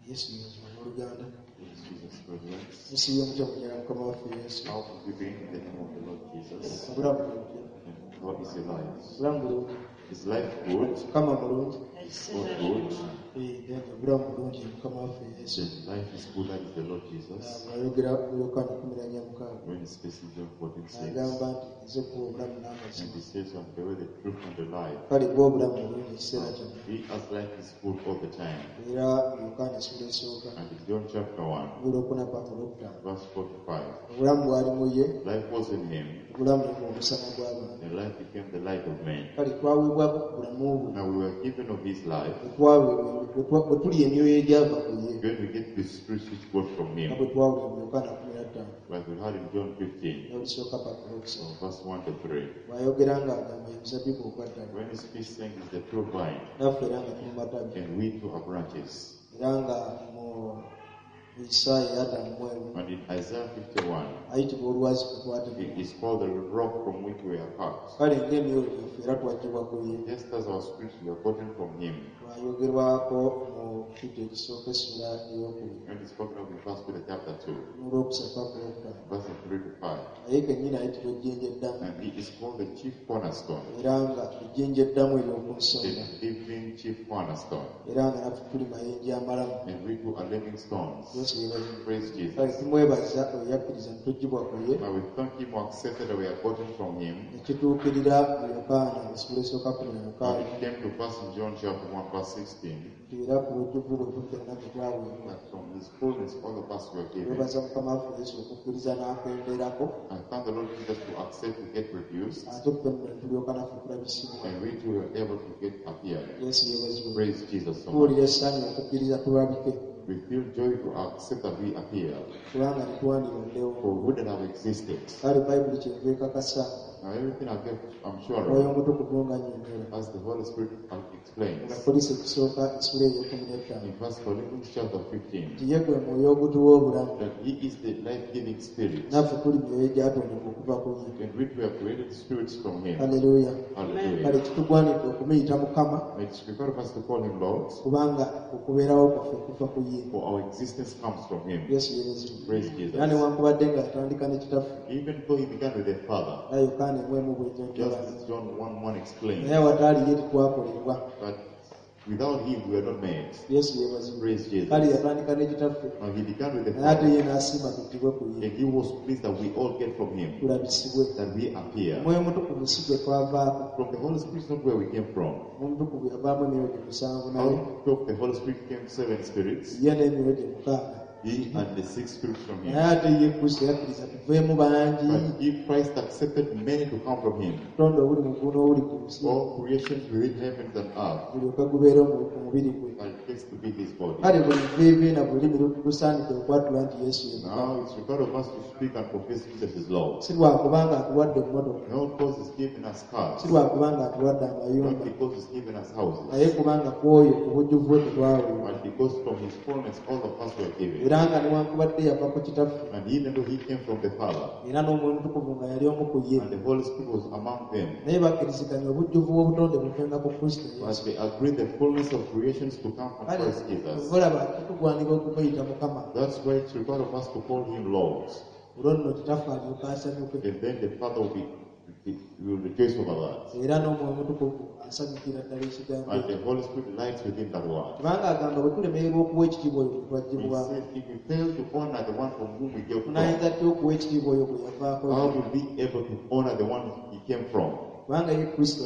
Yesu yeebazibwe abooluganda. Praise Jesus, brethren. Musiibye mutya munyala Mukama waffe Yesu? How have you been in the name of the Lord Jesus? Obulamu buli butya? And how is your life? Obulamu bulungi. Is life good? Mukama mulungi. Is God good? Eh, obulamu bulungi Mukama waffe Yesu. Then life is good, that is the Lord Jesus. Bw'ayogera mu Yokaana 14:6 When he speaks in John 14:6, agamba nti nze kuwa obulamu n'amazima. and he says, I'm the way, the truth, and the life. Kale bwa obulamu bulungi ekiseera kyonna. He as life is good all the time. Era mu Yokaana essula esooka And in John chapter 1, olwokuna paka olwokutaano. verse 4 to 5, Obulamu bwali mu ye, life was in him, obulamu ne buba omusana gw'abantu. and life became the light of men. Kale twaweebwako ku bulamu bwe. Now we were given of his life. Bwe tuli emyoyo egyava ku ye. When we get the spirit which got from Nga him, bwe twawulira mu Yokaana 15. like we heard in John 15, N'olusooka paka olwokusatu. verse 1 to 3. Bw'ayogera ng'agamba ye muzabbibu ogwa ddala. When he speaks saying is the true vine, Naffe era nga tuli matabi. and we too are branches. Era nga mu Isaaya 51 And in Isaiah 51, ayitibwa olwazi kwe twatemebwa. it is called the rock from which we are cut. Kale ng'emyoyo gyaffe era twaggyibwa ku ye. Just as our spirits were gotten from him. Twayogerwako mu Peter ekisooka essula ey'okubiri. When it's spoken of in 1 Peter chapter 2, N'olwokusatu paka olwokutaano. verses 3 to 5. Naye kennyini ayitibwa ejjinja eddamu. And he is called the chief cornerstone, Era nga ejjinja eddamu ery'oku nsonda. the living chief cornerstone. Era nga naffe tuli mayinja amalamu. And we too are living stones. Yesu yeebazibwe. Praise Jesus. Kale tumwebaza oyo yakkiriza ne tuggyibwa ku ye. Now we thank him who accepted that we are gotten from him. Ne kituukirira mu Yokaana essula esooka kumi na And mukaaga. it came to pass in John chapter 1, verse 16, Nti era ku bujjuvu bwe ffenna bwe twaweebwa. that from his fullness all of us were given. Twebaza Mukama waffe Yesu okukkiriza n'akenderako. I thank the Lord Jesus to accept to get reduced, Ate ffe nno ne tulyoka naffe tulabisibwa. and we too were able to get appeared. Yesu yeebazibwe. Praise Jesus so much. Tuwulira essanyu okukkiriza tulabike. We feel joy to accept that we appear, Kubanga tetwandirondewo. for we wouldn't have existed. Kale Bayibuli kyenva ekakasa. Now everything I get, I'm sure Omwoyo of, Omutukuvu ng'annyonnyola. as the Holy Spirit explains Nga Kkolinso ekisooka essula ey'ekkumi n'ettaano. in 1 Corinthians chapter 15, Nti ye gwe mwoyo ogutuwa obulamu. that He is the life-giving Spirit, Naffe tuli myoyo egyatondebwa okuva ku ye. in which we are created spirits from Him. Haleluya. Hallelujah. Kale kitugwanidde okumuyita Mukama It's required of us to call Him Lord, kubanga okubeerawo kwaffe kuva ku ye. for our existence comes from Him. Yesu yeebazibwe. Praise Era Jesus. newankubadde nga yatandika ne kitaffe Even though He began with the Father, era Yokaana emu emu just bw'ennyonnyola. as John 1:1 explains, Naye awataali ye tetwakolebwa. but without Him we are not made. Yesu yeebazibwe. Praise Jesus. Kale yatandika ne kitaffe Now He began with the naye ate Father, ye n'asiima tuggibwe ku ye and He was pleased that we all get from Him, tulabisibwe. that we appear. Omwoyo Omutukuvu si gwe twavaako. From the Holy Spirit is not where we came from. Omwoyo Omutukuvu yavaamu emyoyo gye musanvu naye Out of the Holy Spirit came 7 spirits, ye n'emyoyo gye mukaaga. He and the 6 spirits from Him. Naye ate ye Kristo yakkiriza tuveemu bangi. But if Christ accepted many to come from Him, Obutonde obuli mu ggulu n'obuli ku nsi all creations within heavens and earth, bulyoke gubeere omubiri gwe. and it takes to be His body. Kale buli viivi na buli lulimi lusaanidde okwatula nti Yesu ye Mukama. Now it's required of us to speak and confess Jesus is Lord. Si lwakubanga atuwadde emmotoka, Not because He's given us cars, si lwakubanga atuwadde amayumba, not because He's given us houses, naye kubanga ku oyo ku bujjuvu bwe tetwaweebwa. but because from His fullness all of us were given. Era nga newankubadde yava ku kitaffe, And even though He came from the Father, era n'Omwoyo Omutukuvu nga yali omu ku ye, and the Holy Spirit was among them, naye bakkiriziganya obujjuvu bw'obutonde buvenga ku Kristo but Yesu. they agreed the fullness of creations to come from Kale Christ Jesus. olaba kitugwanira okumuyita Mukama. That's why it's required of us to call Him Lord. Olwo nno kitaffe alyoke asanyuke. And then the Father will rejoice over that. Era n'Omwoyo Omutukuvu asanyukira ddala ekigambo And ekyo. the Holy Spirit lights within that word. Kubanga agamba bwe tulemererwa okuwa ekitiibwa oyo gwe He twaggyibwako, said, if we fail to honor the one from whom we gave from, tunaayinza tutya okuwa ekitiibwa oyo gwe yavaako? how will we be able to honor the one he came from? Kubanga ye Kristo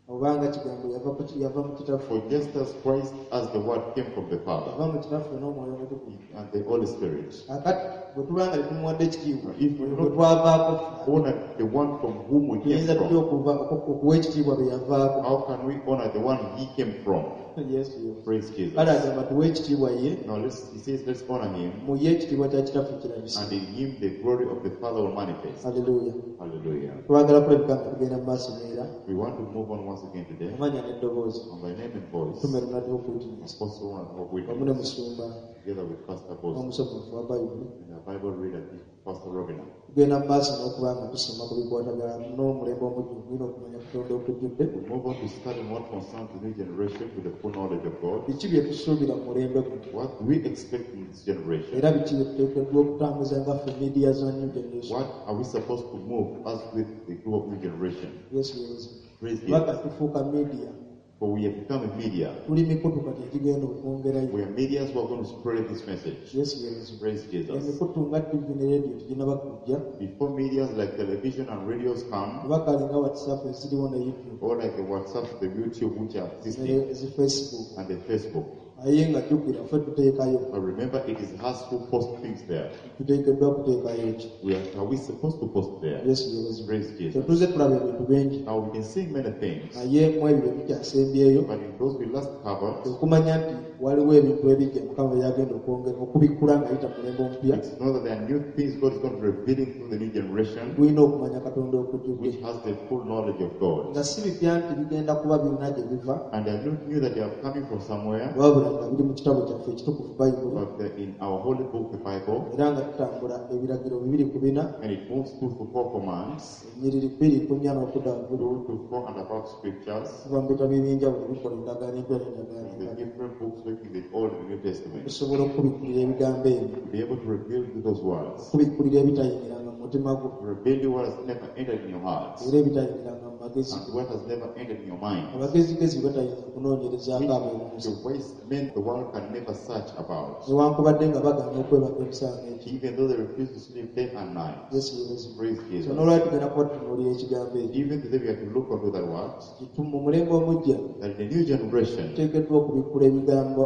obanga kigambo yava mu kitaffe. For just as Christ, as the Word, came from the Father Yava mu kitaffe n'Omwoyo Omutukuvu. and the Holy Spirit, Kaakati bwe tuba nga tetumuwadde ekitiibwa if we gwe not twavaako ffe, honor the one from whom we came tuyinza tutya from, okuwa ekitiibwa be yavaako? how can we honor the one he came from? Yesu ye. Praise Jesus. Kale agamba tuwe ekitiibwa ye, Now he says, let's honor him, mu ye ekitiibwa kya kitaffe kirabise. and in him the glory of the Father will manifest. Haleluya. Hallelujah. Twagala kulabika nga tugenda mu maaso neera We want to move on once again today amanya n'eddoboozi. on by name and voice. Tume Ronald Hope Witness Apostle Ronald Hope wamu ne Witness musumba together with Pastor Bosco n'omusomi waffe wa Bayibuli. And our Bible reader, Pastor Robina. Tugenda mu maaso n'okuba nga tusoma ku bikwatagana n'omulembe omujjuvu gulina okumanya Katonda okujjudde. We move on to study what concerns the new generation with the full knowledge of God. Biki bye tusuubira mu mulembe guno? What do we expect in this generation? Era biki bye tuteekeddwa okutambuza nga ffe media za new generation? What are we supposed to move as with the group of new generation? Yesu yeebazibwe. Praise Kubanga Jesus. Tufuuka media. For we have become a media. Tuli mikutu kati egigenda okwongerayo. We are medias who are going to spread this message. Yesu yeebazibwe. Praise Jesus. Emikutu nga TV ne radio teginaba kujja, Before medias like television and radios come, oba kale nga WhatsApp eziriwo ne YouTube or like the WhatsApp, the YouTube, which are existing, ne zi Facebook, and the Facebook. Naye nga jjukira ffe tuteekayo. But remember, it is us who post things there. Tuteekeddwa kuteekayo ki? Are we supposed to post there? Yesu yeebazibwe. Praise Jesus. Tetuze tulaba ebintu bingi, Now we can see many things, naye mu ebyo bye tukyasembyeyo, but in those we last covered, okumanya nti waliwo ebintu ebijja Mukama byagenda okwongera okubikkula ng'ayita mu mulembe omupya, it's not that there are new things God is going to be revealing through the new generation, gulina okumanya Katonda okujjudde, which has the full knowledge of God. Nga si bipya nti bigenda kuba birina gye biva, And they are not new that they are coming from somewhere, wabula nga biri mu kitabo kyaffe ekitukuvu Bayibuli, but they're in our holy book, the Bible, era nga tutambula ebiragiro 2 ku 4, and it moves 2 to 4 commands, ennyiriri 2 ku 4 n'okudda waggulu, 2 to 4 and above scriptures, kuva mu bitabo ebyenjawulo ebikola endagaano empya n'endagaano the enkadde, different books working the Old and the New Testament, okusobola okubikkulira ebigambo ebyo, to be able to reveal you those words, okubikkulira ebitayingiranga mu mutima gwo, to reveal you what has never entered in your heart, era ebitayingiranga mu magezi and go, what has never entered in your mind. Abagezigezi batayinza kunoonyerezaako ab'omu nsi, The wise men the world can never search about, newankubadde nga bagaana okwebaka ebisaana ekyo. Even though they refuse to sleep day and night. Yesu yeebazibwe. Praise So Jesus. n'olwali tugenda kuba tutunuulira ekigambo ekyo. Even today we have to look onto that word, mu mulembe omujja, that in the new generation, tuteekeddwa okubikkula ebigambo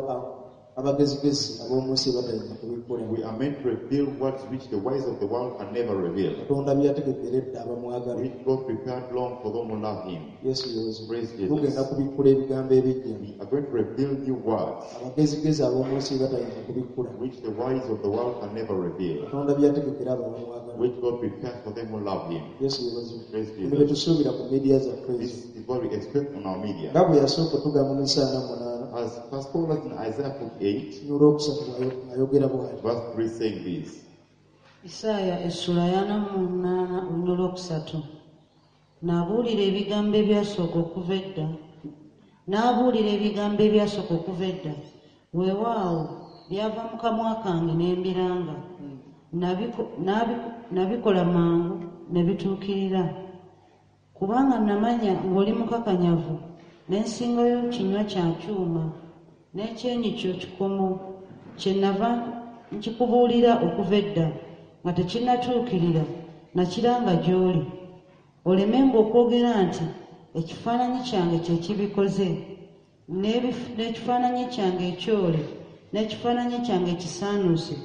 abagezigezi ab'omu nsi batayinza kubikkula, we are meant to reveal words which the wise of the world can never reveal, Katonda bye yategekera edda abamwagala. Which God prepared long for them who love Him. Yesu yeebazibwe. Praise Jesus. Tugenda kubikkula ebigambo ebijja, We are going to reveal new words, abagezigezi ab'omu nsi batayinza kubikkula, which the wise of the world can never reveal, Katonda bye yategekera abo abamwagala. Which God prepared for them who love Him. Yesu yeebazibwe. Praise Bino bye Jesus. tusuubira ku media zaffe ezo. This is what we expect on our media. Nga bwe yasooka otugamba mu Isaaya 8, As Pastor was in Isaiah 48, olwokusatu ayogera bw'ati. Verse 3, saying this. Isaaya essula ya 48 olunyiriri olwokusatu. N'abuulira ebigambo ebyasooka okuva edda, n'abuulira ebigambo ebyasooka okuva edda, weewaawo byava mu kamwa kange ne mbiranga. Nabikola mangu ne bituukirira, kubanga namanya ng'oli mukakanyavu, n'ensingo yo kinywa kya kyuma, n'ekyenyi kyo kikomo. Kyennava nkikubuulira okuva edda nga tekinnatuukirira, nakiranga gy'oli, olemenga okwogera nti ekifaananyi kyange kye kibikoze, n'ekifaananyi kyange ekyole n'ekifaananyi kyange ekisaanuuse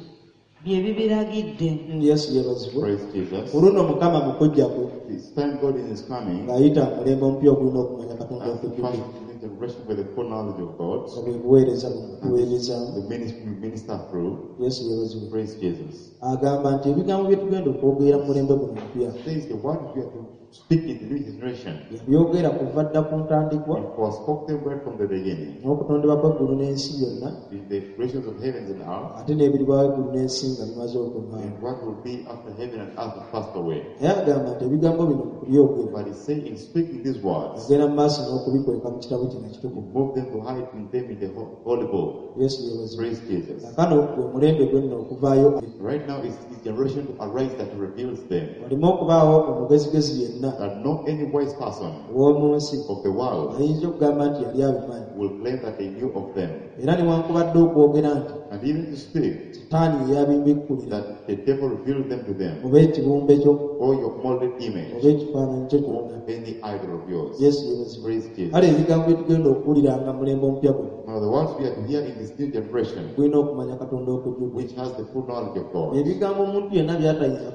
bye bibiragidde. Yesu yeebazibwe. Praise Jesus. Ku luno Mukama mu kujja kwe, This time God in His coming, ng'ayita mu mulembe omupya ogulina okumanya Katonda as the okujjudde, first new generation with the full knowledge of God, nga bwe buweereza buno tuweerezaamu. The ministry we minister through. Yesu yeebazibwe. Praise Jesus. Agamba nti ebigambo bye tugenda okwogera mu mulembe guno omupya, Says the word we are to speak in the new generation. Yabyogera kuva dda ku ntandikwa, He forespoke them right from the beginning, n'okutondebwa kw'eggulu n'ensi byonna, in the creations of heavens and earth, ate n'ebiribwawo eggulu n'ensi nga bimaze okuvaawo. And what will be after heaven and earth have passed away. Naye agamba nti ebigambo bino mu kubyogera, But he said in speaking these words, agenda mu maaso n'okubikweka mu kitabo kino he ekitukuvu. moved them to hide in them in the holy book. Yesu yeebazibwe. Praise Jesus. Kaakano gwe mulembe gwe nno okuvaayo, Right now is his generation to arise that reveals them. Waleme okubaawo omugezigezi yenna That no any wise person ow'omu nsi of the world ayinza okugamba nti yali abimanyi, will claim that they knew of them. Era newankubadde okwogera nti And even to speak Sitaani ye yabimbikulira, that the devil revealed them to them, oba ekibumbe kyo, or your molded image, oba ekifaananyi kyo kyonna. Or any idol of yours. Yesu yeebazibwe. Praise Jesus. Kale ebigambo bye tugenda okuwuliranga mu mulembe omupya guno, Now the words we are to hear in this new generation, gulina okumanya Katonda okujjudde, which has the full knowledge of God, ebigambo omuntu yenna byatayinza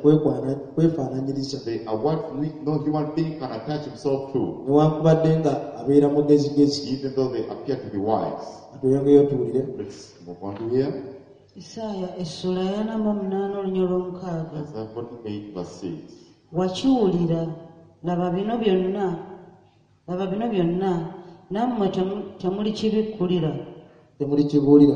kwefaananyiriza, they are words which no human being can attach himself to, newankubadde nga abeera mugezigezi. Even though they appear to be wise. Atweyongeyo tuwulire. Let's move on to here. Isaaya essula ya 48 olunyiriri olwomukaaga. Isaiah 48, verse 6. Wakiwulira, laba bino byonna, laba bino byonna, nammwe temulikibikkulira. Temulikibuulira.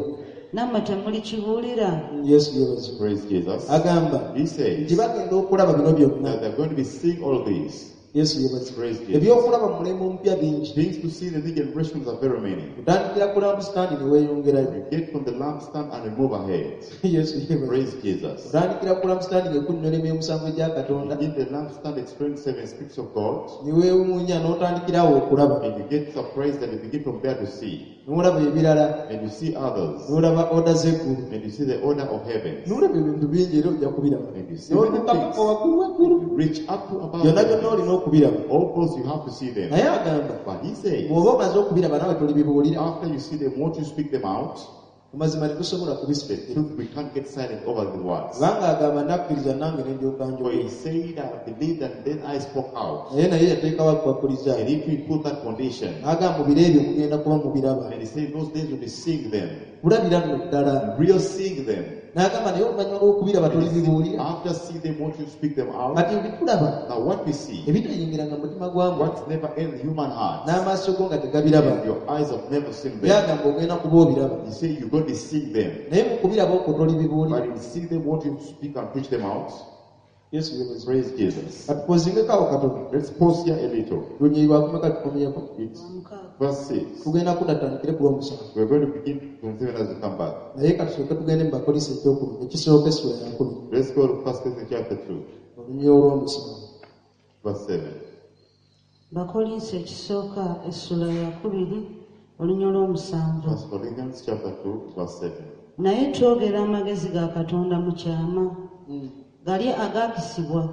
Nammwe temulikibuulira? Yesu yeebazibwe. Praise Jesus. Agamba He says nti bagenda okulaba bino byonna. that they're going to be seeing all these. Yesu yeebazibwe. Praise Jesus. Ebyokulaba mu mulembe omupya bingi. Things to see in the new generations are very many. Otandikira ku lampstand ne weeyongerayo. We get from the lampstand and we move ahead. Yesu yeebazibwe. Praise Jesus. Otandikira ku lampstand ng'ekunnyonnyola emyomusanvu egya Katonda In the lampstand explains seven spirits of God, ne weewuunya n'otandikirawo okulaba and you get surprised and you begin from there to see. n'olaba ebirala And you see others, n'olaba oda z'eggulu and you see the order of heaven. n'olaba ebintu bingi era ojja kubiraba And you see many n'otuuka things. paka waggulu waggulu You reach up to above. byonna byonna heaven. olina okubiraba. All those you have to see them. Naye agamba But he says, bw'oba omaze okubiraba naawe tolibibuulira. after you see them, won't you speak them out? Amazima tetusobola The kubisipekera truth, we can't get silent over the words. kubanga agamba nakkiriza nange ne ndyoka For njogera. he said, I believed and then I spoke out. Naye naye yateekawo akubakkuliza And if we put that condition, n'agamba mu biro ebyo mugenda kuba mubiraba. and he said, those days will be seeing them, Kulabira nno ddala. real seeing them. N'agamba naye oluvannyuma lw'okubiraba tolibibuulira. After seeing them, won't you speak them out? Kati bitulaba Now, what we see, ebitayingiranga mu mutima gwa muntu what's never in the human heart, n'amaaso go nga tegabiraba. and your eyes have never seen them. Byagamba ogenda kuba obiraba You say you're going to see them, naye mu kubiraba okwo tolibibuulira. but in seeing them, won't you speak and preach them out? Yesu yeebazibwe. Praise Jesus. Katupoozingeko awo katono. Let's pause here a little. Lunyiriri lwakumeka tukomyeko? It's Lwamukaaga. verse 6. Tugenda kudda tutandikire ku lw'omusanvu. We're going to begin from 7 as we come back. Naye katusooke tugende mu Bakolinso ekyokubiri ekisooka essula ya 2 Let's go to 1 Corinthians chapter 2, olunyiriri olw'omusanvu. verse 7. Bakolinso ekisooka essula ya 2 olunyiriri olw'omusanvu. 1 Corinthians chapter 2, verse 7. Naye twogera amagezi ga Katonda mu kyama, gali agaakisibwa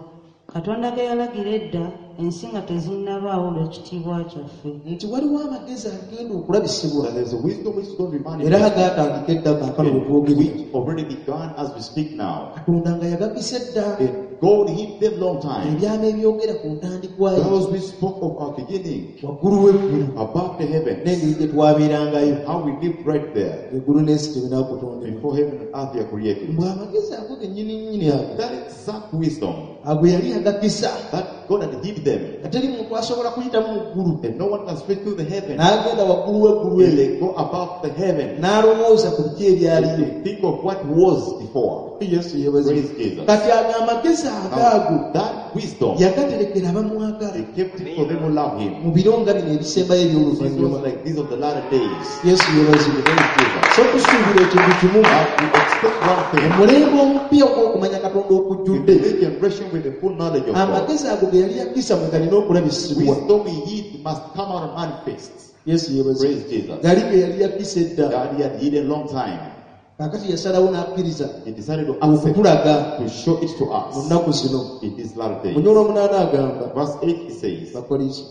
Katonda ge yalagira edda ensi nga tezinnabaawo olw'ekitiibwa kyaffe. Nti waliwo amagezi agenda okulabisibwa That there's a wisdom which is going to be era manifested, gaatandika edda kaakano bwe twogerera. which already began as we speak now. Katonda nga yagakisa edda And God hid them long time. ebyama ebyogera ku ntandikwa ye Those we spoke of our beginning, waggulu w'eggulu above the heavens, n'engeri gye twabeerangayo how we lived right there eggulu n'ensi tebinakutondebwa. before heaven and earth were created. Mbwe amagezi ago gennyini nnyini ago That exact wisdom ago yali agakisa that God had hid them, nga teri muntu asobola kuyitamu mu ggulu and no one can speak through the heaven. n'agenda waggulu w'eggulu And eryo they go above the heaven. n'alowooza ku biki ebyaliyo. They think of what was before. Yesu yeebazibwe. Praise Jesus. Kati ago amagezi agaago Now, that wisdom, yagaterekera abamwagala they kept it for them who love him. mu biro nga bino ebisembayo Seasons eby'oluvannyuma. like these of the latter days. Yesu yeebazibwe. Praise Jesus. So tusuubira ekintu kimu But we expect one thing. omulembe omupya ogw'okumanya Katonda The okujjudde new generation with the full knowledge of God. amagezi ago ge yali yakisa mwe galina okulabisibwa. Wisdom he hid must come out and manifest. Yesu yeebazibwe. Praise Jesus. Gali ge yali yakisa edda That he had hidden long time. kaakati yasalawo n'akkiriza He decided to accept, okutulaga to show it to mu us nnaku zino. in these latter days. Munyolo omunaana agamba Verse 8 he says, Bakolinso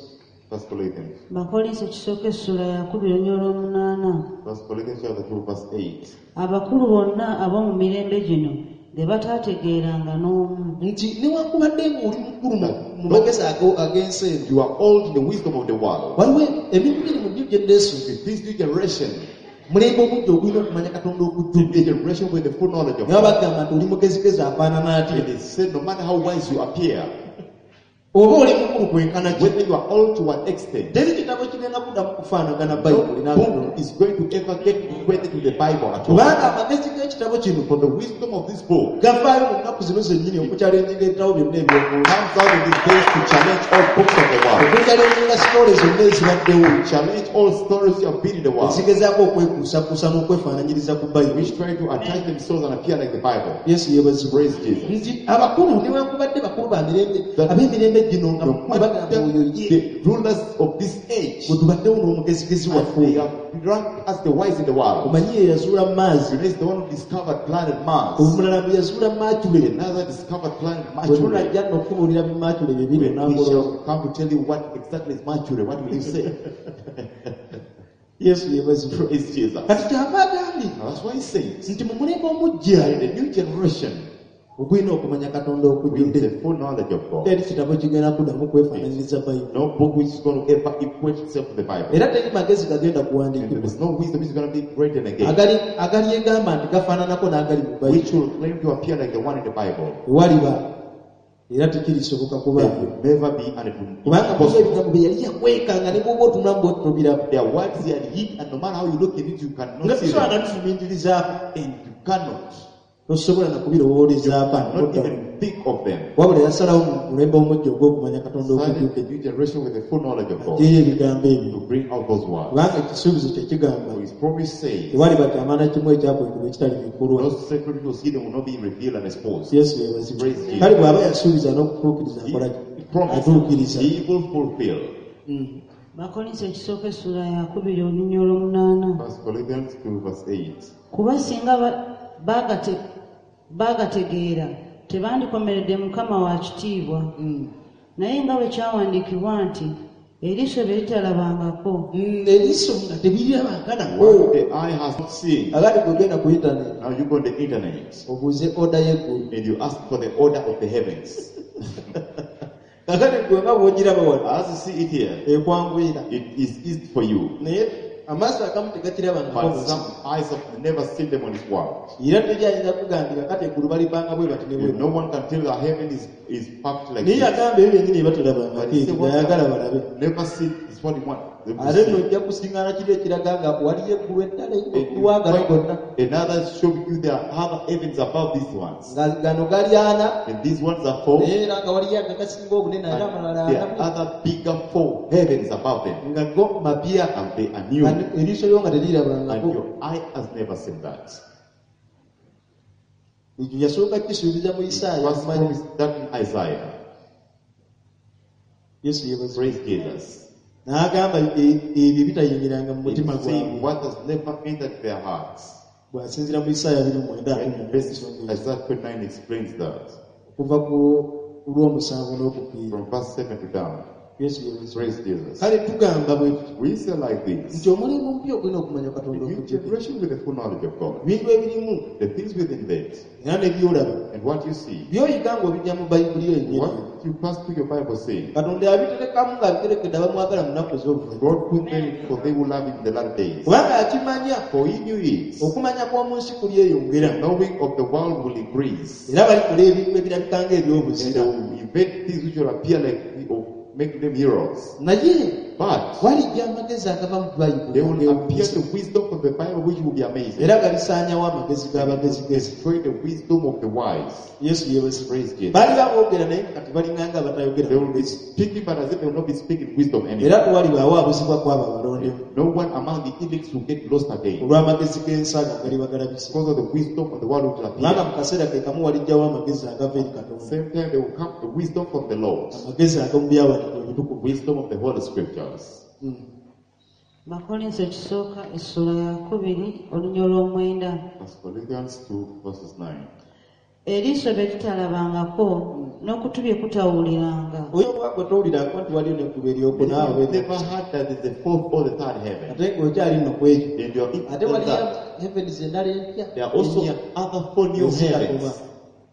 First Corinthians, Bakolinso ekisooka essula ya 2 olunyiriri olw'omunaana. First Corinthians chapter 2, verse 8. Abakulu bonna ab'omu mirembe gino ge bataategeeranga n'omu. Nti newankubadde ng'oli mukulu mu magezi ag'ensi eno You are old in the wisdom of the world. waliwo ebintu biri mu new generation With this new generation, mulembe omujja ogulina okumanya Katonda the okujjudde generation with the full knowledge of naye God. bagamba nti oli mugezigezi afaanana atya And it said, no matter how wise you appear, oba oli mukulu kwenkana ki whether you are old to what extent, teri kitabo kigenda kuddamu kufaanagana no bayibuli n'akatonda book is going to ever get equated to the Bible at all. kubanga amagezi g'ekitabo kino For the wisdom of this book gavaayo mu nnaku zino zennyini okukyalenjinga ebitabo byonna eby'omwoyo comes out in these days to challenge all books of the world, okukyalenjinga sitole zonna ezibaddewo to challenge all stories you have been in the world, ezigezaako okwekuusakuusa n'okwefaananyiriza ku bayibuli. which try to attach themselves and appear like the Bible. Yesu yeebazibwe. Praise Jesus. Nti abakulu newankubadde bakulu ba mirembe ab'emirembe gino nga No bagamba oyo matter ye the rulers of this age, bwe tubaddewo n'omugezigezi waffe they oyo are ranked as the wise in the world. omanyi ye yazuula Maazi You know, it's the one who discovered planet Mars. omulala bwe yazuula Mercury Another discovered planet bwe Mercury. tunajja nno okubuulira bi Mercury bye biri When we onangolola shall come to tell you what exactly is Mercury, what will you say? Yesu yeebazibwe. Praise Jesus. Kati kyava agambye Now that's why he says nti mu mulembe omuggya that in the new generation, ogulina okumanya Katonda with okujjudde the full knowledge of God, teri kitabo kigenda kuddamu kwefaananyiriza bayibuli no book which is going to ever equate itself to the Bible. era teri magezi gagenda And kuwandiikibwa there is no wisdom which is going to be written again, agalyegamba nti gafaananako n'agali mu bayibuli which will claim to appear like the one in the Bible. ewaliba. Era tekirisoboka It kubaawo. will never be, and it will Kubanga be mulimu possible. ebigambo bye yali yakweka nga ne bw'oba otunulamu bw'oti tobiraba. There are words he had hid, and no matter how you look at it, you Nga cannot see tusobola them. na tufumiitirizaako. And you cannot, Tosobola na kubirowoolezaako not anodda. even think of them. Wabula yasalawo mu mulembe omujja ogw'okumanya Katonda Silent okujjudde. the new generation with the full knowledge of God Aggyeyo ebigambo ebyo. to bring out those words. Kubanga ekisuubizo kye kigamba For his promise says, tewaliba kyama kimu ekyakwekebwa ekitali bikulwa. those secret was hidden will not be revealed and exposed. Yesu yeebazibwe. Praise Jesus. Kale bw'aba yasuubiza n'okutuukiriza akola ki? He promised, Atuukiriza. he will fulfill. Bakolinso ekisooka essula ya 2 olunyiriri olw'omunaana. First Corinthians 2 verse 8. Kuba singa baagategeera tebandikomeredde Mukama wa kitiibwa. Naye nga bwe kyawandiikibwa nti eriiso bye litalabangako Eriiso nga tebirirabanga nako. What the eye has not seen. Kakati bw'ogenda ku internet Now you go on the internet obuuze order y'eggulu. and you ask for the order of the heavens. Kakati gwe nga bw'ogiraba wano As you see it here, ekwanguyira. it is easy for you. Naye amaaso agamu tegakirabangako But mu nsi. some eyes have never seen them on this world. Era teri ayinza kugambira kati eggulu balipanga bwe bati ne bwe If bati. no one can tell that heaven is packed like Naye this. yagamba ebyo byennyini bye batalabangako But he ebyo said, what by'ayagala balabe. I've never seen is what he wants them to Ate nno see. ojja kusiŋŋaana kiri ekiraga nga waliyo eggulu eddala And waggulu you w'agano gonna. find another show you there are other heavens above these ones. Nga gano gali ana And these ones are four. naye era nga waliyo agagasinga obunene And ate amalala there ana are other bigger four heavens above them. nga go mapya. And they are new. Nga eriiso lyo nga And terirabangako. your eye has never seen that. Ekyo yasooka kisuubiza mu He Isaaya. first Omanyi. promised that in Isaiah. Yesu yeebazibwe. Praise Jesus. N'agamba ebyo bitayingiranga mu He mutima is saying gwabwe. what has never entered their hearts. Bw'asinziira mu Isaaya 29 And verse Isaiah 29 explains that. okuva ku lw'omusanvu n'okufiira. From verse 7 to down. Yesu yeebazibwe. Praise Jesus. Kale tugamba bwe tuti We say like this. nti omulembe omupya ogulina okumanya The Katonda new okujjudde. generation with the full knowledge of God. Ebintu ebirimu The things within that era ne by'olaba and what you see. by'oyiga ng'obijja mu Bayibuli yo yennyini. What you pass through your Bible saying. Katonda yabiterekamu ng'abiterekedde abamwagala mu nnaku ez'oluvannyuma. God put them for they will love him in the last days. Kubanga yakimanya For he knew it. okumanya kw'omu nsi kulyeyongera. Knowing of the world will increase. Era balikola ebintu ebirabika And they ng'ebyobuzira. will invent things which will appear like or make them heroes. Naye But walijja amagezi agava mu Bayibuli they will appear ag'ewuunyisa. the wisdom from the Bible which will be amazing. Era galisaanyawo amagezi g'abagezigezi. Destroy the wisdom of the wise. Yesu yeebazibwe. Praise Jesus. Baali baboogera naye nga kati balinganga abatayogera They will be magezi. speaking, but as if they will not be speaking wisdom anymore. Era tewalibaawo abuzibwa kw'abo abalondemu No one among the elect will get lost again olw'amagezi g'ensi ago agaliba galabise. because of the wisdom of the world which will Kubanga appear. mu kaseera ke kamu walijjawo amagezi agava eri Katonda. Same time, there will come the wisdom from the Lord, Amagezi ag'omu byawandiikibwa ebitukuvu. wisdom of the Holy Scriptures. Bakolinso ekisooka essula ya 2 olunyiriri olw'omwenda. First Corinthians 2, verses 9. Eriiso bye litalabangako n'okutu bye kutawuliranga. Oyo obwagwo towulirako nti waliyo n'eggulu eryokuna oba You've never heard that there's the fourth or the third heaven. ate ng'okyali nno ku ekyo. And you're Ate in waliyo that. heavens endala empya There are also ennya other four new Ezira heavens kuba.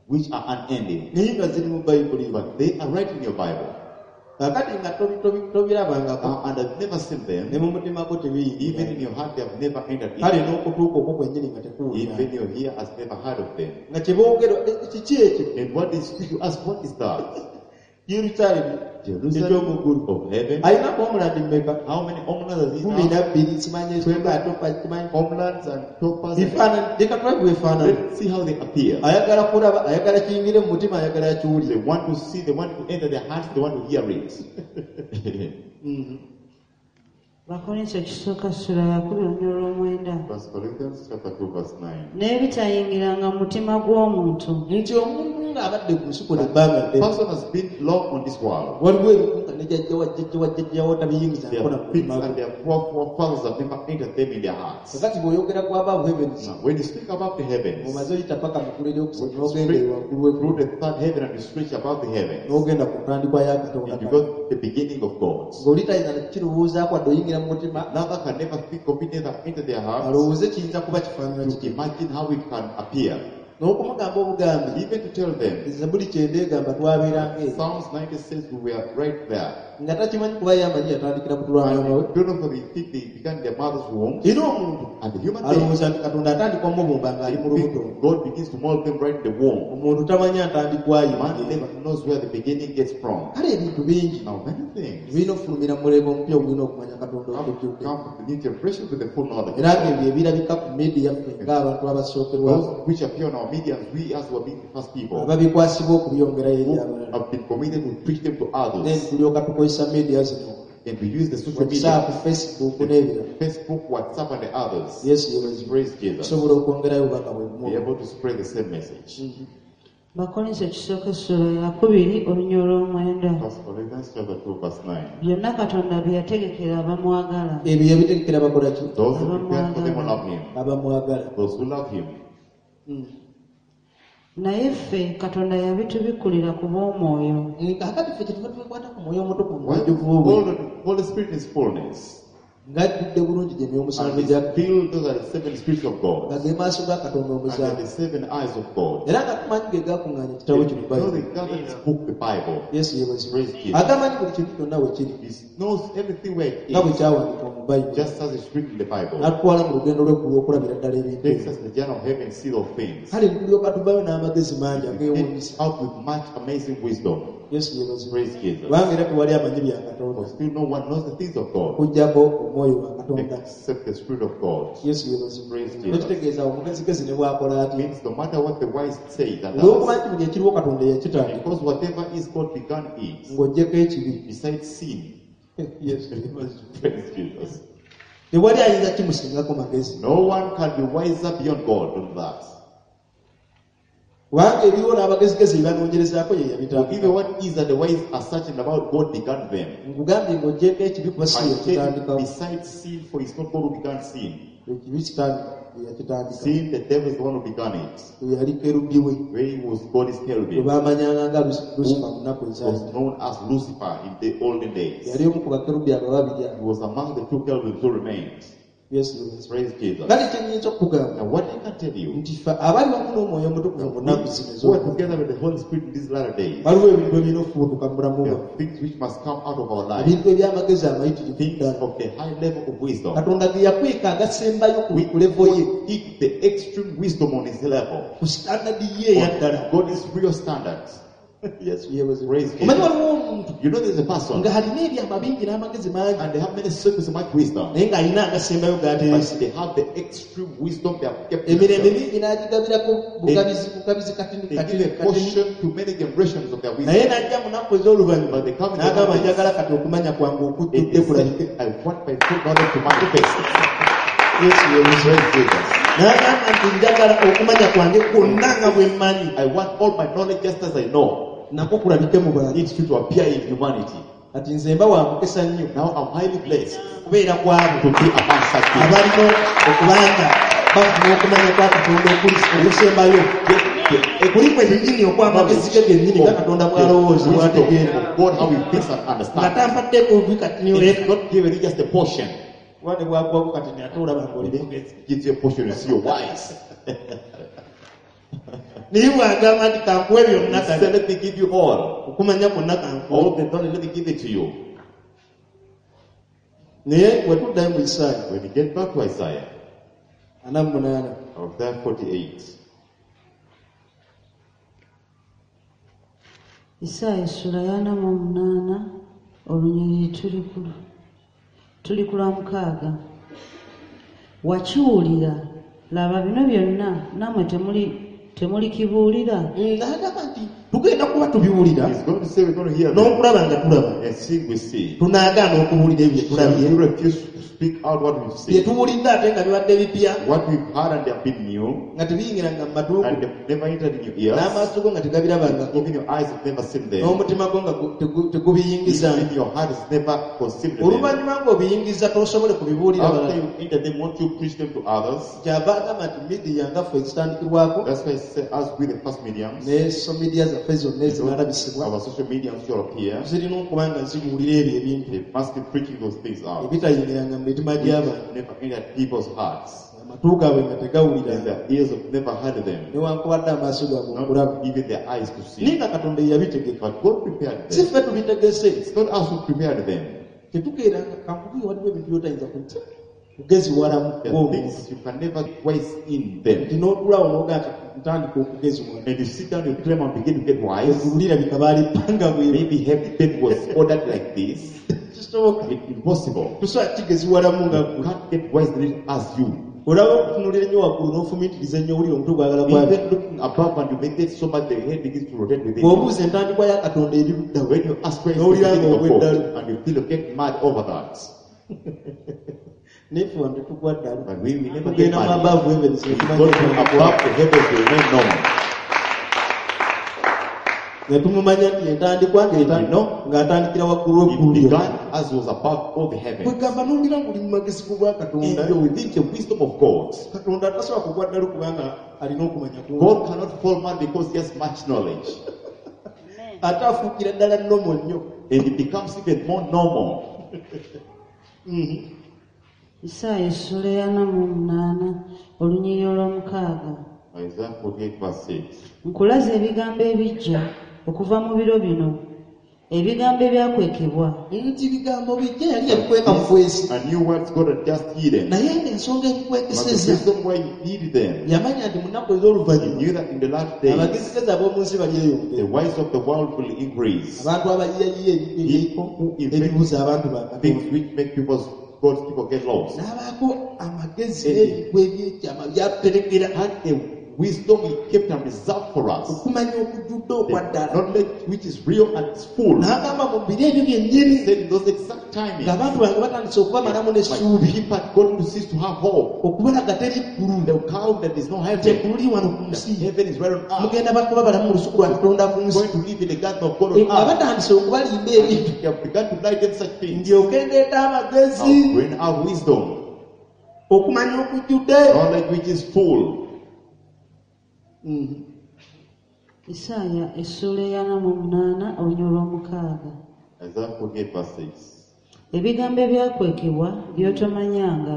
which are unending. naye nga ziri mu Bayibuli. But they are right in your Bible. Kaakati nga tobirabangako And I've never seen ne them. mu mutima gwo Even tebiyingira. in your heart, they have never entered Kale in. n'okutuuka okwo kwennyini nga tekuwulira. Even your ear has never heard of them. Nga kye boogera kiki ekyo? And what is, you ask, what is that? Yerusaalemi Jerusalem eky'omu of heaven. Alina homeland mmeka? How many homelands does he Kumi have? na bbiri simanyi ekitundu atopa simanyi. Homelands and toppers. Bifaananyi leka tulabe bwefaanana. Let's see how they appear. Ayagala kulaba, ayagala kiyingire mu mutima, ayagala akiwulire. They want to see, they want to enter their hearts, they want to hear it. Bakolinso ekisooka essula ya 2 olunyiriri olw'omwenda. First Corinthians chapter 2, verse 9. N'ebitayingiranga mu mutima gw'omuntu Nti omuntu ng'abadde ku nsi kuno ebbanga The ddene. person has been long on this world. Waliwo ebintu nga ne jjajja wa jjajja wa jjajja wo tabiyingizaako Their na mu feet mutima and gwe. their forefathers have never entered them in their hearts. Kakati bw'oyogera ku above heavens, Now, when you speak about the heavens, omaze oyita paka mu ggulu when eryokusatu you n'ogenda speak ewaggulu w'eggulu through the third heaven and you stretch above the heavens, n'ogenda ku ntandikwa ya Katonda. and you got the beginning of God. Ng'oli tayinza na kukirowoozaako wadde oyingira mu mutima Another can never think of it, never enter their hearts alowooze kiyinza kuba kifaanana to kiti. imagine how it can appear. N'okumugamba obugambi Even to tell them, Zabbuli kyenda egamba twabeeranga eyo. Psalms 90 says we were right there. Nga takimanyi kuba ye amanyi yatandikira mu lwa And maama we. they don't know for they think they began in their mother's womb. Era omuntu And the human being, alowooza nti Katonda atandika omubumba ng'ali mu lubuto. God begins to mold them right in the womb. Omuntu tamanyi atandikwayo. Man never knows where the beginning gets from. Kale ebintu bingi Now, many things birina okufulumira mu mulembe omupya ogulina okumanya Katonda have okujjudde. come from the new generation with the full knowledge. Era ng'ebyo ebirabika ku media ffe ng'abantu abasookerwako Those which appear on our media, we as were being the first people ababikwasibwa okubyongerayo eri who abalala. have been committed to preach them to Then others. tulyoka tukozesa media zino And we use the social WhatsApp, media, Facebook n'ebirala. Facebook, WhatsApp, and the others. Yesu yeebazibwe. Praise Jesus. Tusobola okwongerayo obubaka bwe bumu. Be able to spread the same message. Bakolinso ekisooka essula ya 2 olunyiriri olw'omwenda. First Corinthians chapter 2, verse 9. Byonna Katonda bye yategekera abamwagala. Ebyo yabitegekera bakola ki? Those who prepare for them who love him. Abamwagala. Those who love him. Naye ffe Katonda yabitubikkulira ku bw'omwoyo. Kaakati ffe kyetuva tubikwata ku mwoyo omutukuvu mu When bujjuvu bwe. all the Holy Spirit is fullness. Ng'ajjudde bulungi gye myoyo And omusanvu is gya filled, those are the seven spirits of God. nga ge maaso ga Katonda And omusanvu. they're the seven eyes of God. Era nga tumanyi ge gakuŋŋaanya ekitabo kino Know Bayibuli. the gathered this book, the Bible. Yesu yeebazibwe. Praise Jesus. Agamba nti buli kintu kyonna we kiri He knows everything where it nga bwe is, kyawandiikibwa mu Bayibuli. just as it's written in the Bible. N'atutwala mu lugendo lw'eggulu okulabira ddala ebintu Takes ebyo. us the journey of heaven, see all things. Kale tulyoka tuvaayo n'amagezi mangi He ageewuunyisa. gets out with much amazing wisdom. Yesu yeebazibwe. Praise Jesus. Kubanga era tewali amanyi bya Katonda But still no one knows the things of God okuggyako omwoyo wa Katonda. except the Spirit of God. Yesu yeebazibwe. Praise Jesus. Ekitegeeza omugezigezi ne bw'akola atya. Means no matter what the wise say, that Olw'okuba nti buli ekiriwo Katonda yakitandika because whatever is God began it, ng'oggyeko ekibi. besides sin. Yesu yeebazibwe. Praise Jesus. Tewali ayinza kimusingako magezi. No one can be wiser beyond God than that. Kubanga ebiriwo n'abagezigezi bye banoonyerezaako ye For yabitandika. even what is that the wise are searching about, God began them. Nkugambye ng'oggyeko ekibi kuba si I ye tell you, yakitandikawo. besides sin, for it's not God who began sin. Ekibi Sitaani ye yakitandika. Sin, the devil is the one who began it. Oyo yali kerubi we Where he was God is gwe cherubim, baamanyanga nga Lusifa mu nnaku was ezaayita. known as Lucifer in the olden days. Yali omu ku bakerubi abo babiri He abo. was among the two cherubims who remained. Yesu yeebazibwe. Praise Jesus. Kale kye nnyinza okukugamba Now, what I can tell you, nti ffe abali wamu n'omwoyo omutukuvu mu nnaku zino who are ez'oluvannyuma, together with the Holy Spirit in these latter days, waliwo ebintu ebirina okufubutuka mu bulamu there bwaffe. are things which must come out of our life, Ebintu eby'amagezi amayitirivu things ddala. of the high level of wisdom. Katonda ge yakweka agasembayo ku We ku level ye, keep the extreme wisdom on his level. ku standard ye eya ddala. God is real standards. Yesu yeebazibwe. Praise Jesus. Omanyi waliwo omuntu You know, there's a person ng'alina ebyama bingi n'amagezi mangi and they have many secrets and much wisdom, naye ng'alina agasembayo g'aterese. but they have the extreme wisdom they have kept. Emirembe themselves. mingi n'agigabirako bugabizi bugabizi katini They katini give a katini. portion to many generations of their Naye wisdom. n'ajja mu nnaku ez'oluvannyuma But they come in the n'agamba last days. njagala kati okumanya kwange And okujjudde they kulabike. say, I want my full knowledge to manifest. Yesu yeebazibwe. Praise Jesus. N'agamba nti njagala okumanya kwange kwonna nga bwe mmanyi I want all my knowledge just as I know. nakwo kulabike mu bantu. It should appear in humanity. Kati nze mba wa mukisa nnyo Now I'm highly blessed okubeera ku abo to be among such people. abalina okubanga bafuna okumanya kwa Katonda okusembayo Get kuli kwe nnyini okw'amagezi ge gennyini nga Katonda the bw'alowooza wisdom bw'ategeera of God, how he thinks and nga understands. tanfaddeko katini It's not given you just a portion. kuba ne bwakuwako katini ate olaba ng'oli mugezi. Gives you a portion, you see you're wise. Naye bw'agamba nti kankuwe byonna He kati said, let me give you all. okumanya kwonna kankuwe. All the knowledge, let me give it to you. Naye bwe tuddayo mu Isaaya When you get back to Isaiah, 48 Isaiah 48, Isaaya essula ya 48 olunyiriri tuli ku lwa 6. Wakiwulira, laba bino byonna nammwe temulikibuulira. N'agamba nti tugenda kuba tubiwulira he's going to say, we're going to hear them. n'okulaba nga tulaba And see, we see. tunaagaana okubuulira ebyo bye Shall tulabye we refuse to speak out what we've bye seen? tuwulidde ate nga bibadde bipya What we've heard and they have been new, nga tebiyingiranga mu matu and they've never entered in your ears, n'amaaso go nga tegabirabangako even your eyes have never seen them, n'omutima gwo nga tegubiyingiza. even your heart has never conceived them. Oluvannyuma ng'obiyingiza tosobole kubibuulira After balala. you enter them, won't you preach them to others? Kyava agamba nti midiya nga ffe ezitandikirwako That's why I say, as we the first mediums, ne social media zaffe zonna ezinalabisibwa our social mediums shall appear, zirina okuba nga zibuulira ebyo ebintu they must be preaching those things out. ebitayingiranga mu mitima Which gy'abantu never entered people's hearts. Amatu gaabwe nga tegawulira. And their ears have never heard them. Newankubadde amaaso gaabwe okulaba. Not even their eyes to Naye see. nga Katonda ye yabitegeka. But God prepared Si them. ffe tubitegese. It's not us who prepared them. Tetukeeranga kankubuye waliwo ebintu by'otayinza kugeziwalamu There are ng'omuntu. things you can never get wise in them. Nti n'otuulaawo n'ogamba ntandika okugeziwala. And you sit down, you claim and begin to get wise. Eggulu lirabika baalipanga bweru. Maybe heaven bed was ordered like this. Kisoboka. It's impossible. Tosobola kigeziwalamu nga You ggwe. can't get wise as you. Olaba okutunuulira ennyo waggulu n'ofumiitiriza ennyo owulira omutwe gwagala kwabi. Even looking above and you meditate so much, the head begins to rotate within you. Bw'obuuza entandikwa ya Katonda eri ludda wa? When you ask where is the N'owulira beginning of God, ng'ogwa and you feel you get mad over that. Naye ffe wano tetugwa ddalu. But we never get Tugenda mu mad. above heavens ne We tumanya go to entandikwa. above the heavens, we remain normal. Ne tumumanya nti entandikwa ng'atandikira waggulu It w'eggulu lyonna. began as was above all the heavens. Kwegamba n'owulira ng'oli mu magezi g'obwa And Katonda. you're within the wisdom of God. Katonda tasobola kugwa ddalu kubanga alina okumanya kungi. God cannot fall mad because he has much knowledge. Ate afuukira ddala nnomo nnyo. And it becomes even more normal. Isaaya essula ey'ana mu munaana olunyiriri olw'omukaaga. Isaiah 48 verse 6. Nkulaze ebigambo ebijja okuva mu biro bino, ebigambo ebyakwekebwa Nti bigambo bijja yali yabikweka bukwesi. And new words God had just hidden. Naye ng'ensonga But the ebikwekeseza reason why he hid them, yamanya nti mu nnaku he ez'oluvannyuma knew that in the last days, abagezigezi ab'omu nsi the balyeyongera. wise of the world will increase. Abantu abayiyayiya People who invent ebibuza abantu ba Katonda. things which make people's God's people get lost. N'abaako amagezi n'ebigwa ebyekyama byaterekera Had a wisdom he kept and reserved for us. okumanya okujjudde okwa The ddala. knowledge which is real and is full. N'agamba mu biro ebyo byennyini He said in those exact timings, ng'abantu bange batandise okubamalamu my n'essuubi people had gone to cease to have hope. okubalaga teri ggulu The count that is no heaven. teggulu wano ku That nsi heaven is right on earth. mugenda bakuba balamu mu lusuku lwa Katonda ku nsi. Going to live in the garden of God on Nga earth. batandise okubalimba ebintu They have begun to lie them such things. ndyoke ndeeta amagezi I'll bring out wisdom, okumanya okujjudde. knowledge which is full. Isaaya essula ey'ana mu munaana olunyiriri olw'omukaaga. Isaiah 48 verse 6. Ebigambo ebyakwekebwa by'otomanyanga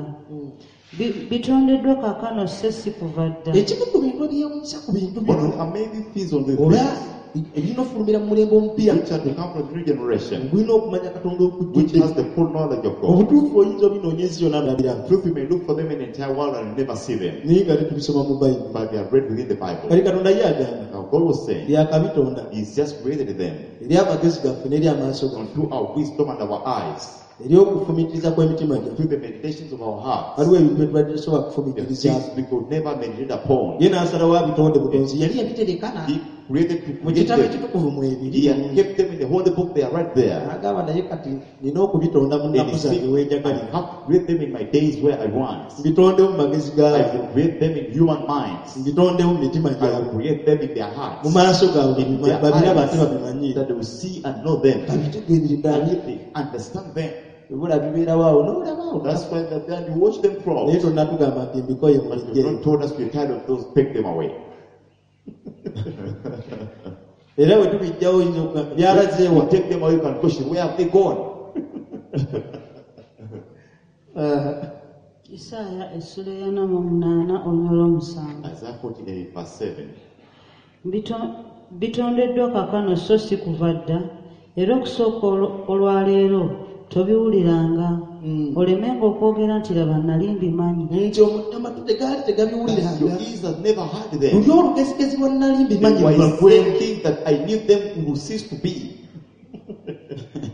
bitondeddwa kaakano sso si kuva dda. Ekimu ku bintu ebyewuunyisa ku bintu One bino of the amazing things on the oba things ebirina ofulumira mu mulembe omupya which are to come from the new generation, gulina okumanya Katonda which okujjudde. has the full knowledge of God. Obutuufu oyinza obinoonya ensi yonna nabiraba. Truth, you may look for them in the entire world and you never see them, Naye nga tetubisoma mu Bayibuli. but they are read within the Bible. Kali Katonda ye agamba Now, God was saying, byakabitonda He's just created them eri amagezi gaffe n'eri amaaso gaffe unto our wisdom and our eyes, eri okufumiitiriza kw'emitima gyaffe. to the meditations of our hearts. Waliwo ebintu bye tubadde tusobola The kufumiitirizaako. things we could never meditate upon. Ye n'asalawo abitonde butonzi yali yabitereka He created to mu create kitabo them. ekitukuvu mwebiri. He had kept them in the holy book, they are right there. N'agamba naye kati nina okubitonda mu And nnaku he zange said, I wenjagalira. have to create them in my days where I want. Mbitondewo mu magezi I gaabwe, will create them in human minds. mbitondewo mu mitima I gyabwe, will create them in their mu hearts. maaso gaabwe In their babiraba ate eyes, babimanyiire. that they will see and know them. Babitegeerere And ddala. if they understand them. Ebula bibeerawo awo n'olaba awo. That's why they're there and you watch them crawl. Naye tonnatugamba nti mbikoye But you've mubijje. not told us we're tired of those, take them away. Era bwe tubijjawo oyinza okugamba byalazeewa. You take them away, you can question, where have they gone? Isaaya essula ey'ana mu munaana olunyiriri olw'omusanvu. Isaiah 48 verse 7. Bitondeddwa kaakano so si kuva dda, era okusooka olwaleero tobiwuliranga. Olemenga okwogera nti laba nali mbimanyi. Nti amatu tegaali tegabiwuliranga. Your ears have never heard them. Luli olugezigezi lwa nali mbimanyi They were lubagwe. thinking that I knew them will cease to be.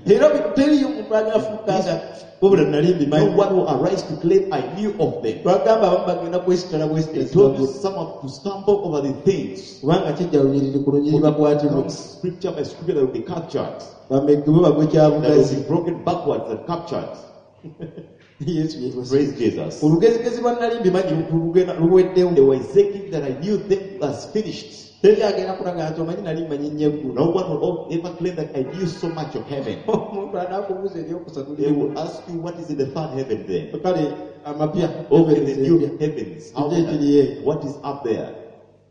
Era teriyo omuntu agaafuuka nga wabula nali No mbimanyi. one will arise to claim I knew of them. Twagamba abamu bagenda kwesitala They bwesitazi told you some have to stumble over the things. kubanga kijja lunyiriri ku lunyiriri bakwatibwe Comes scripture by scripture that will be captured. bameggebwe bagwe That will kyabugazi. be broken backwards and captured. Yesu yeebazibwe. Praise Jesus. Olugezigezi lwa nali mbimanyi luweddewo. They were saying that I knew them as finished. Teri agenda kulaga nti omanyi nali mmanyi nnyo eggulu. No one will ever claim that I knew so much of heaven. Omuntu anaakubuuza eryokusatu They will ask you what is in the third heaven then. kale amapya Open the empya. new heavens. What is up there?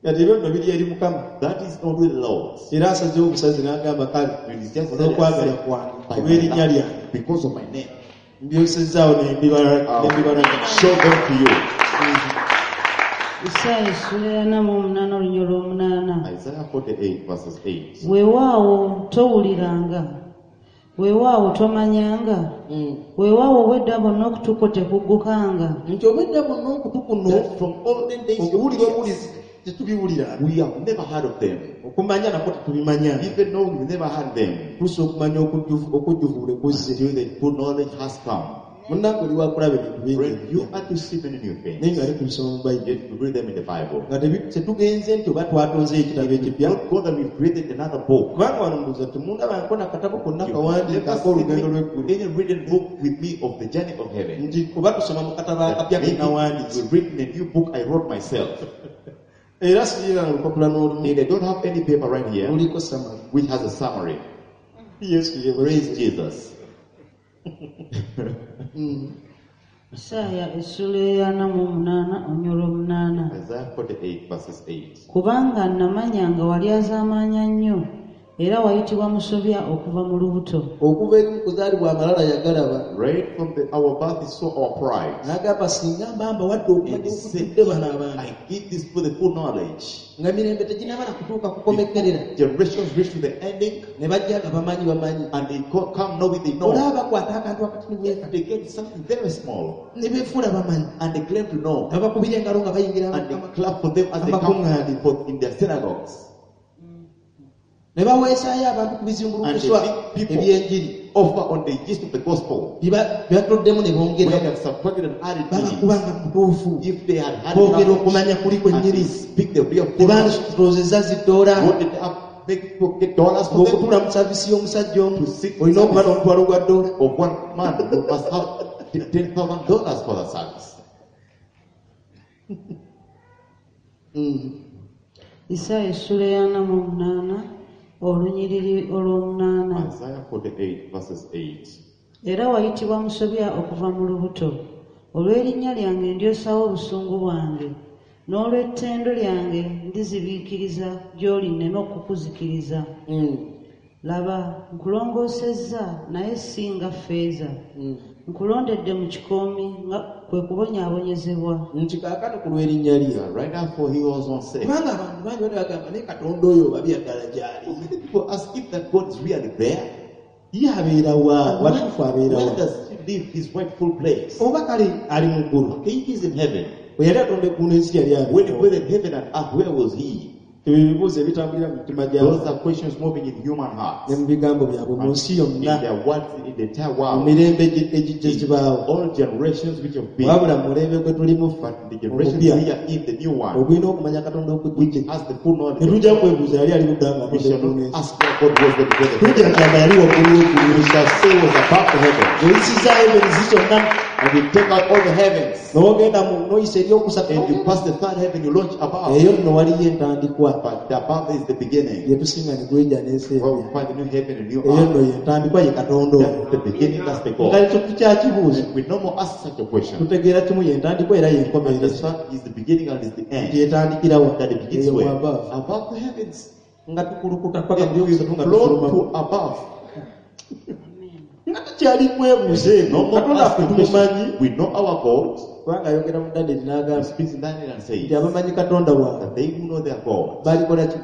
Kati ebyo nno biri eri Mukama. That is only the Lord's. Era asazeewo obusazi n'agamba kale It is just olw'okwagala kwange by my olw'erinnya love, lyange because of my name. mbyosezaawo ne mbibalaga. I'll show them to you. Isaaya essula ya 48 olunyiriri olw'omunaana. Isaiah 48 verses 8. Weewaawo towuliranga, weewaawo tomanyanga, weewaawo obwedda bwonna okutu kwo tekuggukanga. Nti obwedda bwonna okutu kuno That from olden days your okuwulira ears, obuwulizi tetubiwulira, we have never heard of them. Okumanya nakwo tetubimanya. Even though we never heard them Tuusa okumanya okujjuvu okujjuvu lwe kuzze. until the full knowledge has come. Munnange oli wakulaba ebintu bingi Friend, you are to see many new naye things. nga ate tubisoma mu Bayibuli. Yet we read them in the Bible. Nga tetugenze nti oba twatonzeyo ekitabo ekipya. Not God that we've created another book. Kubanga wano ndowooza temundabangako na katabo konna You've kawandiika never ak'olugendo seen lw'eggulu. any written book with me of the journey of heaven. Nti oba tusoma mu katabo That akapya ke maybe nawandiise. we've written a new book I wrote myself. Era sirina na lupapula n'olumu And I don't have any paper right here luliko summary. which has a summary. Yesu yeebazibwe. Praise Jesus. Isaaya essula ya 48 olunyiriri olw'omunaana. Isaiah 48 verses 8. Kubanga namanya nga wali azaamaanya nnyo, era wayitibwa musobya okuva mu lubuto. Okuva eri mu kuzaalibwa amalala yagalaba. Right from our birth he saw our pride. N'agamba singa mba mbawadde okumanya And he said, okujjudde bano abantu. I give this for the full knowledge. Nga mirembe teginamala kutuuka kukomekkerera. Generations reach to the ending Ne bajja nga bamanyi bamanyi. and they come knowing they know. Olaba bakwata akantu akatini bweka. They get something very small Ne beefuula bamanyi. and they claim to know. Babakubira engalo nga bayingira And they Mukama. clap for them as they come Amakuŋŋaaniro. for in their synagogues. Ne baweesaayo abantu ku And bizimbulukuswa they make people eby'enjiri. offer on the gist of the gospel. Byatuddemu ne Where bongera. they have subtracted and added to it. Babakubanga mutuufu. If they had had Boogera knowledge okumanya kuli and kwennyini. they speak the real full knowledge, Tebandiroozezza ziddoola. what did they have, make people get dollars for them? Ng'okutuula mu saavisi y'omusajja omu To sit olina okuba n'omutwalo gwa ddoola. Of one man who must have $10,000 for the service. Isaaya essula ya 48 olunyiriri olw'omunaana. Isaiah 48 verses 8. Era wayitibwa musobya okuva mu lubuto. Olw'erinnya lyange ndyosaawo obusungu bwange, n'olw'ettendo lyange ndizibiikiriza gy'oli nneme okukuzikiriza. Laba, nkulongoosezza naye si nga ffeeza. Nkulondedde mu kikoomi nga kwe kubonyaabonyezebwa. Nti kaakano ku lw'erinnya lye. Right now, for he was on sale. Kubanga abantu bangi bali bagamba naye Katonda oyo oba bya ddala gy'ali. Many people ask if that God is really there. Ye abeera wa? Watuufu abeera Where wa? does he live his rightful place? Oba kale ali mu ggulu. Okay, he is in heaven. Bwe yali atonda eggulu n'ensi yali When he abeera wa? created heaven and earth, where was he? Ebyo ebibuuzo ebitambulira mu mitima Those gyabwe are questions moving in human hearts. ne mu bigambo byabwe mu And nsi in yonna their words, in the entire mu world. mirembe egijja gibaawo. All generations which have been. Wabula mu mulembe gwe tulimu ffe But the generation omupya we are in, the new one, ogulina okumanya Katonda okujjudde. has the full knowledge. Ne tujja kwebuuza yali ali ludda nga We atonda shall eggulu not n'ensi. ask where God was when he created Tujja heaven. kugamba yali waggulu w'eggulu. We shall say he was above the heaven. Oyisizaayo ensi zonna And we take out all the heavens. n'ogenda mu n'oyisa eryokusatu. And you pass the third heaven, you launch above. Eyo nno waliyo entandikwa But the above is the beginning. gye tusinga ne gwejja n'ensi Where we empya. find the new heaven and new Eyo nno earth. ye ntandikwa ye Katonda oyo. That's the beginning, that's the Nga God. ekyo tukyakibuuza. We no more ask such a question. Tutegeera kimu ye ntandikwa era ye enkomerero. Understand is the beginning and is the Nti end. etandikira wa? That it begins Eyo mu where? above. Above the heavens. Nga tukulukuta paka mu And we byokusatu nga flow tufulumamu. to above. Nga tukyali kwebuuza ebyo. No more Katonda asking ffe tumumanyi. questions. We know our God. Kubanga ayogera mu Danyeri He n'agamba speaks in Daniel and says nti abamanyi Katonda waabwe that they who know their God balikola ki?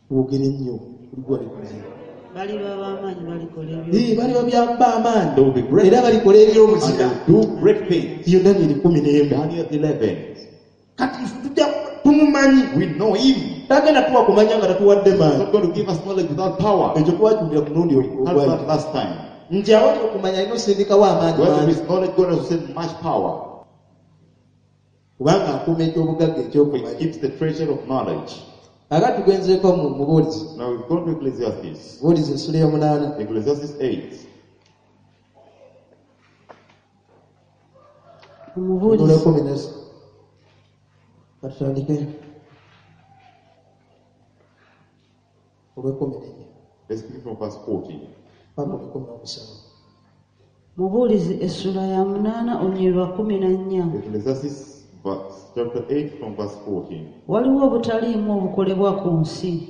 Twogere nnyo kuligwa likuzibu. Baliba b'amaanyi balikola Ee, baliba byamba amaanyi They will be great. era balikola and ebyobuzira. they do great things. Iyo Danyeri 11. Daniel 11. Kati ffe tujja tumumanyi. We know him. Tagenda tuwa kumanya nga tatuwadde He's maanyi. not going to give us knowledge without power. Ekyo twakiwulira ku mulundi Heard ogwayita. that last time. Nti awali okumanya alina osindikawo amaanyi Where there mangi. is knowledge, God has sent much power. Kubanga akuuma ekyobugagga He ekyokumanya. keeps the treasure of knowledge. Aka tugenzeeko mu mubuulizi. Now we've gone to Ecclesiastes. Buulizi essula y'omunaana. Ecclesiastes 8. Omubuulizi Olw'ekkumi n'es- Katutandike. Olw'ekkumi n'ennya. Let's begin from verse 14. Paka olw'ekkumi n'omusanvu. Mubuulizi essula ya 8 olunyiriri lwa 14. Ecclesiastes verse, chapter 8 from verse 14. Waliwo obutaliimu obukolebwa ku nsi,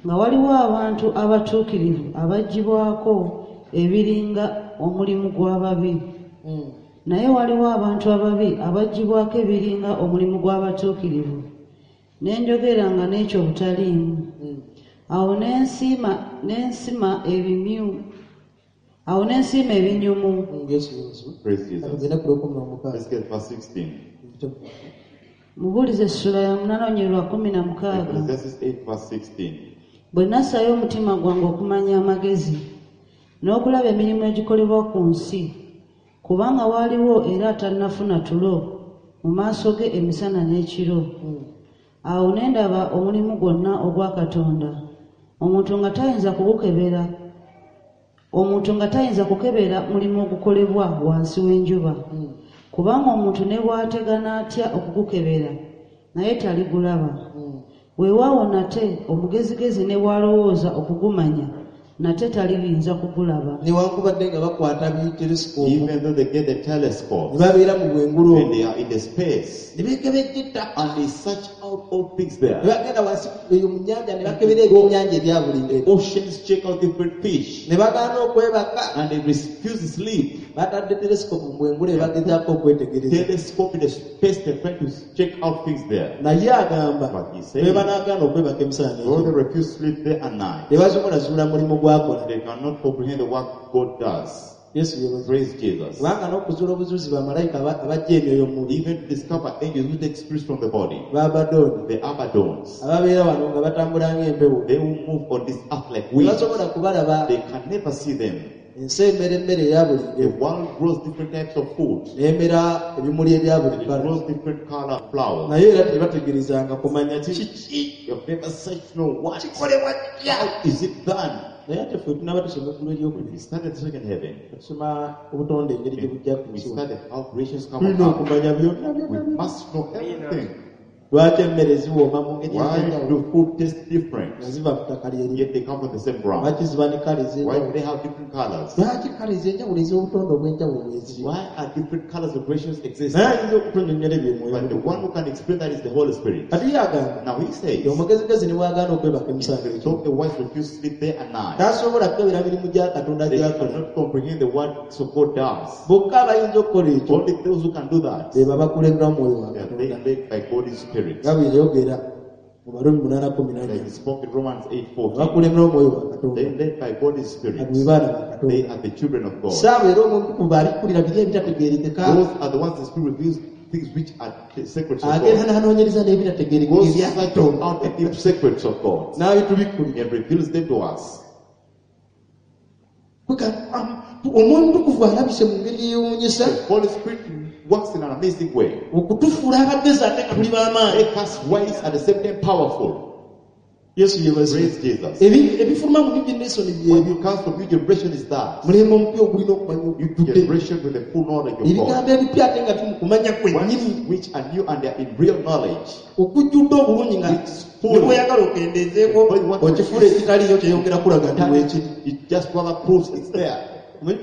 nga waliwo abantu abatuukirivu abaggyibwako ebiringa omulimu gw'ababi. Naye waliwo abantu ababi abaggyibwako ebiringa omulimu gw'abatuukirivu, ne njogera nga n'ekyo butaliimu. Awo ne nsima ebinyumu. Yesu yeebazibwe. Praise Jesus. Tugende ku lwekumi n'omukaaga. Let's get verse 16. Mubuulize essula ya 8 olunyiriri 16. Ecclesiastes 8, verse 16. Bwe nassaayo omutima gwange okumanya amagezi n'okulaba emirimu egikolebwa ku nsi, kubanga waaliwo era atannafuna tulo mu maaso ge emisana n'ekiro. Awo ne ndaba omulimu gwonna ogwa Katonda, omuntu nga tayinza kugukebera, omuntu nga tayinza kukebera mulimu ogukolebwa wansi w'enjuba. Kubanga omuntu ne bw'ategana atya okugukebera, naye taligulaba. Weewaawo nate omugezigezi ne bw'alowooza okugumanya, nate taliyinza kugulaba. Newankubadde nga bakwata bi telescope, Even though they get the telescope, ne babeera mu bwengulu when they are in the space, ne beekebejja ettaka, and they search out all things there. Ne bagenda wansi eyo mu nnyanja ne bakebera ebyennyanja ebya buli ngeri. Oceans check out different fish, Ne bagaana okwebaka. And they refuse to sleep. Batadde telescope mu bwengulu ebagezaako okwetegereza. Telescope in the space, they try to check out things there. Naye agamba But he says, bwe banaagaana okwebaka emisana though they n'ekiro, refuse sleep day and night, tebasobola zuula mulimu gw'akola. They cannot comprehend the work God does. Yesu yeebazibwe. Praise Jesus. Kubanga n'okuzuula obuzuuzi bamalayika abajja emyoyo mu mubiri, Even to discover angels who take spirits from the body, b'Abadooni, the Abadons, ababeera wano nga batambula ng'empewo, they will move on this earth like winds. tebasobola kubalaba. They can never see them. Ensi emera emmere eya buli The ngeri, world grows different types of food. n'emera ebimuli ebya buli It bbala, grows different color flowers. naye era tebategerezanga kumanya kiki You've never searched to know what. kikolebwa kitya. How is it done? Naye ate ffe tunaba tusoma eggulu eryokubiri, We started the second heaven. tusoma obutonde engeri gye bujja ku We nsi wano. started how creations come Tulina about. okumanya byonna byonna We byonna. must know everything. Lwaki emmere ziwooma mu ngeri Why ez'enjawulo do food taste different? nga ziva ku ttaka lyerimu? Yet they come from the same ground. Lwaki ziba ne kala Why do ez'enjawulo? they have different colors? Lwaki kala ez'enjawulo ez'obutonde obw'enjawulo weeziri? Why are different colors of creations exist? Naye ayinza okutunnyonnyola ebyo Mwoyo But the Mutukuvu. one who can explain that is the Holy Spirit. Kati ye agamba Now he says, nti omugezigezi ne bw'agaana okwebaka emisana ekiro, though the wise refuse sleep day and night, tasobola kukebera mirimu gya Katonda they gy'akola. cannot comprehend the works of God does. Bokka abayinza okukola ekyo Only those who can do that, be babakulembera Mwoyo wa they are Katonda. led by God's Spirit. Nga bwe yayogera mu Barumi 8:14. Like he spoke in Romans 8:14. Abakulembera Omwoyo wa Katonda They led by God's Spirit. abo be baana ba They Katonda. are the children of God. Saawa era Omwoyo Omutukuvu abikulira biri ebitategeerekeka, Those are the ones the Spirit reveals things which are the secrets of agenda God. n'anoonyereza n'ebitategeerekeka God ebya searches Katonda out the deep secrets of God n'abitubikkulira. and reveals them to us. Omwoyo Omutukuvu alabise mu ngeri eyeewuunyisa The Holy Spirit works in an amazing way. okutufuula abagezi ate nga tuli b'amaanyi. Make us wise at the same time powerful. Yesu yeebazibwe. Praise Jesus. Ebifuluma mu new generation What byebyo. comes from new generation is that Mulembe omupya ogulina okumanya new okujjudde generation with the full knowledge of God. ebigambo ebipya ate nga biri mu kumanya kwennyini, Ones which are new and they are in real knowledge. okujjudde obulungi nga It's full. ne bw'oyagala okendeezeeko okifuula ekitaliiyo kyeyongera kulaga nti weekiri. It just rather proves it's there.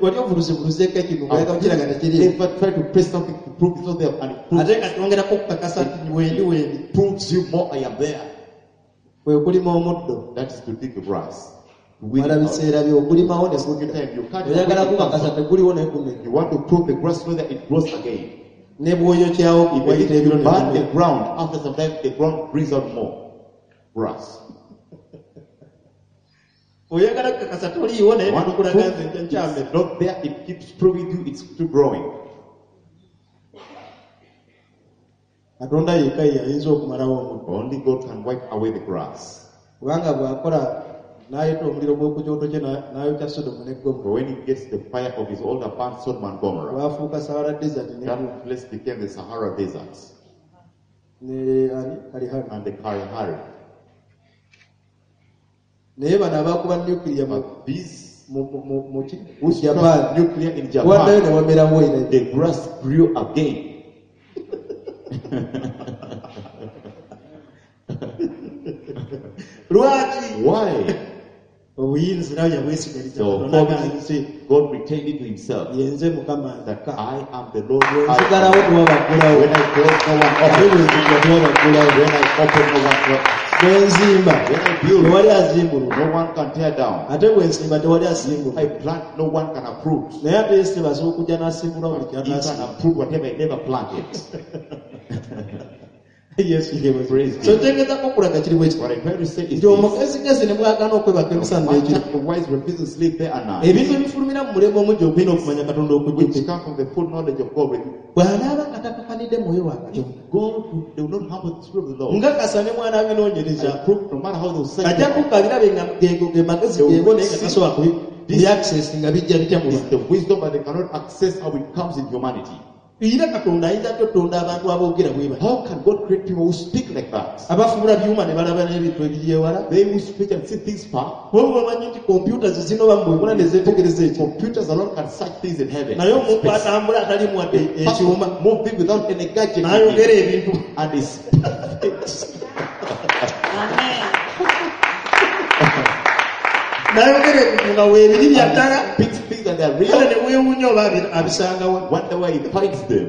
Wali ovuluzevuluzeeko ekintu ng'oyagala kukiraga tekiriiwo, Never try to press something to prove it's not there, and it proves, ate nga kyongerako okukakasa nti wendi wendi. proves you more I am there. Kwe kulima omuddo. That is to dig the grass. To weed Mala it out. biseera byo ogulimawo ne Every gudda. time you can't Oyagala gukakasa teguliwo naye gumera. You want to prove the grass whether it grows again. Ne bw'oyokyawo Even if wayita ebiro you ne burn the bimera. ground, after some time the ground brings out more grass. Oyagala kukakasa toliiwo naye You want to nekukulaga prove nze nkyamera. it's not there, it keeps proving you it's still growing. Katonda yekka ye ayinza okumalawo omuddo. Only God can wipe away the grass. Kubanga bw'akola n'ayita omuliro gw'oku kyoto kye n'ayokya Sodomu ne Gomora. But when he gets the fire of his altar, burns Sodom and Gomorrah. Lwafuuka Sahara Desert ne That place became the Sahara Desert ne ani Kalihari. and the Kalahari. Naye bano abaakuba nuclear mu But these mu mu mu ki? who Japan. struck nuclear in Waddayo Japan, ne wamerawo era. the grass grew again. Lwaki? Why? Obuyinza nawe yabwesigaliza So Katonda agamba, God retained it to himself. yenze Mukama That nzekka. I am the Lord. Bwe nzigalawo I, tewabaggulawo. when I close, no one Ate opens. bwe nzigula tewabaggulawo. When I open, no one closes. Bwe nzimba When I build, tewali azimbulula, no one can tear down. ate bwe nsimba tewali asimbula. I plant, no one can uproot. Naye ate Yesu asobola okujja n'asimbula buli He can ky'atasimbula. uproot whatever he never planted. Yesu yeebazibwe. Praise So Jesus. kyengezaako okulaga kiri bwe kiti What I try to say is nti this. omugezigezi ne bw'agaana okwebaka No emisana n'ekiro, matter the wise refuse to sleep day and night, ebintu ebifulumira mu mulembe omujja ogulina okumanya Katonda which okujjudde, come from the full knowledge of God. With bw'anaaba nga takakanidde mwoyo wa Katonda, God, they will not humble the spirit of the Lord. nga kasa ne mwana abinoonyereza I prove no matter how they will search ajja them, kukabirabe nga geego ge magezi geego, naye nga tasobola kubi access nga bijja bitya mu it's bantu. the wisdom, but they cannot access how it comes in humanity. Era Katonda ayinza atya otonda abantu aboogera bwe bati, How can God create people who speak like that? abafuula byuma ne balaba n'ebintu ebiri ewala? They who speak and see things far. Kuba bamanyi nti kompyuta zizino bamu bwekola ne zeetegereza ekyo, Computers alone can search things in heaven. naye omuntu Space. atambula atalimu wadde ekyuma Moving without any gadget with n'ayogera him. ebintu. And he speaks. Amen. N'ayogera ebintu nga weebiri bya ddala, Speaks things that are kale real. ne weewuunya oba abisangawa. Wonder where he finds them.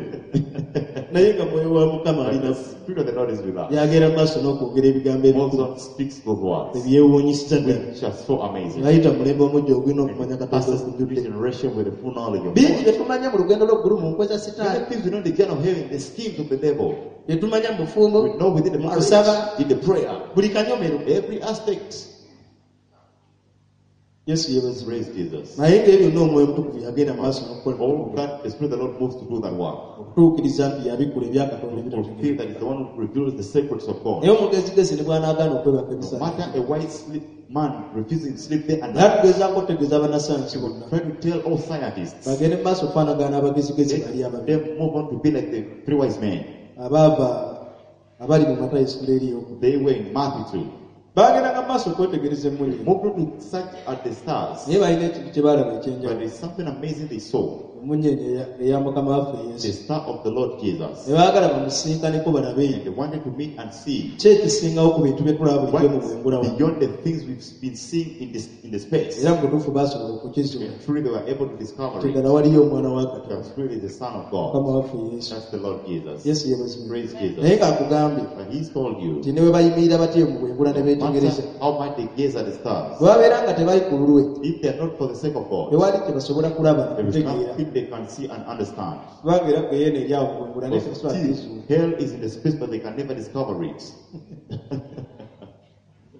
Naye nga mwoyo wa Mukama But alina the Spirit of the Lord is with us. yagenda mu maaso n'okwogera ebigambo ebikulu Also speaks those words, ebyewuunyisiza ddala, which are so amazing. ng'ayita mu mulembe omujja ogulina okumanya Katonda Passes the okujjudde. generation with the full knowledge of Bingi God. bye tumanya mu lugendo lw'eggulu mu nkwe za Many Sitaani, things we know in the journey of heaven, the schemes of the devil. bye tumanya mu bufumbo, We know within the mu marriage, kusaba, in the prayer, buli kanyomero. every aspect. Yesu yeebazibwe. Praise Jesus. Naye ng'ebyo byonna omwoyo omutukuvu yagenda mu maaso n'okukola All that the Spirit of the Lord moves to do that work. okutuukiriza nti yabikkula ebya Katonda To ebitategeerekeka. fulfill that is the one who reveals the secrets of God. Naye omugezigezi ne bw'anaagaana okwebaka No emisana, matter a wise sleep man refusing to sleep day and naye night, tugezaako okutegeeza bannasayansi bonna try to tell all scientists, bagende mu maaso okufaanagana abagezigezi bali let ababiri them move on to be like the three wise men. abaava abali mu Matayo essula eriyoku. They were in Matthew 2. Baagendanga mu maaso okwetegereza emmunyeenye, Moved on to search at the stars, naye balina ekintu kye baalaba but ekyenjawulo, there's something amazing they saw. emmunyeenye eya Mukama waffe The Yesu, star of the Lord Jesus. ne baagala bamusinkaneko balabe And they wanted to meet and see ki ekisingawo ku bintu bye tulaba bulijjo mu what's bwengula wano. beyond the things we've been seeing in the space. Era mu butuufu baasobola okukizuula And truly they were able to discover nti it. ddala waliyo omwana wa Katonda, That truly is the Son of God. Mukama waffe Yesu. That's the Lord Jesus. Yesu yeebazibwe. Praise Naye Jesus. ng'akugambye But he's told you, nti ne bwe bayimirira batyo mu bwengula ne no beetegereza, matter how much they gaze at the stars, bwe babeera nga tebali ku lulwe, if they are not for the sake of God, tewali kye basobola kulaba there is nakutegeera, nothing they can see and understand. kubanga era geyeena eri awo mu bwengula naye Because tebasobola kukizuula. still, hell is in the space, but they can never discover it.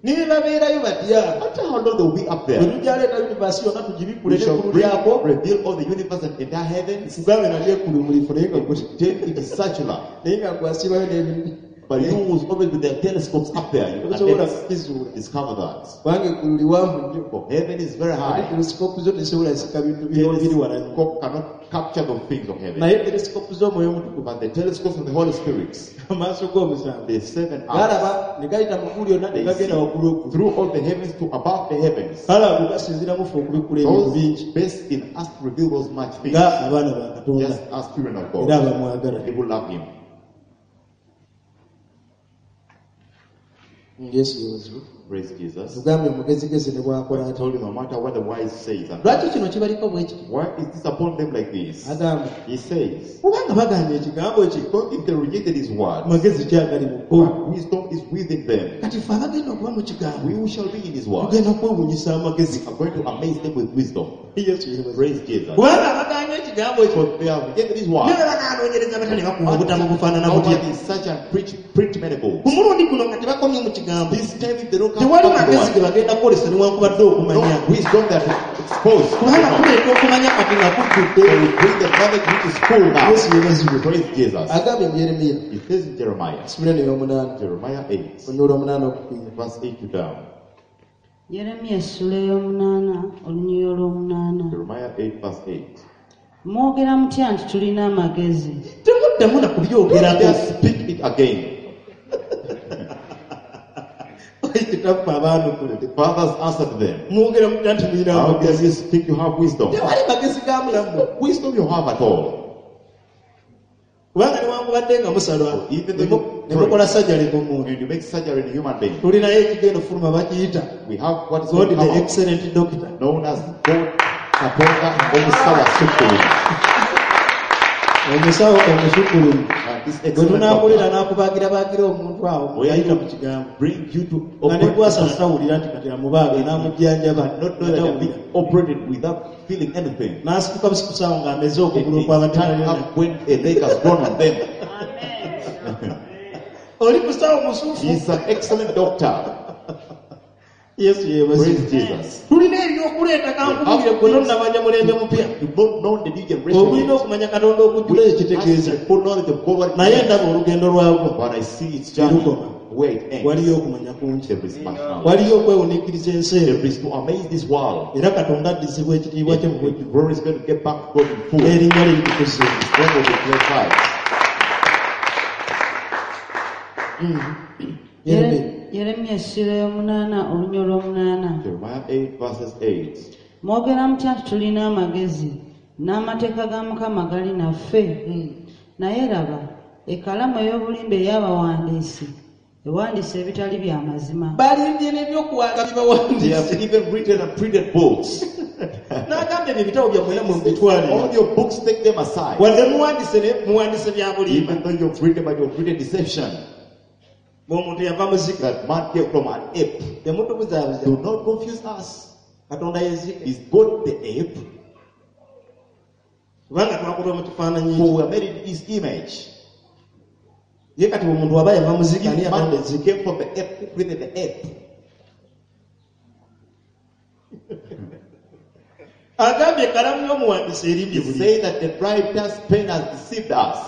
Ne bwe babeerayo batya, No matter how long they'll be up bwe there, tujaleeta yunivaasi yonna tugibikkule we shall n'eggulu bring, lyako, reveal all the universe and entire heavens. kugambe nalyo eggulu mulifu, naye nga gwe Then it is circular. naye nga gwasibayo n'ebintu But you who's always with their telescopes up there, you can tosobola never kukizuula, discover that. kubanga eggulu liwanvu nnyo, For heaven is very ate high. telesikopu zo tezisobola zisika bintu biri wala nnyo. Telescope cannot capture the things of heaven. Naye telesikopu z'omwoyo omutukuvu, But the telescopes of the Holy Spirit, amaaso g'omusanvu the seven eyes, galaba ne gayita mu ggulu lyonna ne they gagenda see waggulu eggulu, through all the heavens to above the heavens. kale ago gasinziiramu ffe okubikkula ebintu Those bingi best in us to reveal those much things, nga abaana ba Katonda just as children of era God. abamwagala. They will love Him. Yesu yeebazibwe. Praise Jesus. Tugambye omugezigezi ne bw'akola I ati, told you, no matter what the wise says, and lwaki kino kibaliko bwe kiti? why is this upon them like this? Agamba, He says, kubanga bagamba ekigambo kye, because if they rejected His word, magezi ki agali mu bo? what wisdom is within them. Kati ffe abagenda okuba mu kigambo We who shall be in His word tugenda kwewuunyisa amagezi. are going to amaze them with wisdom. Yesu yeebazibwe. Praise Jesus. Kubanga abaganye ekigambo ekyo, For they have rejected His ne word. bwe banaanoonyereza batya ne bakuba obutabo bufaanana How butya, much is such and preach print many ku books? mulundi guno nga tebakomye mu kigambo, This time if they don't come tewali back to the magezi ge word, bagenda kukolesa newankubadde okumanya, no wisdom that is exposed. kubanga tuleeta okumanya kati nga kujjudde. They will bring the knowledge which is full now. Yesu yeebazibwe. Praise Jesus. Agambye mu Yeremiya It says in Jeremiah, essula eno ey'omunaana, Jeremiah 8, olunyiriri olw'omunaana okufiira. verse 8 to down. Yeremiya essula ey'omunaana olunyiriri olw'omunaana. Jeremiah 8, verse 8. Mwogera mutya nti tulina amagezi? Temuddamu na kubyogerako. Just speak it again. Kitaffe abaanukula, The fathers answered them, mwogera mutya nti mulina How can amagezi? you speak you have wisdom? Tewali magezi ga mulamu, Wisdom you have at all. kubanga newankubadde nga musalwa Even though you ne mukola sajjale ku muntu, When you make surgery in a human being, tulinayo ekigenda ofuluma bakiyita we have what is God called the come out, excellent doctor. known as God Katonda Omusawo Asukkulumu. Omusawo omusukkulumu. This Bwe excellent tunaakulera doctor n'akubaagira baagira omuntu awo Where ayita you mu kigambo bring you to nga ne operate gwasala tawulira nti kati amubaaga n'amujjanjaba not know that they're being operated without feeling anything. N'asituka busikusaawo ng'ameze They okugulu okwabadde stand nayo. up when a leg has grown on them. Oli musawo musufu. He's an excellent doctor. Yesu yeebazibwe. Praise Jesus. Tulina ebyokuleeta kankubulire gwe tonnamanya mulembe mupya You don't know the new generation ogulina yet. okumanya Katonda okujjula Which ekitegeeza has the full knowledge of God what it naye means. ndaba olugendo lwagwo But I see its journey Lukoma. where it ends. Waliyo okumanya kungi There is much knowledge. waliyo okwewuniikiriza ensi eno There is to amaze this world. era Katonda addizibwa ekitiibwa kye mu bujjuvu Glory is going to get back to God in full. n'erinnya lye litukuzibwa. God will be glorified. Yeremiya. Yeremiya essula y'omunaana olunya olw'omunaana. Jeremiah 8 verses 8. Mwogera mutya nti tulina amagezi n'amateeka ga Mukama gali naffe? Naye laba ekalamu ey'obulimba ey'abawandiisi ewandiisa ebitali bya mazima. Balimbye n'ebyokuwanga They bibawandiise have even written and printed books. N'agamba ebyo ebitabo byammwe nammwe mubitwale All your books, take them aside. wadde muwandiise naye muwandiise bya bulimba. Even though you've written, but you've written deception. Bw'omuntu yava muzika That man came from an ape. temutubuzaabuza. Do not confuse us. Katonda yezike Is God the ape? kubanga twakulwa mu kifaananyi For we are made in his image. ye kati omuntu waba yava muzika ani If yatonda man ezzike came from the ape, who created the ape? Agambye ekalamu y'omuwandiisi erimbye He buli say that the writer's pen has deceived us.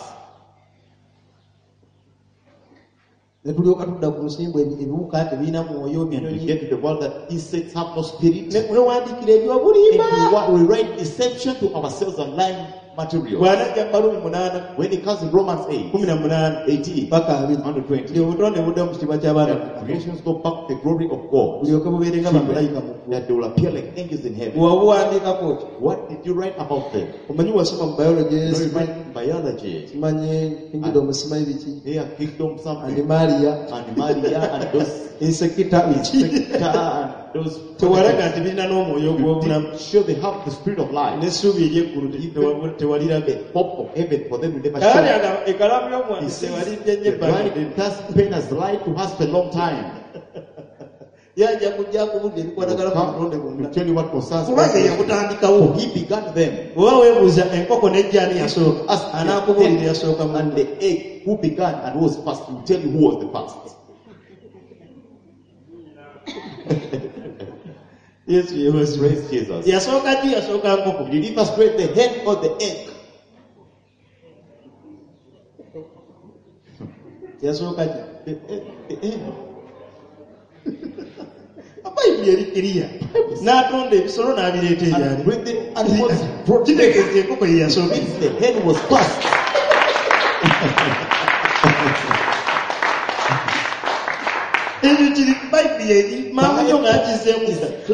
Ne tulyoka tudda ku nsimbu ebiwuka tebirina mwoyo And we binyonyi get to the world that insects have no spirit. Ne wewandiikira And ebyobulimba we write deception to ourselves and lying material. Bw'anajja mu Balumi munaana When it comes in Romans 8, kumi na munaana 18, paka abiri 120, nti obutonde budde mu kitiibwa ky'abaana ba that Katonda creations go back to the glory of God, bulyoke bubeere nga bamalayika mu ggulu that they will appear like angels in heaven. Wabuwandiikako ki What did you write about them? Omanyi wasoma mu biology You know, you write biology, simanyi kingdom simanyi biki they are kingdom something, animalia animalia, and those insecta biki insecta, and those. Tewalaga nti birina n'omwoyo You ogw'obulamu didn't show they have the spirit of life. N'essuubi ery'eggulu tewaliraga The hope of heaven for them will never Kaali show. agamba ekalamu He y'omuwandiisi says, tewalimbye nnyo the ebbanga ddene writer's pen has lied to us for a long time. Yajja kujja akubudde ebikwatagana ku butonde To bwonna tell you what concerns kubanga us. yakutandikawo He began them. Oba weebuuza enkoko n'ejjaani yasooka Ask the anaakubuulira hen yasooka and mu the egg who began and who was first. He will tell you who was the first. Yesu yeebazibwe. Praise Jesus. Yasooka ki yasooka nkoko Did he first create the hen or the egg? Yasooka ki The egg. The hen. Bayibuli eri kiriya n'atonda ebisolo n'abireeta And ebyali bring the animals brought them. kitegeeza enkoko ye yasooka Means the hen was first. Ekyo kiri bayibuli eri mangu nnyo ng'akizeemu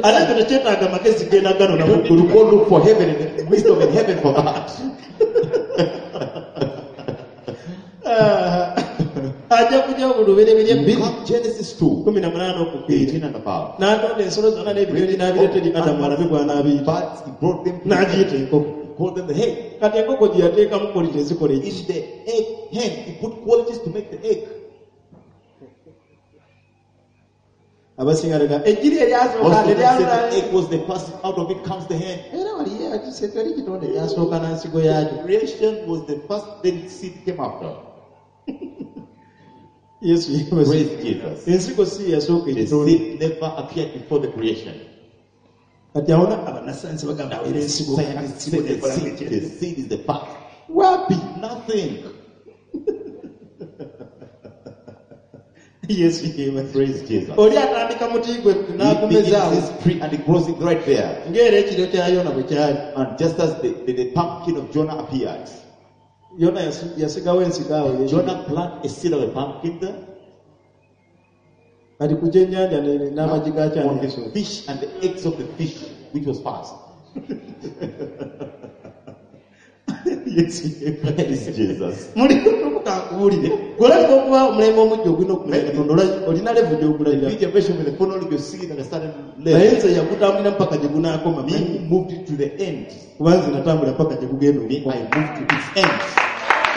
ate ekyo tekyetaaga magezi genda gano You don't need to namuggulu go look for heaven and wisdom in heaven for that. Ajja kujja ku lubereberye bbiri Come Genesis 2, kumi na munaana okukkirira 18 and above. N'atonda ensolo zonna n'ebinyonyi n'abireeta eri Adamu alabe bw'anaabiita But he brought them to the n'agiyita hen. enkoko He called them the hen. Kati enkoko gye yateekamu quality ezikola eki In the egg hen, he put qualities to make the egg. Abasinga lega ejjiri eryasooka Most of them say teryalula the egg was the first, out of it comes the hen. Era wali akise teri kitonde kyasooka na nsigo yaakyo Creation was the first, then seed came after. Yesu yeebazibwe. Praise Jesus. Ensigo si yasooka The ekitonde seed never appeared before the creation. Kati awona abannasayansi bagamba era ensigo Scientists ensigo say the nekola seed, the seed is the first. Wapi Nothing. Yesu yeebazibwe. Praise Jesus. Oli atandika muti gwe He begins n'agumezaawo his tree and it grows it right there. Ng'era ekiro kya Yona bwe kyali And just as the pumpkin of Jonah appeared, Yona yasigawo ensigo awo ye- Jonah planted a seed of a pumpkin there. Kati ku kyennyanja n'amagi On gakyani the fish and the eggs of the fish, which was first. Yesu yeebazibwe. Praise Jesus. Muli tukukankubuulire gwolabika okuba omulembe omujja ogulina okumanya Katonda olina levu gy'ogulabira The generation with the full knowledge you see it at a certain naye level. nze yakutambulira mpaka gye gunaakoma Me who moved it to the end. Kuba nze natambula paka gye gugenda Me, okukoma I moved to its end.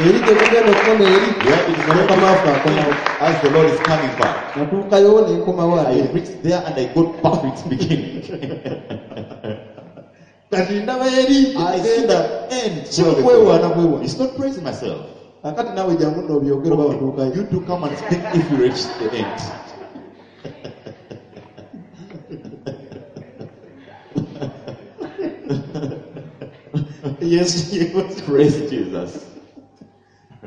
Eri gye bugenda okukoma eri Where it is nga going mukama to waffe akomawo. end as the Lord is coming back. Natuukayo ne nkomawo I ate. reached there and I got back to its beginning. Kati ndaba eri I see genda. the end. Si where we kwewaana go. bwewaana. It's not praising myself. Kakati naawe jangu nno obyogere oba watuukayo. You do come and speak if you reach the end. Yesu yeebazibwe. Praise Jesus.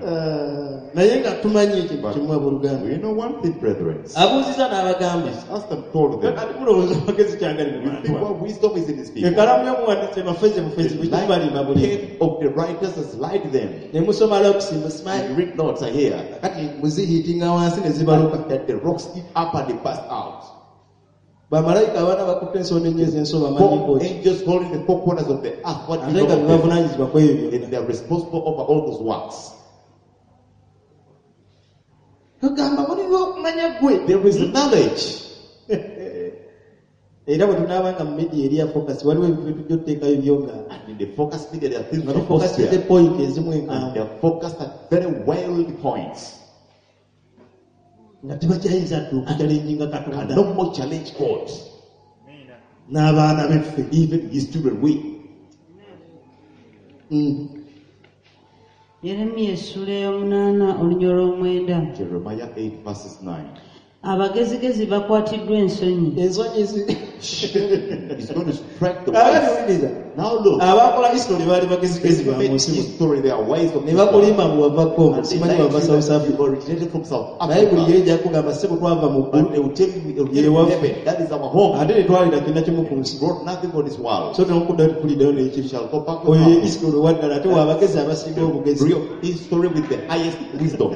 Ah, naye nga tumanyi ekintu But kimu abooluganda. we know one thing, brethren. Abuuziza n'abagamba. Ask them, told them. Kati mulowooza amagezi kyangali mu You bantu think abo. what wisdom is in these people? Ekalamu y'omuwandiisi bafeze bufezi The bwekibalimba buli. pen of the writers has lied them. Ne musoma locks musimanyi. And you read notes I hear Kati muzihiitinga wansi ne zibaluka. that the rocks eat up and they burst out. Bamalayika abaana bakutte ensonda ennyo ez'enso bamanyi Four ki. angels holding the four corners of the earth. What Ate do you nga know of them? bebavunaanyizibwa ku ebyo And byonna. they are responsible over all those works. Tugamba mulina okumanya ggwe. There is knowledge. Era bwe tunaabanga mu media eri ya focus waliwo ebintu tujja otuteekayo byo nga And in the focus media, there are things nga that are posted tufokasize there. point ezimu And enkanvu they are focused at very wild points. nga tebakyayinza dde okukyalenjinga And Katonda no more challenge God. n'abaana beffe. Even his children, we. Yeremiya essula ey'omunaana olunya olw'omwenda. Jeremiah 8, verses 9. Abagezigezi bakwatiddwa ensonyi. Ensonyi zi He's going to strike the Kaakati wise. wuliriza. Now look, Abakola history baali bagezigezi ba they mu made nsi muno. history, they are wise of Ne this world. bakulimba mbu wava Congo, And they simanyi lied to wava you South that Africa. you originated from South Naye buli Africa. yeri ejja kugamba ssebo twava mu But ggulu they will tell you, they will Ye tell you waffe. heaven. That is our home. ate tetwalira kirina kimu ku nsi. Brought nothing on this world. So temukuddayo tekuliddayo You n'ekibi. shall go back to Oyo ye nothing. history waddala ate w'abagezi abasinga obugezi. Real history with the highest wisdom.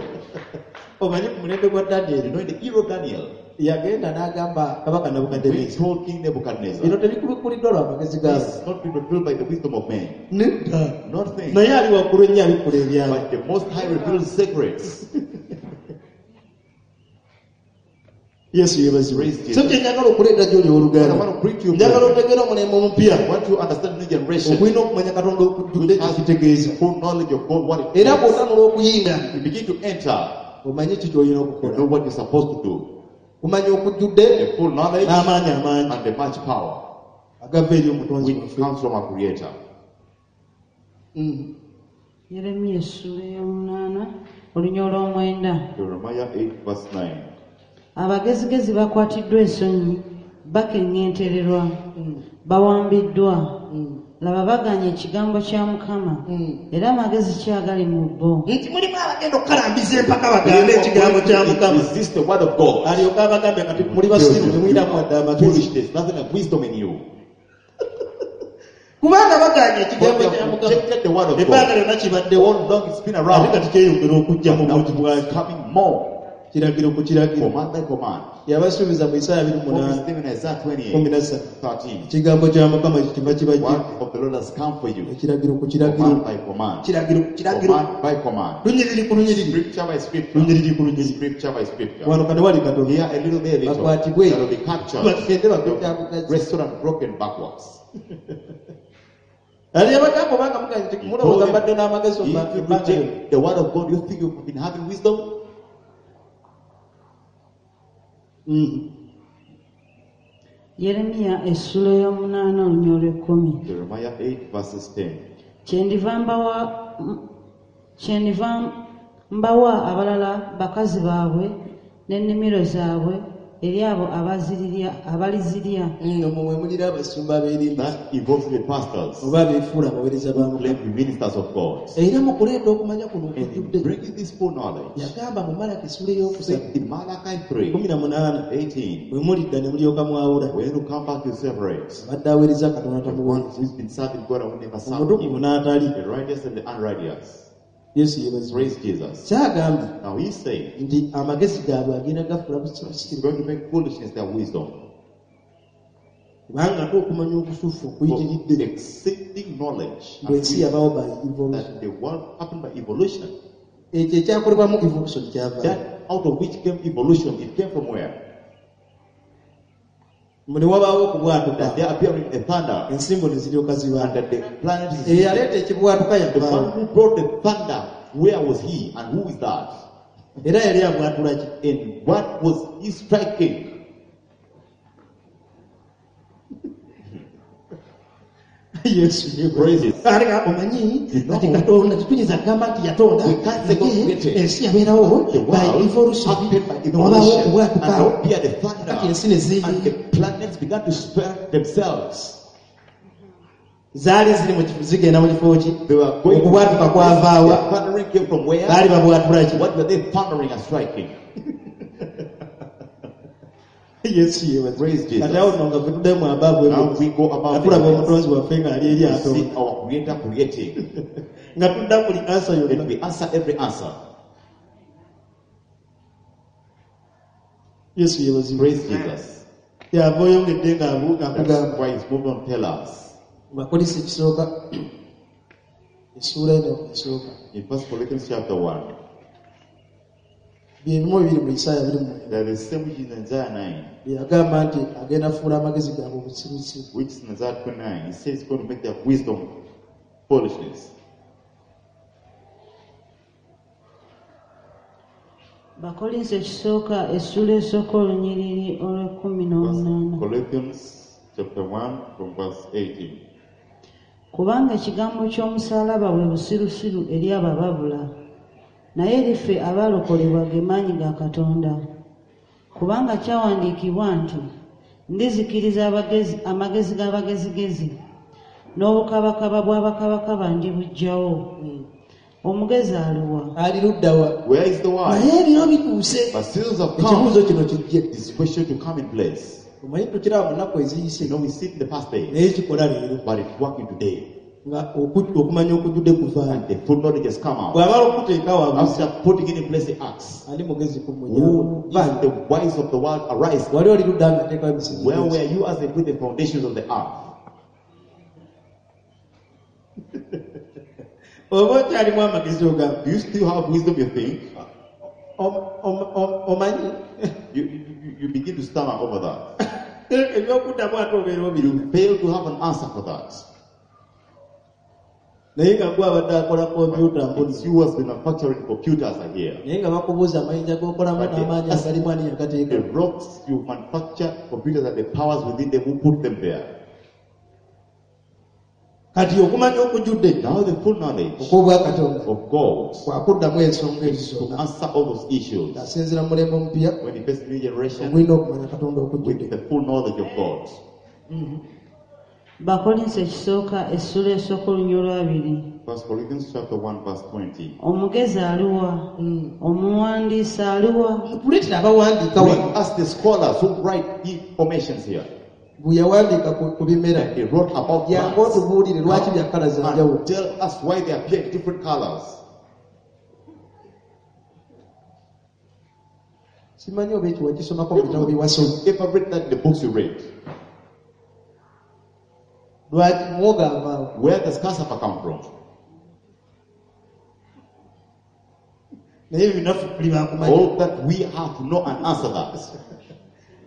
Omanyi ku mulembe gwa You Daniel know, in the era of Daniel, yagenda n'agamba kabaka we Nabukadduneeza. told King Nebuchadnezzar, Bino tebikubikkuliddwa lwa magezi this gaabo. is not been revealed by the wisdom of men. Nedda. Nothing. Naye ali waggulu ennyo abikkula ebyama. But the Most High reveals secrets. Yesu yeebazibwe. Praise Jesus. So kye njagala okuleeta gy'oli But I owooluganda. want to bring to you, Njagala brethren, otegeere omulembe omupya. I want you to understand the new generation Okulina okumanya Katonda okujjudde which has kitegeeza. full knowledge of God, what it Era means. bw'otanula okuyinga You begin to enter, omanyi ki ky'olina you okukola. know what you're supposed to do. Kumanya okujjudde The full knowledge n'amaanyi amangi and the much power agava eri omutonzi which waffe. comes from our Creator. Yeremiya essula ey'omunaana olunya olw'omwenda. Jeremiah 8, verse 9. Abagezigezi bakwatiddwa ensonyi, bakeŋŋentererwa, bawambiddwa. Laba bagaanye ekigambo kya Mukama, era amagezi ki agali mu bo? Nti mulimu abagenda okukalambiza empaka bagambe ekigambo kya Mukama. Resist the word of God. Alyoke abagambe kati muli basiru temulinamu wadde amagezi. Foolish, there's nothing like wisdom in you. Kubanga bagaanye But ekigambo they kya have Mukama. rejected the word of Ebbanga God. lyonna kibaddewo All long it's been ate around. kati kyeyongera okujja mu Now bungi bwakyo. it's coming more. Kiragiro ku kiragiro. Command by command. Yabasuubiza mu Isaaya abiri mu Promise munaana them in Isaiah kumi 28, na ssatu. 13. Ekigambo kya Mukama kiva kibajje. Word of the Lord has come for you. Ekiragiro ku kiragiro. Command by command. Kiragiro ku kiragiro. Command by command. Lunyiriri ku lunyiriri. Scripture by scripture. Lunyiriri ku lunyiriri. Scripture by scripture. Wano kano wali katono. Here a little, there a little. Bakwatibwe. That will be captured. Bagende bagwe Wrestled and broken backwards. Ali abagamba obanga muganye nti He told mulowooza them, mbadde n'amagezi If you ebbanga lyonna. reject the word of God, you think you've been having wisdom? Yeremiya essula ey'omunaana olunya olw'ekkumi. Jeremiah 8, verses 10. Kyendiva mbawa abalala bakazi baabwe n'ennimiro zaabwe eri abo abalizirya. Omwo mwe mulira abasumba abeerimba That involves the pastors oba abeefuula abaweereza ba who Mukama. claim to be ministers of God. Era mu kuleeta okumanya kuno And in okujjudde bringing this full knowledge, yagamba mu Malaki essula ey'okusatu said in Malachi 3, 18 18, bwe mulidda ne mulyoka mwawula when you come back, you separate. abadde aweereza Katonda The tamuweereza one who's been serving God and who never served omutukuvu him. n'atali. The righteous and the unrighteous. Yesu yeebazibwe. Praise Jesus. Kyagambye Now he said, nti amagezi gaabwe agenda gafuula he's busirusiru going to make foolishness their wisdom. kubanga ate okumanya okusufu For okuyitiridde exceeding knowledge and bw'ensi wisdom yabaawo by evolution. that the world happened by evolution. Ekyo ekyakolebwamu evolution kyava That out of which came evolution, it came from where? ne wabaawo okubwatuka That there appearing a thunder ensimbo ne ziryoka and zibanda that the planet is eyaleeta ekibwatuka the yavaawo one who brought the thunder Where was he and who is that? Era yali abwatula ki? And what was he striking? Yesu. Praise. Ate omanyi You know, kati Katonda tetuyinza kugamba nti yatonda we can't say God naye created. ensi yabeerawo The by world evolution happened by newabaawo evolution, okubwatuka and appeared the thunder, kati ensi ne zi and the planets began to spread themselves. Zaali ziri mu kifo zigenda mu kifo ki? They were going. Okubwatuka kwavaawa? The thundering came from where? Baali babwatula ki? What were they thundering and striking? Yesu yebaze. Praise Jesus. Kati awo nno nga ffe tuddayo mu abaavu Now we go nga about tulaba the omutonzi waffe ng'ali eri We atonda see our Creator creating, nga tudda buli ansa and yonna. we answer every answer. Yesu yebazibwe. Praise Jesus. Yava oyongedde ng'abu- That's ng'akugamba why he's moved on. Tell us Bakolisi ekisooka essuula eno esooka in First Corinthians chapter 1. byebimu ebiri mu Isaaya 29 There is the same which is in Isaiah 9, bye yagamba nti agenda fuula amagezi gaabwe obusirusiru. Which is in Isaiah 29. He says he's going to make their wisdom foolishness. Bakolinso ekisooka essuula esooka olunyiriri olw'ekkumi First n'omunaana. Corinthians chapter 1 from verse 18. Kubanga ekigambo ky'omusaalaba bwe busirusiru eri abo ababula, naye eri ffe abaalokolebwa ge maanyi ga Katonda. Kubanga kyawandiikibwa nti ndizikiriza abagezi, amagezi g'abagezigezi n'obukabakaba bw'abakabakaba ndibuggyawo. Omugezi aluwa? Ali luddawa? Where is the wise? Naye ebiro bituuse But seasons have come. ekibuuzo kino kijje. This question to come in place. Omanyi tukiraba mu nnaku eziyise You know, we see it in the past days, naye kikola leero but it's working today. nga okumanya okujjudde kuvaayo. And the full knowledge has come out. Bw'amala okuteeka wabuuza After putting it in place, he asks, ani mugezi ku Who mmwe? is the wise of the world arise? Wali oli ludda nga ateekawo emisingi Where gy'ensi? were you as they put the foundations of the earth? Oba okyalimu amagezi ogamba Do you still have wisdom, you think? Omanyi You begin to stammer over that. ebyokuddamu ate obeera obirina. You fail to have an answer for that. Naye nga gwe abadde akola kompyuta It's mbuzi you who has been manufacturing computers are here. naye nga bakubuuza amayinja g'okolamu But n'amaanyi agalimu ani yagateeka? The rocks you manufacture computers and the powers within them who put them there. Kati okumanya okujjudde Now the full knowledge okw'obwakatonda of God kwakuddamu ensonga ezo to zonna answer all those issues. ng'asinziira mu mulembe omupya When he faces new generation ogulina okumanya Katonda okujjudde. with the full knowledge of God. Bakolinso ekisooka essuula esooka olunyiriri olw'abiri. First Corinthians chapter 1 verse 20. Omugezi aluwa? Omuwandiisi aluwa? Tuleetera abawandiika Bring wano us the scholars who write informations here. bwe yawandiika ku bimera He wrote about jangu plants. otubuulire lwaki bya kkala za njawulo. And tell us why they appear in different colors. Simanyi oba ekyo wakisomako mu bitabo bye wasoma. If I read that in the books you read, Lwaki muwogo avaawo? where does cassava come from? Naye ebyo naffe tuli bakumanya. All that we have to know and answer that.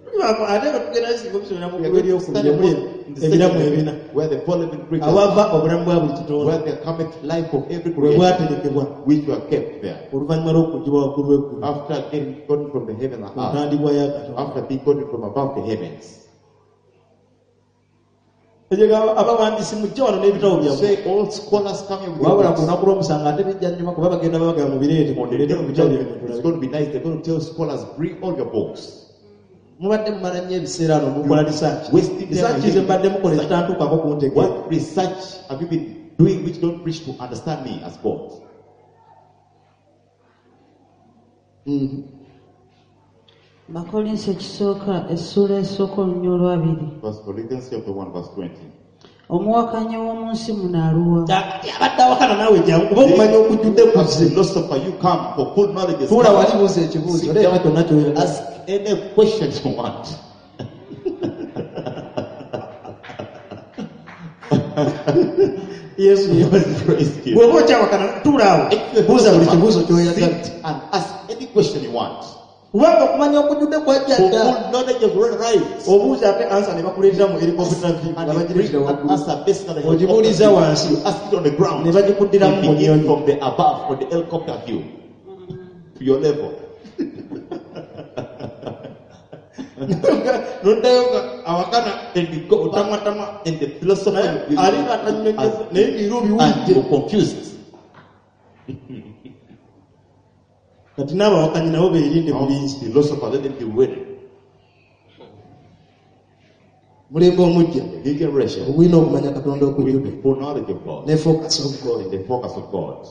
Tuli ate nga tugenda singa obisomera mu We are ggulu going to eryokubiri study omuli in the ebiramu second ebina heaven, where the four living creatures, awava obulamu bwa buli kitonde where there cometh life of every bwe creation, bwaterekebwa which were kept there. oluvannyuma lw'okuggyibwa waggulu w'eggulu After getting gotten from the heaven and ku earth, ntandikwa ya Katonda. after being gotten from above the heavens. Ekyo abawandiisi mujje wano n'ebitabo byammwe. Say all scholars come here with your Wabula ku books. lunaku lw'omusango ate bijja nnyuma kuba bagenda babagamba mubireete On the mubireete day mu of bitabo judgment, byammwe it's tulabe. going to be nice. They're going to tell scholars, bring all your books. Mubadde mumala nnyo ebiseera no mukola research. Wasting time Research ze mbadde mukola ezitantuukako kuntegeera. What research have you been doing which don't reach to understand me as God? Bakolinso ekisooka essuula esooka olunyiriri olw'abiri. First Corinthians chapter 1 verse 20. Omuwakanyi w'omu nsi muno aluwa? Kati abadde awakana naawe jangu kuba okumanya okujjudde kuzze. Philosopher, you come for full knowledge. is Tuula come. wali buuza ekibuuzo Sit leeta down, kyonna ky'oyagala. ask any question you want. Yesu yeebazibwe. Praise God. Bw'oba okyawakana tuula awo If you're a buuza buli philosopher, kibuuzo ky'oyagala. sit and ask any question you want. Kubanga okumanya okujjudde kwajja For dda. full knowledge has already arrived. Obuuza ate ansa ne bakuleetera mu helicopter view nga And they bagireetera bring an waggulu. answer based on the Ogibuuliza helicopter wansi. view. You ask it on the ground. Ne bagikuddiramu They mu begin nnyonyi. from the above or the helicopter view to your level. Noddayo nga awakana And you go back otamwatamwa. and the philosopher Naye will ali nga tannyonnyola naye ng'era and obiwulidde. you're confused. Kati n'abawakanyi nabo beerinde Now, bulinzi. philosopher, let them be wary. Mulembe omujja The new generation ogulina okumanya Katonda with okujjudde the full knowledge of God ne focus of God. and the focus of God.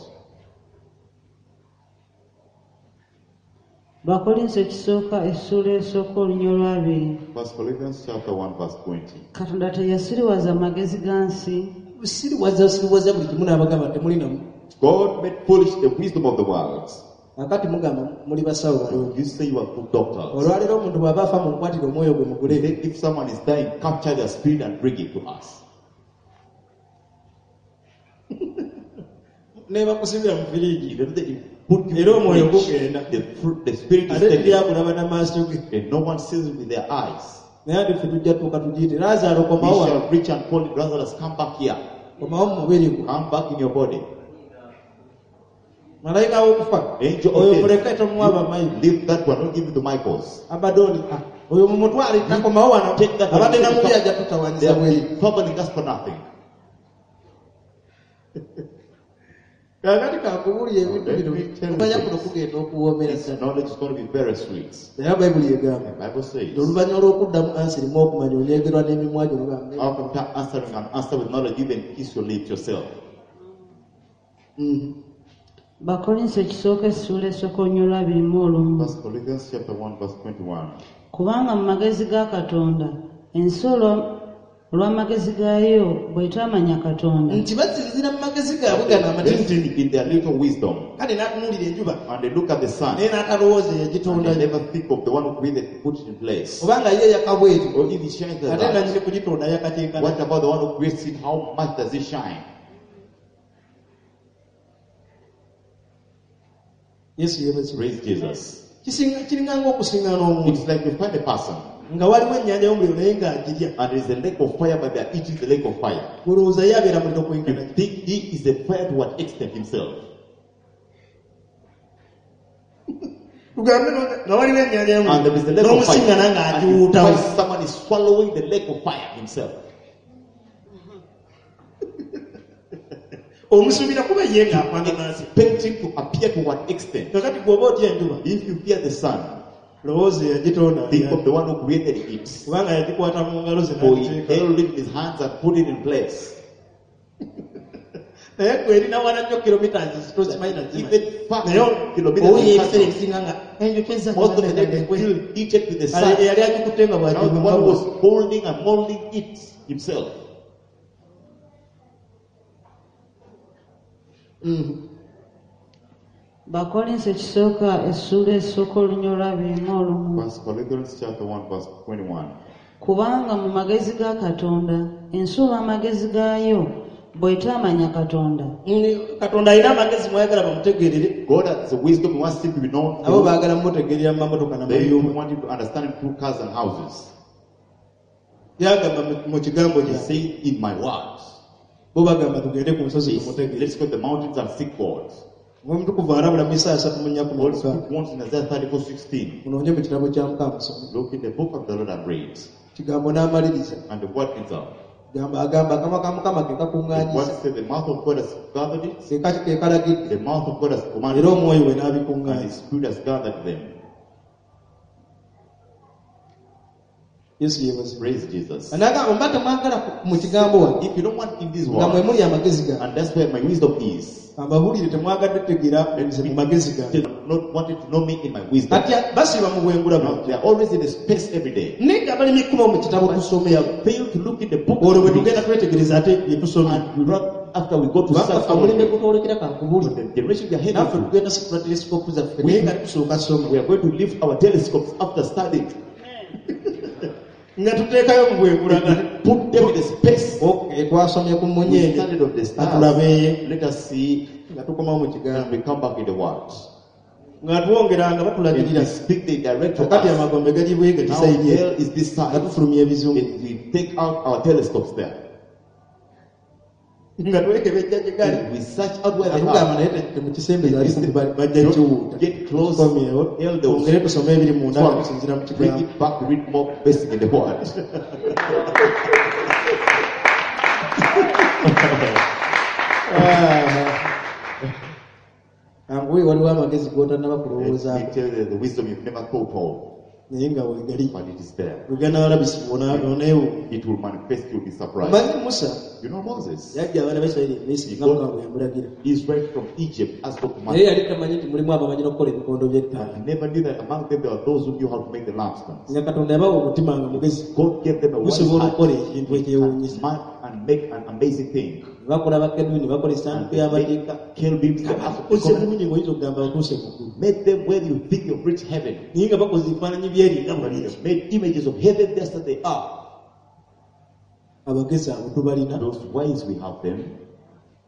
Bakolinso ekisooka essuula esooka olunya olwabiri. First Corinthians chapter 1 verse 20. Katonda teyasiriwaza magezi ga nsi Siriwaza siriwaza buli kimu n'abagamba temulinamu. God made foolish the wisdom of the world. Kakati mugamba muli basawo balungi. You say you are good doctors. Olwaleero omuntu bw'aba afa munkwatire omwoyo gwe mugule. Then if someone is dying, capture their spirit and bring it to us. Ne bakusibira mu firiigi. Even they put you Era in omwoyo the fridge, gugenda. the spirit is Ate taken teryakulaba n'amaaso ge. and no one sees it with their eyes. Naye ate ffe tujja tuuka tugiyite. Laazaalo We komawo wano. shall reach and call it, Lazarus, come back here. Komawo mu mubiri gwo. Come back in your body. Malayika w'okufa. Angel Oyo of muleke death. tomuwa bamayi. Leave that one, don't give it to Michael's. Abadoni. Oyo mumutwale takomawo wano. Take that one. Abadde na mubi ajja They tutawanyiza have bweru. been troubling us for nothing. Kaakati kankubuulire ebintu Let bino. me tell you Okumanya this. kuno kugenda okuwoomera This ddala. knowledge is going to be very sweet. Naye Bayibuli egamba. The Bible says, Oluvannyuma lw'okuddamu ansi erimu okumanya onyegerwa n'emimwa gyo n'ogamba, after answering an answer with knowledge, you even kiss your lips yourself. Bakolinso ekisooka essuula esooka olunya olwabiri mu olumu. First Corinthians chapter 1, verse 21. Kubanga mu magezi ga Katonda ensi olw'amagezi gaayo bw'etaamanya Katonda nti basinziira mu magezi gaabwe gano amatinitini. In their little wisdom, Kale n'atunuulira enjuba and they look at the sun, naye n'atalowooza and eyagitonda. they never think of the one who created to put it in place. Kubanga ye yaka bw'etyo. Or if it shines like Ate that, nannyini kugitonda yakateekana. what about the one who creates it? How much does it shine? Yesu yeebazibwe. Praise Jesus. Kiringa ng'okusiŋŋaana omuntu It's like you find a person, nga waliwo ennyanja y'omuliro naye ng'agirya. and there is a lake of fire, but they are eating the lake of fire. Olowooza ye abeera muliro kwenkana You ki? think he is a fire to what extent himself? Tugambe nga waliwo ennyanja And there is a y'omuliro lake of fire. n'omusiŋŋana And you ng'agiwuutawo. find someone is swallowing the lake of fire himself. Omusuubira kuba ye ng'afaanana nsi. Expect him to appear to what extent? Kakati bw'oba otya enjuba If you fear the sun, lowooza eyagitonda think of the one who created it. kubanga yagikwata mu ngalo ze For he n'agiteeka. held it in his hands and put it in place. Naye gwe erina wala nnyo kilometers tozimanyi na zimanyi. Even far Naye kilometers owuya in ebiseera front, ebisinga nga enjuki ezza most of the time they still heated with the sun. eyali agikutte nga Now the one who was holding and molding it himself. Bakolinso ekisooka essuula esooka olunya olwabiri mu olumu. First Corinthians chapter 1, verse 21. Kubanga mu magezi ga Katonda ensi olw'amagezi gaayo bw'etaamanya Katonda Katonda alina amagezi mwayagala bamutegeerere God has the wisdom, he wants him to be known. abo baagala mumutegeerera mu mamotoka They n'amayumba. want him to understand him through cars and houses. Yagamba mu kigambo He kyange. said, in my words. Bo bagamba tugende ku nsozi He said, tumutegeere. Let's go to the mountains and seek God. Omutukuvu alabula mu Isaaya asatu mu nnya kumi Holy na Spirit mukaaga. wants in Isaiah 34, 16. Munoonye mu kitabo kya Mukama musome. Look in the book of the Lord and read. Kigambo n'amaliriza. And the word ends up. Gamba agamba akamwa ka Mukama ke The word kakuŋŋaanyisa. says the mouth of God has gathered it, Ke kalagidde. the mouth of God has commanded Era it, omwoyo we and n'abikuŋŋaanya. the Spirit has gathered them. Yesu yeebazibwe. Praise Jesus. N'agamba mba temwagala mu kigambo wano If you don't want in this nga mwe world, muli amagezi gange. and that's where my wisdom is, Ambabuulire temwagadde tegeera nze mu magezi gange. they not wanted to know me in my wisdom. Kati basiiba mu bwengula Now, bwabwe. they are always in the space every day. Naye nga balina ekkuba mu kitabo tusome. Fail to look in the book Olwo bwe and read. tugenda twetegereza ate bye tusomye. And we run after we go to Kubanga search ffe omulembe for gutwolekera kankubuulire. the generation we are heading Naffe to. tugenda situla telesikopu zaffe naye nga tusooka soma. We are going to lift our telescopes after studying. Nga tuteekayo mu bwengula nga Put them in the space. Okay, twasomye ku We mmunyeenye studied of the stars. Atulabeeye Let us see nga tukomawo mu kigambo. and we come back in the world. Nga twongeranga If batulagirira we speak, they direct to kakati us. amagombe gali bwega Now kisayidi hell is this nga side. tufulumya ebizungu And we take out our telescopes there. Nga twekebejja gye gali And we search out where they atugamba are. naye temukisembeza ali kumpi bajja Don't kiwuuta get close. Komyewo Hell, they will twongere tusome ebiri munda nga swallow. tusinziira mu Bring kigambo it back, read more basic in the word. Anguwe waliwo amagezi g'otannaba Let kulowoozaako me tell you the wisdom you've never thought of, naye nga wegali but it is there. weganalabisibwa oneewuunya It will manifest, you'll be surprised. omanyi Musa You know Moses, yajja abaana ba Isirayiri e Misiri nga Mukama bwe yamulagira Israel from Egypt as God naye commanded. yali tamanyi nti mulimu abamanyi n'okukola ebikondo by'ettaala He never knew that among them there were those who knew how to make the lampstands. Nga Katonda yabawa omutima nga mugezi God gave them a wise gusobola heart okukola ekintu ekyewuunyisa man and make an amazing thing. Ne bakola bakerubi ne bakola And essanduuko they y'amateeka made cherubims, the ark of the oze covenant. bulungi ng'oyinza okugamba batuuse mu ggulu Made them where you think you've reached heaven. Naye nga bakoze ebifaananyi byeri nga But bulungi they made images of heaven just as they are. Abagezi abo tubalina Those wise, we have them.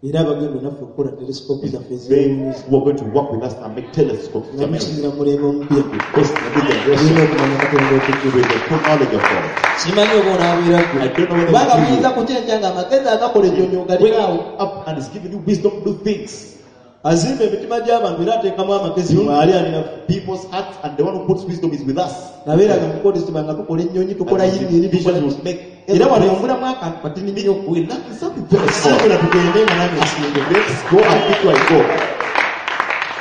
Era abagenda naffe okukola telesikopu zaffe They ezeewuunyisa who are going to work with us and make telescopes. Nga musinzira mu mulembe omupya Based on the new generation olina okumanya Katonda okujjula with the full knowledge of God. Simanyi oba onaabeera ggwe I don't know whether kubanga it's you. buyinza kukyenkya nga amagezi agakola ennyonyi ogalinawo Wake up and is giving you wisdom to do things. Azimba emitima gy'abantu era ateekamu amagezi mwali alina People's hearts, and the one who puts wisdom is with us. Nabeeranga mukukozesebwa nga tukola ennyonyi tukola And yingini with tukola vision will make era wano ombulamu akantu katini nnyo We lack something very small. Simbula tugende nga nange nsimbe Let's go and pick where I go.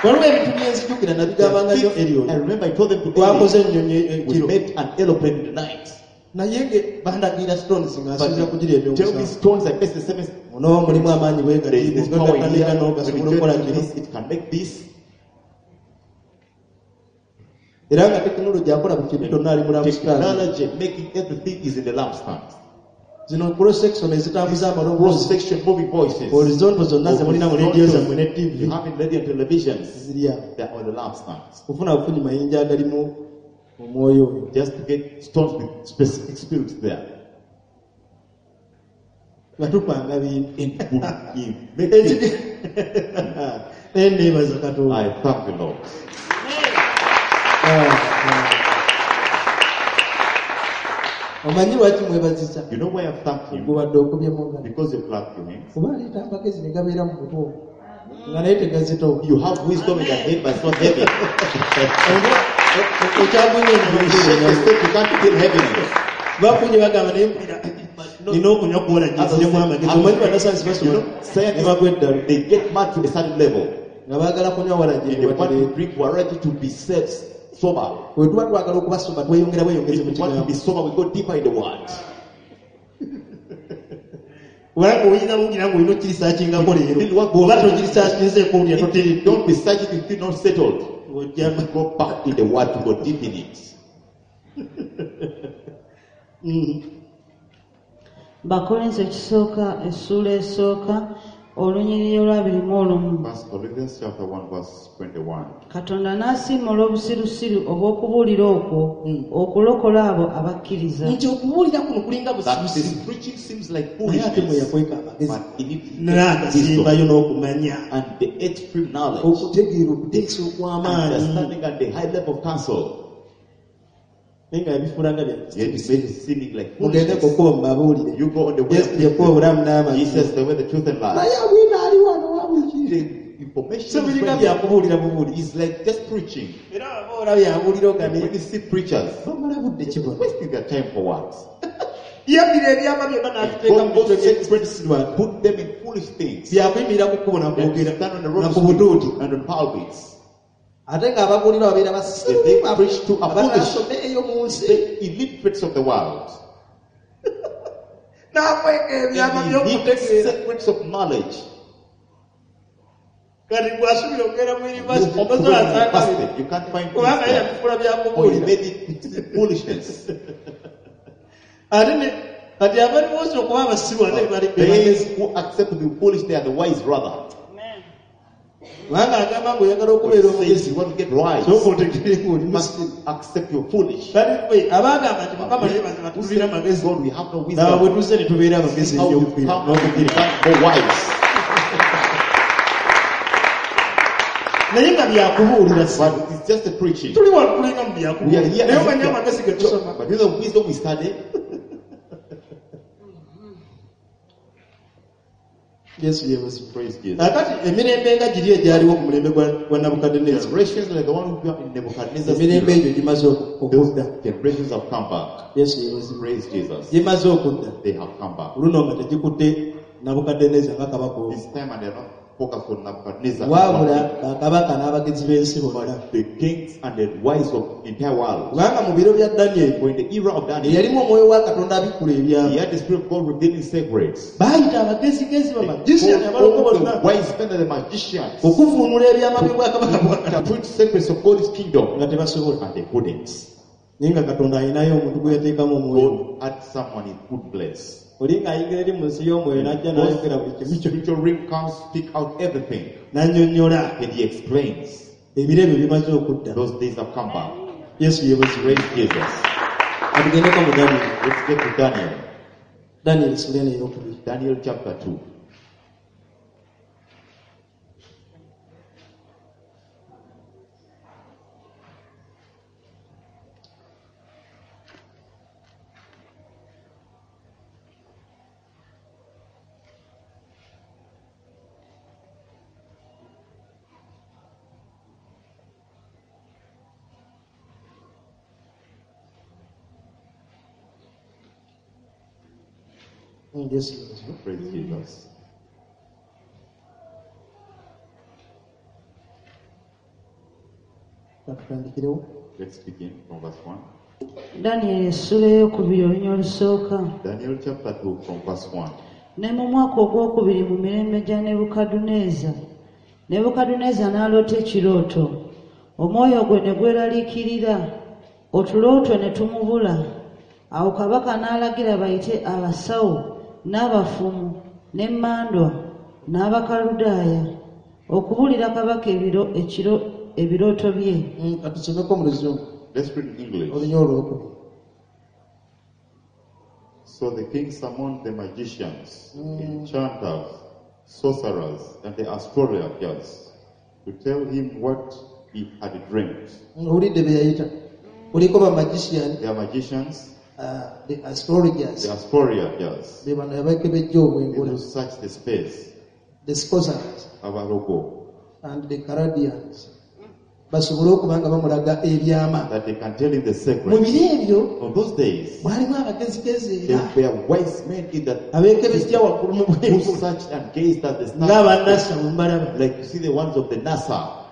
Waliwo ebintu byenzijukira nabigambanga nnyo Erion I remember I told them to twakoze ennyonyi We ekiro made an aeroplane in the night. Naye nge bandagira stones nga nsuubira kugira Tell me ebyomusanvu stones, I face the seven. Muno mulimu amaanyi There is this power in here. bwegatikanikano When gasobola you okukola join kino this, it can make this. Era nga tekinologi akola buli kintu kyonna ali mu lampstand Technology making everything is in the lampstand. Zino cross section ezitambuza amaloboozi Cross section moving voices. Horizontal zonna zemulina mu rediyo zammwe ne You TV have in radio and televisions. Ziri awo They are on the lampstands. Kufuna bufunyi mayinja agalimu omwoyo oyo Just to get stones with specific spirits there. Nga tupanga bintu And would give- make things. Naye neebaza Katonda I thank the Lord. Ah, ah. Omanyi lwaki mwebaziza You know why I thank him? Gubadde okubye mu ngalo Because you clap your hands. Kuba aleeta amagezi ne gabeera mu mutwe ogwo nga naye tegazitowa You have wisdom in your head, but it's not heavy. Okyagunye You shake the step, you can't feel heaviness. Bakunye bagamba naye mpulira nina okunywa kuwola giziremu amagezi omanyi bannasayansi You basoma know, ne bagwa eddalu scientists, they get mad to a certain level. Nga baagala kunywa walagi And they want to drink waragi to be safe, sober. Bwe tuba twagala okubasoma tweyongera bweyongezi If mu we want to kigambo be sober, we go deeper in the word. Kubanga oyinza bugira ng'olina okirisaakingako leero bw'oba togirisaakinzeeko olya If you toteredde don't research it, you feel not settled. ng'ojja Go back in the word to go deep in it. Bakolinso ekisooka essuula esooka olunyiriri olwabiri mu olumu First Corinthians chapter 1, verse 21. Katonda n'asiima olw'obusirusiru obw'okubuulira okwo okulokola abo abakkiriza Nti okubuulira kuno kulinga That busirusiru this preaching seems like naye ate mwe foolishness, yakweka amagezi but in it naye is wisdom agasimbayo n'okumanya and the extreme knowledge, okutegeera okuteesa okw'amaanyi understanding and the high level of counsel. Naye nga yabifuula nga bya Yet it made it seeming like mugende foolishness. kukuba mubabuulire You go on the way Yesu of yekuba obulamu n'amazima Jesus, the way, the truth, and life. Naye abwina ali wano wabiki The information So biringa is, right here. byakubuulira bubuuli Is like just preaching. Era aba olabye abuulira When ogane you see preachers, bamala budde kibona wasting their time for what? Yabbira ebyama byonna n'abiteeka mu God mitwe those secrets, by'ekisiru put them in foolish things. Byakuyimirira ku kkubo And nakwogera stand on the road na ku butuuti and on pulpits. Ate ng'ababuulira babeera If they preach to a foolish, basiru eyo mu nsi the illiterates of the world, n'akweka ebyama and the hid by'okutegeera secrets of knowledge. Kati gwasubira okugenda mu You yunivasite hope to go to tosobola sanga university, you can't find things kubanga ye there. yabifuula Or you byakubuulira made it foolishness. Ate ne kati abali boosi okuba abasiru ate bali be bagezi They who accept to be foolish, they are the wise rather. Kubanga agamba ng'oyagala okubeera Says omugezi you want to get wise, sooka otegeere ng'oli must musiru accept your foolish. Kati ffe abagamba nti Mukama naye mazima Who tubeera said, amagezi God, we have no laba bwe wisdom. tuzze ne tubeera abagezi How ennyo we okufiira come to n'okugira become more wise. Naye nga byakubuulira si. But it's just a preaching. Tuli wano tulinga mu We are byakubuulira. here. Naye omanyi amagezi ge tusoma. But you know the wisdom we study. Yesu yeebazibwe. Praise Jesus. Kaakati emirembe nga giri egyaliwo ku mulembe gwa Nabukadduneeza. Generations like the one who were in Nebuchadnezzar's Emirembe era, egyo gimaze those okudda. generations have come back. Yesu yeebazibwe. Praise Jesus. Gimaze okudda. They have come back. Luno nga tegikutte Nabukadduneeza nga kabaka omu. This time, and they are not focused on Nebuchadnezzar. Wabula bakabaka n'abagezi b'ensi bonna. The kings and the wise of the entire world. Kubanga mu biro bya Danyeri For in the era of Daniel, eyalimu omwoyo wa Katonda abikkula ebyama. he had the Spirit of God revealing secrets. Baayita abagezigezi They bamagician called abalongo all the bonna wise men and the magicians okuvuunula ebyama by'obwakabaka bwa Katonda to interpret secrets of God's kingdom, nga tebasobola. and they couldn't. Naye nga Katonda alinayo omuntu gwe yateekamu omwoyo. God had someone in good place. Oli ng'ayingira eri mu nsi y'omwoyo n'ajja n'ayogera buli kimu kyo Spiritual realm comes, speak out everything, n'annyonnyola and he explains. ebiro ebyo bimaze okudda. Those days have come back. Yesu yeebazibwe. Praise Jesus. Katugendeko mu Danyeri. Let's get to Daniel. Danyeri ssuula eno ey'okubiri. Daniel chapter 2. Yesu yeebazibwe. Praise Jesus. Katutandikirewo. Let's begin from verse 1. Danyeri essula ey'okubiri olunya olusooka. Daniel chapter 2 from verse 1. Ne mu mwaka ogwokubiri mu mirembe gya Nebukadduneeza, Nebukadduneeza n'aloota ekirooto. Omwoyo gwe ne gweraliikirira, otulo twe ne tumubula. Awo kabaka n'alagira bayite abasawo n'abafumu n'emmandwa n'Abakaludaaya okubuulira kabaka ebirooto bye. Katusomeko mu Luzungu. Let's read in English. Olunya olwokubiri. So the king summoned the magicians, enchanters, sorcerers, and the astrologers to tell him what he had dreamt. Owulidde bye yayita. Kuliko ba magician, They are magicians, the astrologers, the astrologers, be bano abakebejja they obwengula, who search the space, the sorcerers abalogo, and the Chaldeans. Basobole okuba nga bamulaga ebyama. that they can tell him the Mu secret. biro ebyo On those days, mwalimu abagezigezi era there were wise men in that abeekebejja waggulu mu who bwengula searched and gazed at the stars, ng'abannasa bwe mbalaba. like you see the ones of the NASA.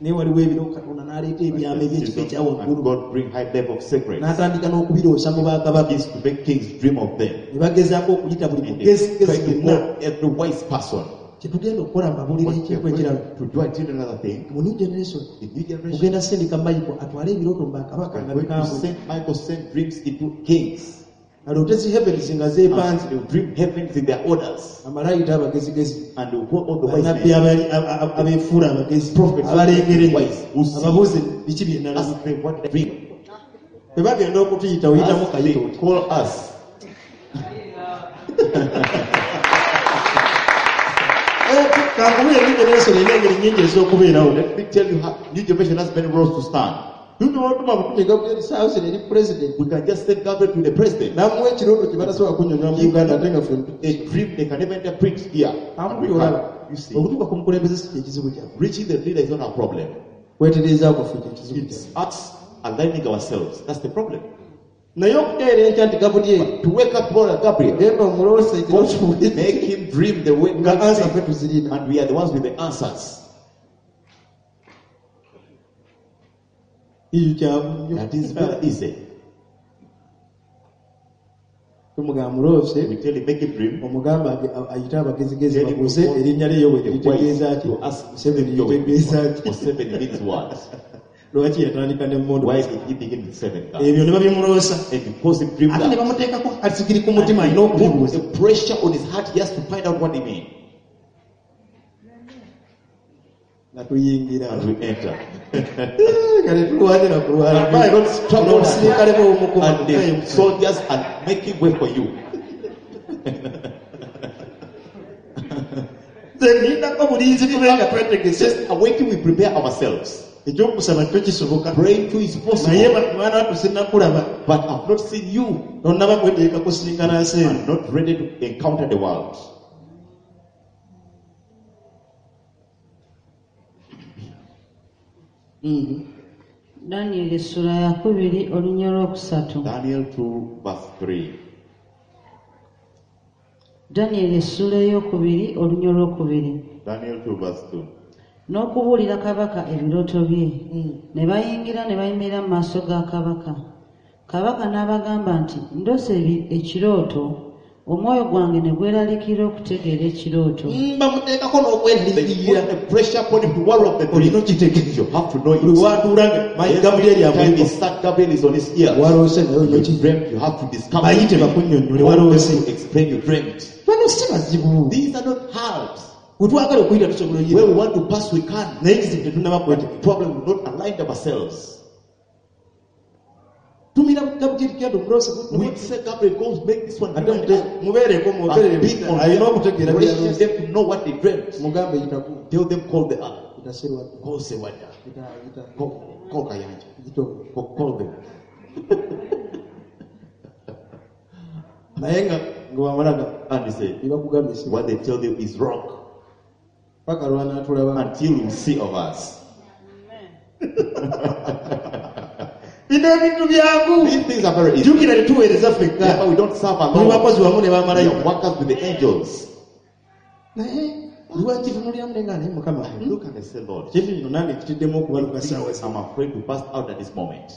Naye waliwo ebiro Katonda n'aleeta ebyama eby'ekika ekya And waggulu God bring high level of secrets. n'atandika n'okubiroosa mu bakabaka. Is to make kings dream of them. Ne bagezaako okuyita buli And they mugezigezi try to yenna. call every wise person. Kye tugenda okukola mbabuulira What we ekintu are going ekirala. to do until another thing, Mu new generation the new generation, tugenda sindika Michael atwale ebirooto mu bakabaka we nga are going to bikambwe. send Michael send dreams into kings. Aloote zi heavens nga zeepanze. And they will dream heavens in their orders. Amale ayite abagezigezi. And they will call all the wise Bannabbi men. abeefuula abagezi Prophets, abalengera ennyo wise, who see. ababuuze biki bye nalaba. Ask them what they dream. Bwe bagenda okutuyita oyitamu Ask kayita they oti. call us. Kankubuulire new generation erina engeri nnyingi ez'okubeerawo. Let me tell you how new generation has many roles to stand. Tusobola okutuma butumi Gabriel South eri president We can just send Gabriel to the president. n'amuwa ekirooto kye batasobola kunnyonnyola mu Uganda ate nga ffe A dream they can never interpret here. And we Amu can, olaba you see, okutuuka ku mukulembeze si kyekizibu kyaffe. reaching the leader is not our problem. Kwetereeza kwaffe kyekizibu It's kyaffe. us aligning ourselves. That's the problem. Naye okukeera enkya nti Gabriel To wake up tomorrow, Gabriel, genda omuloose ekirooto make him dream the way nga ansa ffe tuzirina. and we are the ones with the answers. Ekyo kyangu nnyo. That is very easy. Tumugamba muloose We tell him, make him dream. omugamba ayite abagezigezi Tell him babuuze to call erinnya lye bwe the litegeeza wise ki to ask Museveni him litegeeza ki Museveni means what? lwaki yatandika n'emmundu Why did he begin with seven? ebyo ne babimuloosa And because he dreamed ate ne that. bamuteekako asigiri ku mutima alina Put okubibuuza the pressure on his heart, he has to find out what he means. nga tuyingira And we enter. nga tetulwanye na kulwana And by God struggle omusirikale bw'omukuba and the soldiers are making way for you. Nze nindako bulinzi tube nga twetegese. Just awaiting, we prepare ourselves. Ekyokusaba kyo kisoboka. Praying too is Naye possible. mwana wattu sinnakulaba. But I've not seen you. Tonnaba kwetegeka kusinkana nsi eno. I'm not ready to encounter the world. Danyeri essula ya 2 olunya olwokusatu. Daniel 2 verse 3. Danyeri essula ey'okubiri olunya olwokubiri. Daniel 2 verse 2. N'okubuulira kabaka ebirooto bye. Ne bayingira ne bayimirira mu maaso ga kabaka. Kabaka n'abagamba nti ndoose ekirooto, omwoyo gwange ne gweraliikirira okutegeera ekirooto. Bamuteekako They n'okweraliikirira. put the pressure upon him to worry of the dream. Olina okitegeera. You have to know Buli it. w'atuula nga Gabriel Every time he amuliko. sat, Gabriel is on his ear. Waloose naye olina You okitegeera. dreamt, you have to discover. Bayite it. bakunnyonnyole Want them waloose. to explain you dreamt. Bano si bazibu. These are not hard. We twagala okuyita tusobola Where oyita. we want to pass, we can. Naye ekizibu tetunnaba kwetegeka. Problem, we've not aligned ourselves. Tumira Gabriel kyadde okuloosa. We say Gabriel, go make this one. Ate mubeereko mwogerere And be on alina okutegeera pressure by'aloose. them to know what they dreamt. Mugambe yitaku. Tell them, call the other. Yita Serwadda. Call Sewada. Yita yita Call Kayanja. yita. Call them. Naye nga nga wamalaga And he said, ebakugambye si what they tell you is wrong. paka lwanaatulaba. Until you see of us. Bino ebintu byangu. These things are very easy. Jjukira tetuweereza ffekka. Therefore, we don't serve Tuli alone. bakozi wamu ne We bamalayika. are workers with the angels. Naye lwakitunuuliramu ne nga naye Mukama. I look and I say, Lord, Kintu kino nange kitiddemu okubaluka ssaawa zino. I'm afraid to burst out at this moment.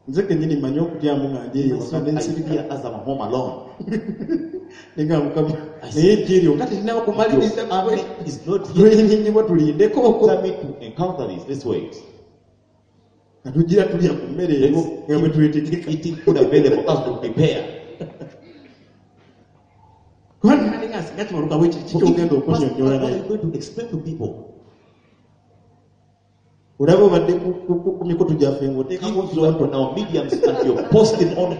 Nze kennyini mmanyi okutyamu nga ndi eyo waka ne I nsirika. fear as I'm home alone. Ne nga Mukama naye ejje eryo nga terinaba kumaliriza Your army is not here. lwenyinnyibwa tulindeko okwo. Tell me to encounter this. Let's wait. Nga tugira tulya ku mmere eriwo nga bwe twetegeka. Eating food available us to prepare. Kubanga nali nga singa kibaluka bwe kiti ky'ogenda okunnyonnyola What are naye. you going to explain to people? Olaba obadde ku mikutu gyaffe ng'oteekako If you are on our mediums and you're posting on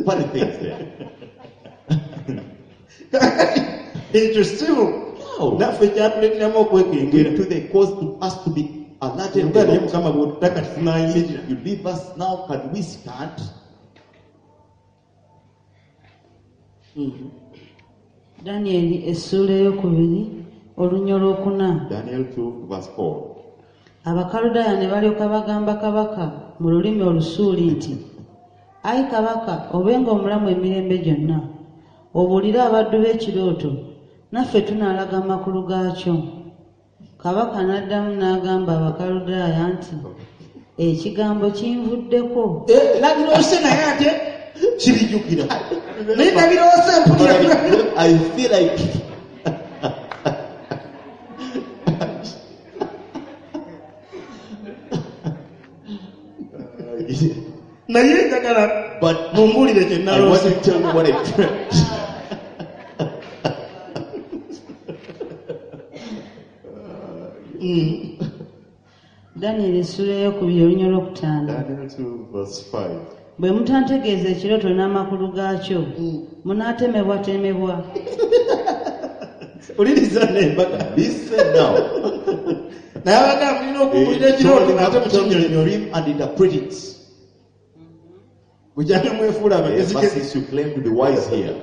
funny things there. Ekyo sibu. No. Naffe kyatuleeteramu okwekengera. To the cause to us to be alerted. Nga naye Mukama bw'otutaka tetunayimirira. You leave us now, can we stand? Danyeri essuula ey'okubiri olunya olwokuna. Daniel 2 verse 4. Abakaludaaya ne balyoka bagamba kabaka mu lulimi Olusuuli nti, Ayi kabaka obenga omulamu emirembe gyonna, obuulire abaddu b'ekirooto, naffe tunaalaga amakulu gaakyo. Kabaka n'addamu n'agamba Abakaludaaya nti, ekigambo kinvuddeko. Nabiroose naye ate kibijjukira. Naye nabiroose mpulira. I feel like Naye njagala but mumbuulire kye I want naloose. you to tell me what I dreamt. Danyeri essuula ey'okubiri olunya olwokutaano. Daniel 2 verse 5. Bwe mutantegeeza ekirooto n'amakulu gaakyo, munaatemebwatemebwa. Wuliriza n'embaga. Listen now. Naye abagamba mulina okubuulira ekirooto ate Tell me the mukinnyonnyole. dream and interpret it. Bukyanga mwefuula abagezi Ever since you claim to be wise here.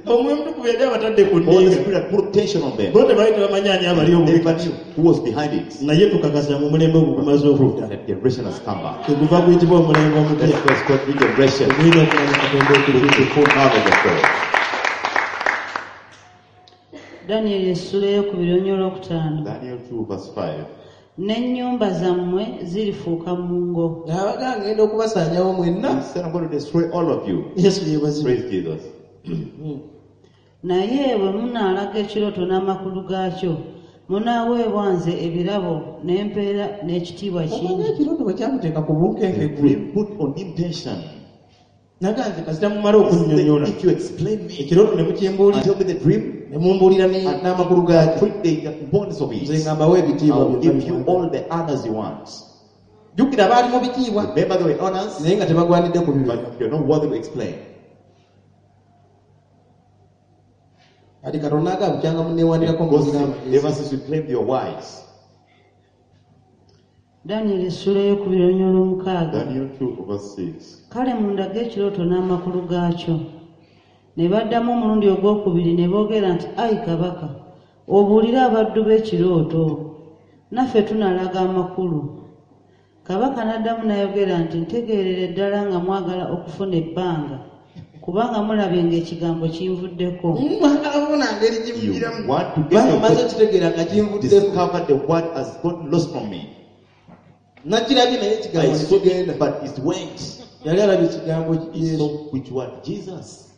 Omwoyo Omutukuvu yali abatadde ku Holy nninga. Spirit had put tension on them. Bo tebaali tebamanyi ani abali obubi. Never knew who was behind it. Naye tukakasa mu mulembe ogwo gumaze okudda. That generation has come back. Teguva guyitibwa omulembe omupya. That's why it's called new generation. Ogulina okumanya Katonda With okujjuza. the full knowledge of God. Danyeri essuula ey'okubiri olunya olwokutaano. Daniel 2 verse 5. N'ennyumba zammwe zirifuuka mungo. Abagamba ngenda okubasaanyawo mwenna. He said, I'm going to destroy all of you. Yesu yeebazibwe. Praise Jesus. Naye bwe munaalaga ekirooto n'amakulu gaakyo, munaaweebwa nze ebirabo n'empeera n'ekitiibwa Omanyi kingi. ekirooto bwe kyamuteeka ku bunkenke The gwe. dream put on him tension. Naganze kasita mumala okunnyonnyola. If you explain me Ekirooto ne mukimbuulira and tell me the dream, ne mumbuulira n'amakulu gaakyo. put the importance of Nze it. nga mbawa ebitiibwa I'll byonna give you bye mwagala. all the honors you want. Jjukira baali mu bitiibwa Remember there were honors, naye nga tebagwanidde kubibala. but you're not worthy to explain. Kati Katonda agamba bukyanga munneewanirako Gossip, ever since you claimed you're wise. Danyeri essula ey'okubiri olunyiriri olw'omukaaga. Daniel 2 verse 6. Kale mundage ekirooto n'amakulu gaakyo. Ne baddamu omulundi ogwokubiri ne boogera nti ayi kabaka obuulire abaddu b'ekirooto naffe tunalaga amakulu. Kabaka n'addamu n'ayogera nti ntegeerera ddala nga mwagala okufuna ebbanga kubanga mulabye ng'ekigambo kinvuddeko. Mwagala kufuna ngeri You gimugiramu. want to get Kubanga maze the okitegeera nga kinvuddeko. discover the word has gotten lost from me. Nakirabye naye I ekigambo saw nekigenda. it, but it went. Yali alabye ekigambo He Yesu. saw which word? Jesus.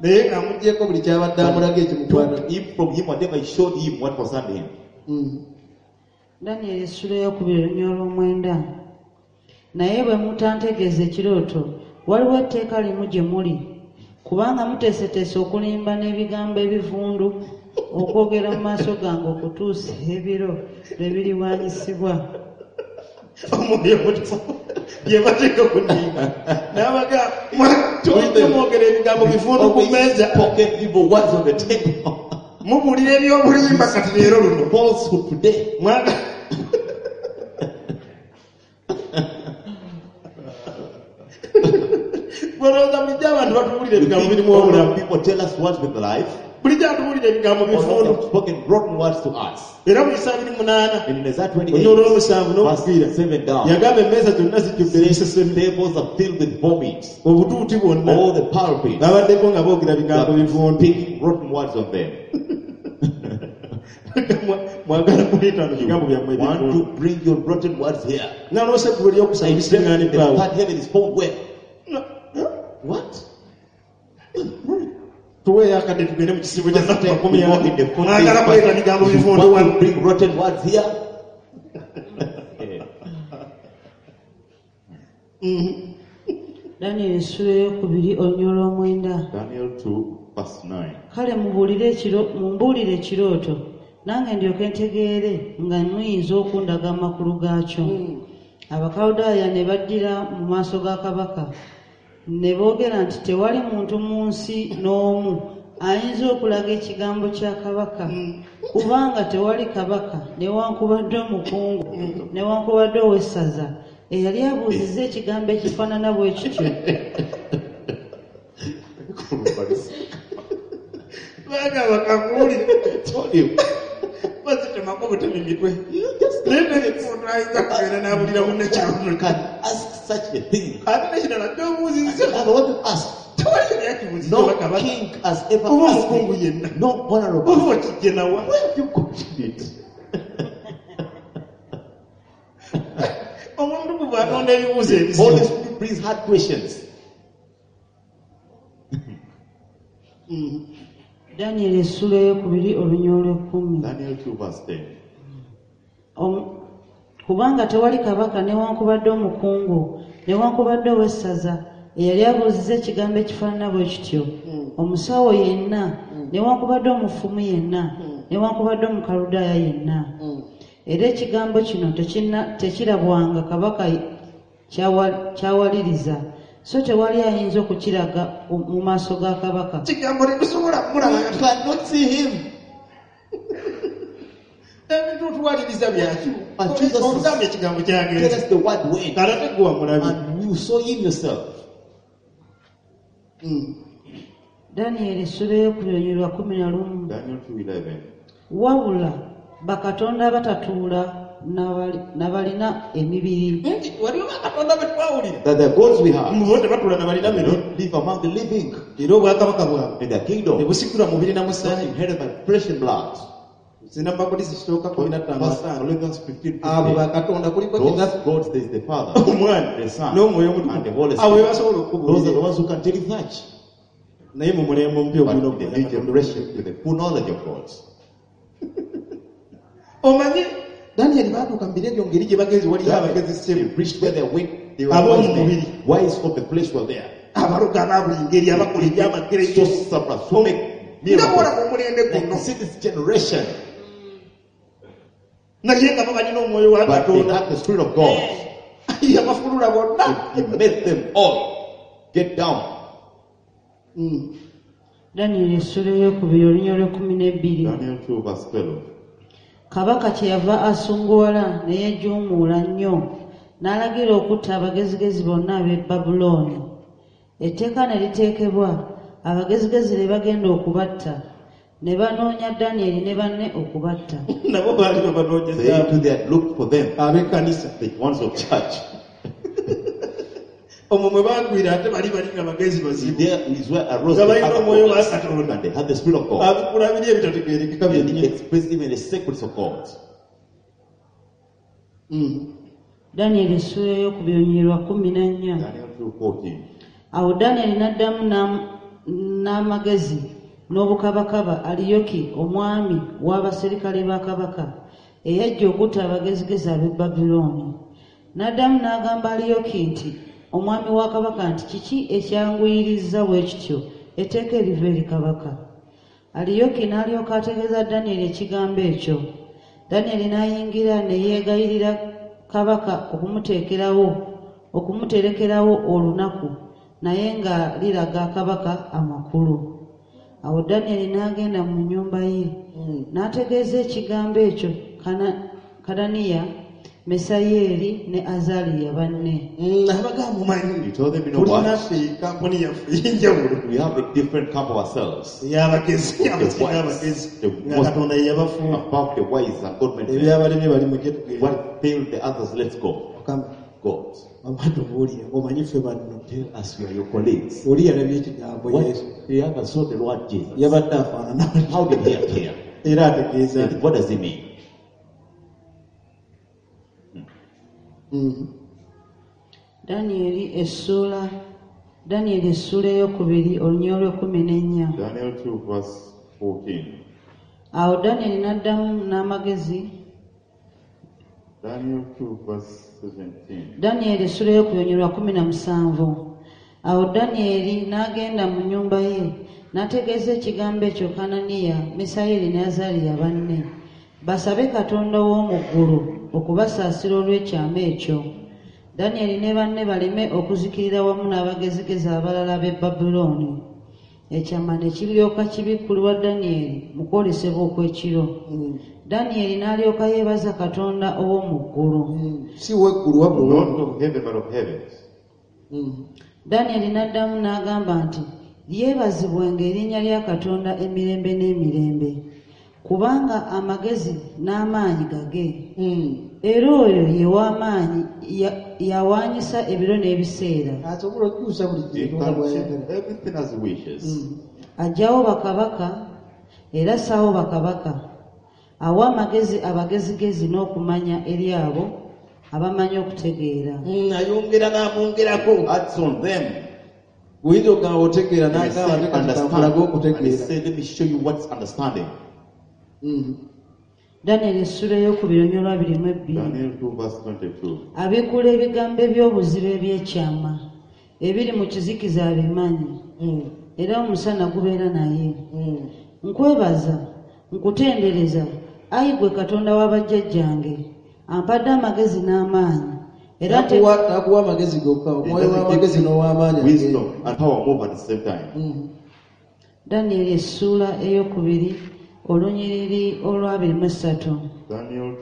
Naye ng'amuggyeko buli kyabadde amulaga ekimukwata. Took him from him whatever he showed him what concerned him. Danyeri essula ey'okubiri olunyiriri olw'omwenda. Naye bwe mutantegeeza ekirooto waliwo etteeka limu gye muli kubanga muteeseteese okulimba n'ebigambo ebivundu okwogera mu maaso gange okutuusa ebiro lwe biriwanyisibwa. Omwoyo omutukuvu bye bateeka ku nninga. N'abaga bulijjo mwogera ebigambo bivundu ku Always mmeeza. spoken evil words on the table. Mubuulira ebyobulimba kati leero luno. Falsehood today. Mwaga Olowooza bulijjo abantu batubuulira You ebigambo think birimu all obulamu. people tell us words with life. Bulijjo atubuulira ebigambo Or not bivundu. have spoken rotten words to us. Era mu Isaaya 28 And in Isaiah olunyiriri 28, olw'omusanvu n'okufiira verse 7 down, yagamba emmeeza zonna zijjudde n'enseseme. tables are filled with vomit. Obutuuti bwonna All the pulpits babaddeko nga boogera bigambo are bivundu. speaking rotten words on them. Mwagala kuleeta no bigambo byammwe You want ebivundu. to bring your rotten words here. Naloose eggulu eryokusaba The ebisiŋŋaaniddwawo. third heaven is found where? What? Tuweeyo akadde tugende mu kisibo kya nnaku makumi We walk in the ana. foot Mwagala kuleeta bigambo You bivundu want wano. to bring rotten words here? Danyeri essula ey'okubiri olunyiriri olw'omwenda. Daniel 2, verse 9. Kale mumbuulire ekirooto nange ndyoke ntegeere nga muyinza okundaga amakulu gaakyo. Abakaludaaya ne baddira mu maaso ga kabaka ne boogera nti tewali muntu mu nsi n'omu ayinza okulaga ekigambo kya kabaka kubanga tewali kabaka newankubadde omukungu newankubadde ow'essaza eyali abuuzizza ekigambo ekifaanana bwe kityo. Bagamba kakuwulire. Told you. Bazitemako butemi mitwe. You just Naye teri muntu ayinza kugenda n'abulira munne ekirooto. can ask such a thing. Ate n'ekirala ky'obuuzizza I want to ask. tewali yali akibuuzizza No oba kabaka. king has ever Oba asked omukungu it. yenna. No honorable. Oba okijje nawa. Where have you got it? Omuntu bw'atonda ebibuuzo ebizibu. Holy Spirit brings hard questions. Danyeri essula ey'okubiri olunyiriri olw'ekkumi. Daniel 2, verse 10. Kubanga tewali kabaka newankubadde omukungu newankubadde ow'essaza eyali abuuzizza ekigambo ekifaanana bwe kityo omusawo yenna newankubadde omufumu yenna newankubadde omukaludaaya yenna era ekigambo kino tekirabwanga kabaka kyawaliriza so tewali ayinza okukiraga mu maaso ga kabaka. Kigambo tetusobola kumulaba. You cannot see him. Ebintu otuwaliriza byaki? And Jesus is- Olugamba ekigambo Tell kyagenze. us the word went. Kale ate gwe wamulabye. And you saw him yourself. Danyeri essula ey'okubiri olunyiriri lwa 11. Daniel 2, 11. Wabula bakatonda abatatuula n'abalina emibiri Nti waliwo bakatonda be twawulira. That the gods we have Mu bo tebatula na balina they mibiri. don't live among the living Era obwakabaka bwabwe in their kingdom. tebusikirwa mubiri na Not musaayi. inherited by flesh and blood. Zina Bakodisi kisooka 15 First ataano. Corinthians 15, Abo 15. bakatonda kuliko Those kitaffe gods, there is the Father, omwana the Son, n'omwoyo and the Holy omutukuvu. Abo be Spirit. basobola Those are okukubuulira. the ones who can tell you that. Naye mu mulembe omupya But ogulina in the okumanya new Katonda. generation, with the full knowledge of God. Omanyi Daniel baatuuka mu biro ebyo ngeri gye bagenzi waliyo abagezi They ssebo reached where they went. They were Ab'omu wise men. mubiri. Wise of the flesh were there. Abaloga aba buli ngeri abakola ebyamagero. Sorcerers who make Nga bw'olaba miracles. omulembe Like guno you see this generation, naye nga babalina omwoyo wa but they Katonda had the Spirit of God. yabafulula bonna. He made them all get down. Danyeri essula eyokubiri olunyiriri olw'ekumi n'ebbiri. Daniel 2, verse 12. Kabaka kyeyava asunguwala ne yeejuumuula nnyo n'alagira okutta abagezigezi bonna ab'e Babulooni. Etteeka ne liteekebwa, abagezigezi ne bagenda okubatta, ne banoonya Danyeri ne banne okubatta. Nabo baali They babanoonyezaamu too, they had looked for them, ab'ekkanisa. The ones of church. Omwo mwe bagwira ate bali bali nga bagezi bazibu. There is where arose Nga the balina other omwoyo wa prophets, Katonda. and they had the Spirit of God. Abikula biri ebitategeerekeka And byennyini. he expressed even the secrets of God. Danyeri essula eyokubiri olunyiriri lwa 14. Daniel 2:14. Awo Danyeri n'addamu n'amagezi n'obukabakaba Aliyoki omwami w'abaserikale ba kabaka eyajja okutta abagezigezi ab'e Babulooni. N'addamu n'agamba Aliyoki nti omwami wa kabaka nti kiki ekyanguyiriza bwe kityo etteeka eriva eri kabaka. Aliyoki n'alyoka ategeeza Danyeri ekigambo ekyo. Danyeri n'ayingira ne yeegayirira kabaka okumuterekerawo olunaku naye nga liraga kabaka amakulu. Awo Danyeri n'agenda mu nnyumba ye n'ategeeza ekigambo ekyo Kananiya, Mesayeri ne Azaliya banne. Abagamba mumanyi He told them, you know what? tulinaffe kampuni yaffe ey'enjawulo We have a different camp of ourselves. ey'abagezi The abasinga wise, abagezi the nga most Katonda ye yabafuula. above the wise and God made them. Ebyabalemye bali mujje tugende. What failed the others, let's go. Mukama God, mama tubuulire omanyi ffe banno. Tell us we are your colleagues. Oli yalabye ekigambo What Yesu the others saw the Lord Jesus. yabadde afaanana How did he appear? era ategeeza And what does he mean? Danyeri essuula eyokubiri olunyiriri olw'ekumi n'ennya. Daniel 2, verse 14. Awo Danyeri n'addamu n'amagezi Daniel 2, verse 17. Danyeri essula eyokubiri olunyiriri lwa 17. Awo Danyeri n'agenda mu nnyumba ye n'ategeeza ekigambo ekyo Kananiya, Misayeri ne Azaliya banne basabe Katonda w'omu ggulu okubasaasira olw'ekyama ekyo. Danyeri ne banne baleme okuzikirira wamu n'abagezigezi abalala b'e Babulooni. Ekyama ne kiryoka kibikkulirwa Danyeri mu kwolesebwa okw'ekiro. Danyeri n'alyoka yeebaza Katonda ow'omu ggulu. Si weggulu wabula Not of heaven, but of heavens. Danyeri n'addamu n'agamba nti yeebazibwenga erinnya lya Katonda emirembe n'emirembe kubanga amagezi n'amaanyi gage. Era oyo ye w'amaanyi yawaanyisa ebiro n'ebiseera. Asobola okukyusa buli He kintu nga can bw'ayagala. change everything as he wishes. Aggyawo bakabaka era assaawo bakabaka. Awa amagezi abagezigezi n'okumanya eri abo abamanyi okutegeera. Ayongera n'amwongerako. Adds on them. Bw'oyinza okugamba otegeera And he n'agamba said, ate kati understand. kankulage And he okutegeera. said, let me show you what's understanding. Danyeri essula eyokubiri olunyiriri lwa 22. Daniel 2, verse 22. Abikkula ebigambo eby'obuziba eby'ekyama ebiri mu kizikiza abimanyi era omusana gubeera naye. Nkwebaza, nkutendereza, ayi ggwe Katonda wa bajjajjange, ampadde amagezi n'amaanyi. Era Takuwa amagezi gokka, He omwoyo doesn't w'amagezi give n'ow'amaanyi. wisdom and power move at the same time. Danyeri essuula eyokubiri olunyiriri olwa 23. Daniel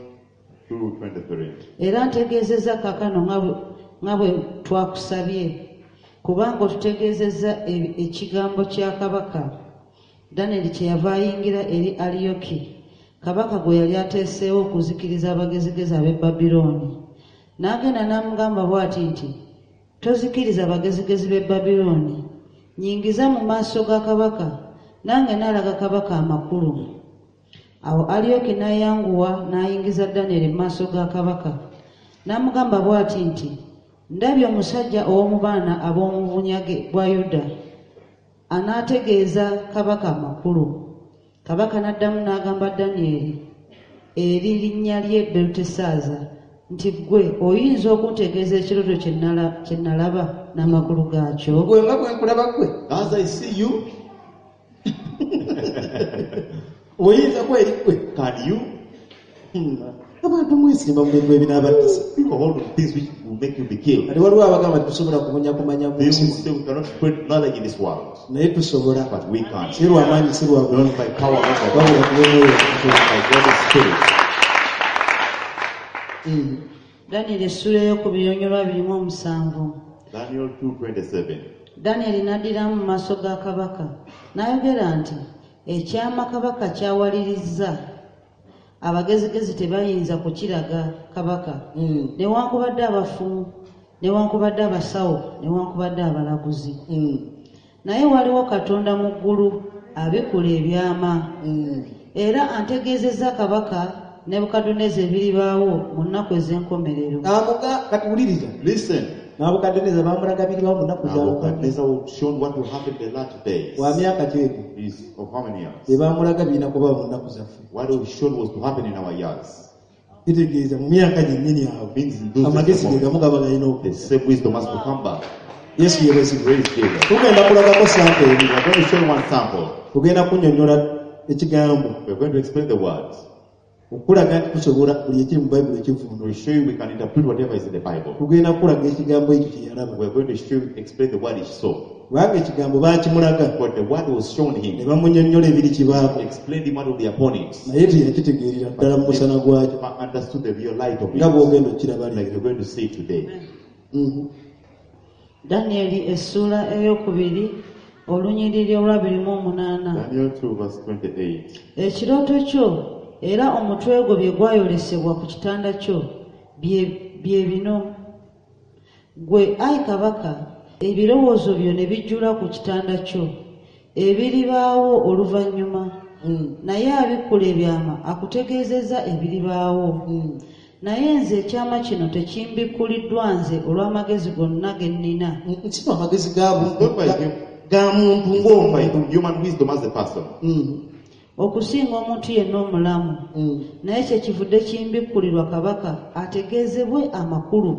2:23. Era ntegeezezza kaakano nga bwe twakusabye, kubanga otutegeezezza ekigambo kya kabaka. Danyeri kyeyava ayingira eri Aliyoki, kabaka gwe yali ateeseewo okuzikiriza abagezigezi ab'e Babulooni. N'agenda n'amugamba bw'ati nti, tozikiriza abagezigezi b'e Babulooni, nnyingiza mu maaso ga kabaka, nange naalaga kabaka amakulu. Awo Aliyoki n'ayanguwa n'ayingiza Danyeri mu maaso ga kabaka. N'amugamba bw'ati nti, ndabye omusajja ow'omu baana ab'omu bunyage bwa Yuda, anaategeeza kabaka amakulu. Kabaka n'addamu n'agamba Danyeri eri linnya lye Belutesaaza nti ggwe oyinza okuntegeeza ekirooto kye nalaba n'amakulu gaakyo? Gwe nga bwe nkulaba ggwe. As I see you, Oyinza kweri ggwe. can you? Abantu mwesimba mu bintu ebinaabattisa. People hold on to things which will make you be killed. Kati waliwo abagamba tetusobola kubunya kumanya mu They nsi will muno. say we cannot spread knowledge in this world, Naye tusobola. But we can. Si lwa maanyi, si lwa Not bulungi, by power, not by wabula power, ku lw'omwoyo Omutukuvu. by God's Spirit. Danyeri essula ey'okubiri olunyiriri lwa 27. Daniel 2:27. Danyeri n'addiramu mu maaso ga kabaka n'ayogera nti ekyama kabaka kyawalirizza abagezigezi tebayinza kukiraga kabaka newankubadde abafumu newankubadde abasawo newankubadde abalaguzi naye waliwo Katonda mu ggulu abikula ebyama era antegeezezza kabaka Nebukadduneeza ebiribaawo mu nnaku ez'enkomerero. Amuga kati wuliriza. Listen. Nabukadduneeza baamulaga biribaawo mu nnaku za Nebuchadnezzar will show what will happen in the last days. Wa myaka ki egyo? Is of how many years? Bye baamulaga birina kubaawo mu nnaku zaffe. What was shown was to happen in our years. Kitegeeza mu myaka gyennyini awo. Means in those Amagezi days, ge gamu gaba galina the okujja. same wisdom has to come back. Yesu yeebazibwe. Praise Jesus. Tugenda kulagako sample emu. We are going to show you one sample. Tugenda kunnyonnyola ekigambo. We are going to explain the words. Okulaga nti tusobola buli ekiri mu Bayibuli ekivvuunula. We show you we can interpret whatever is in the Bible. Tugenda kulaga ekigambo ekyo kye yalaba. We are going to show you, explain the word he saw. Kubanga ekigambo baakimulaga But the word was shown ne him. bamunnyonnyola ebiri kibaako. Explained him what will be upon it. Naye teyakitegeerera ddala mu musana gwakyo But understood the real light of it. nga bw'ogenda okukiraba Like leero. you're going to see today. Danyeri essuula ey'okubiri olunyiriri olwa 28. Daniel 2 verse 28. Ekirooto kyo era omutwe gwo bye gwayolesebwa ku kitanda kyo bye bino. Ggwe ayi kabaka ebirowoozo byo ne bijjula ku kitanda kyo ebiribaawo oluvannyuma naye abikkula ebyama akutegeezezza ebiribaawo. Naye nze ekyama kino tekimbikkuliddwa nze olw'amagezi gonna ge nnina. Nsiba amagezi ga muntu ng'omuntu. By human wisdom as a person. Okusinga omuntu yenna omulamu. Naye kyekivudde kimbikkulirwa kabaka ategeezebwe amakulu.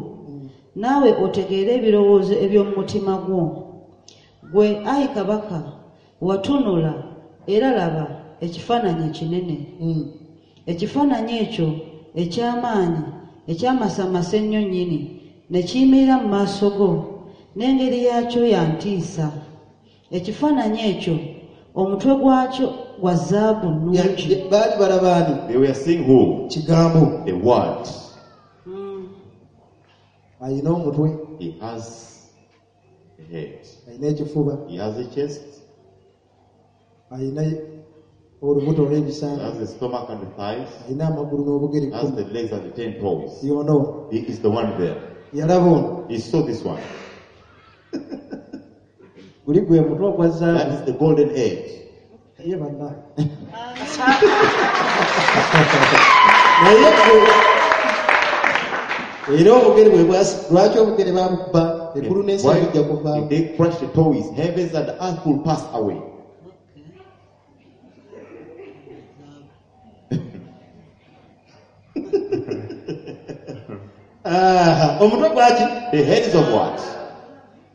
Naawe otegeere ebirowoozo eby'omu mutima gwo. Ggwe ayi kabaka watunula era laba ekifaananyi ekinene. Ekifaananyi ekyo eky'amaanyi ekyamasamasa ennyo nnyini ne kiyimirira mu maaso go n'engeri yaakyo ya ntiisa. Ekifaananyi ekyo omutwe gwakyo gwa zaabu nnungi. Baali balaba ani? They were seeing who? Kigambo. The word. Alina omutwe. He has a head. Alina ekifuba. He has a chest. Alina olubuto olw'ebisambi. He has the stomach and the thighs. Alina amagulu n'obugere He has kkumi. the legs and the 10 toes. Y'ono. He is the one there. Yalaba ono. He saw this one. Guli gwe mutwe ogwa zaabu. That is the golden head. Ye bannange. Naye era obugere bwe bwasi, lwaki obugere baabukuba? Eggulu n'ensi Why bijja kuvaawo. If they crush the toes, heavens and earth will pass away. Omutwe gwaki? The head is of what?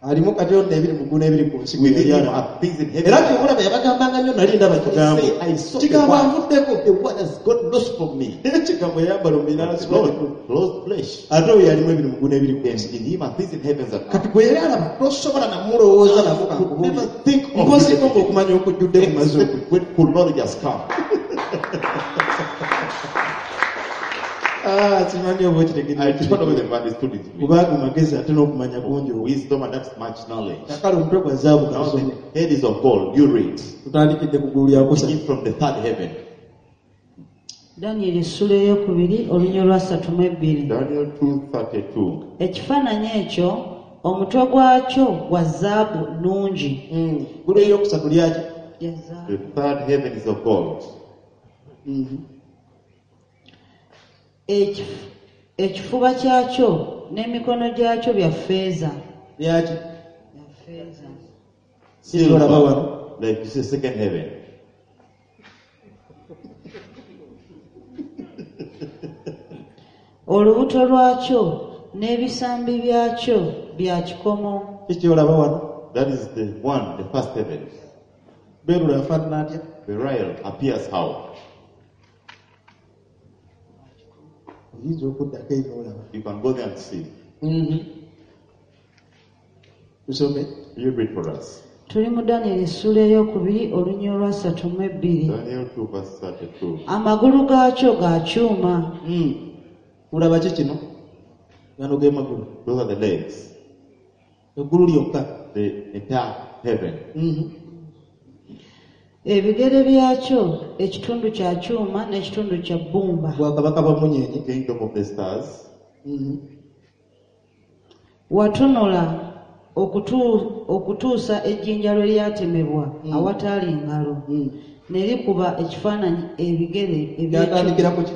Alimu kati ono ebiri mu ggulu n'ebiri ku nsi gwe Within yali him alaba. are things in heaven. Era ky'obulaba yabagambanga nnyo nali ndaba kigambo. Say, I saw the Kigambo word. anvuddeko. The word has got lost from me. Ekigambo yayambala omubiri n'asibwa Lord, eggulu. closed flesh. Ate oyo yalimu ebiri mu ggulu n'ebiri ku And nsi. in him are things in heavens and Kati earth. gwe yali alaba tosobola namulowooza nako Could kankubuulire. never think of Mpoziko it. ng'okumanya okujjudde ku mazzi Except okwo. when full knowledge has come. Simanyi oba okitegeera. I don't know whether you understood it. Kubanga magezi ate n'okumanya kungi okwo. Wisdom and that's much knowledge. Kakale omutwe gwa zaabu Now kasome. the head is of gold. You read. Tutandikidde ku ggulu lya kusatu. Begin from the third heaven. Danyeri essula ey'okubiri olunyiriri lwa 32. Daniel 2:32. Ekifaananyi ekyo omutwe gwakyo gwa zaabu nnungi. Ggulu eryokusatu lyaki? Lya zaabu. The third heaven is of gold. Ekifuba kyakyo n'emikono gyakyo bya ffeeza. Lyaki? Bya ffeeza. Silver, Olaba wano. like you see second heaven. Olubuto lwakyo n'ebisambi byakyo bya kikomo. Kiki olaba wano? That is the one, the first heaven. Berulo afaanana atya? Beryl appears how? Oyinza okuddako eri n'olaba. You can go there and see. Tusome. You read for us. Tuli mu Danyeri essuula ey'okubiri olunya olwasatu mu ebbiri. Daniel 2 verse 32. Amagulu gaakyo ga kyuma. Olaba ki kino? Gano ge magulu. Those are the legs. Eggulu lyokka. The entire heaven. Ebigere byakyo ekitundu kya kyuma n'ekitundu kya bbumba. Bwakabaka bwa munyenye. Kingdom of the stars. Watunula okutuusa ejjinja lwe lyatemebwa awataali ngalo. Ne likuba ekifaananyi ebigere eby'ekyuma. Byatandikira ku ki?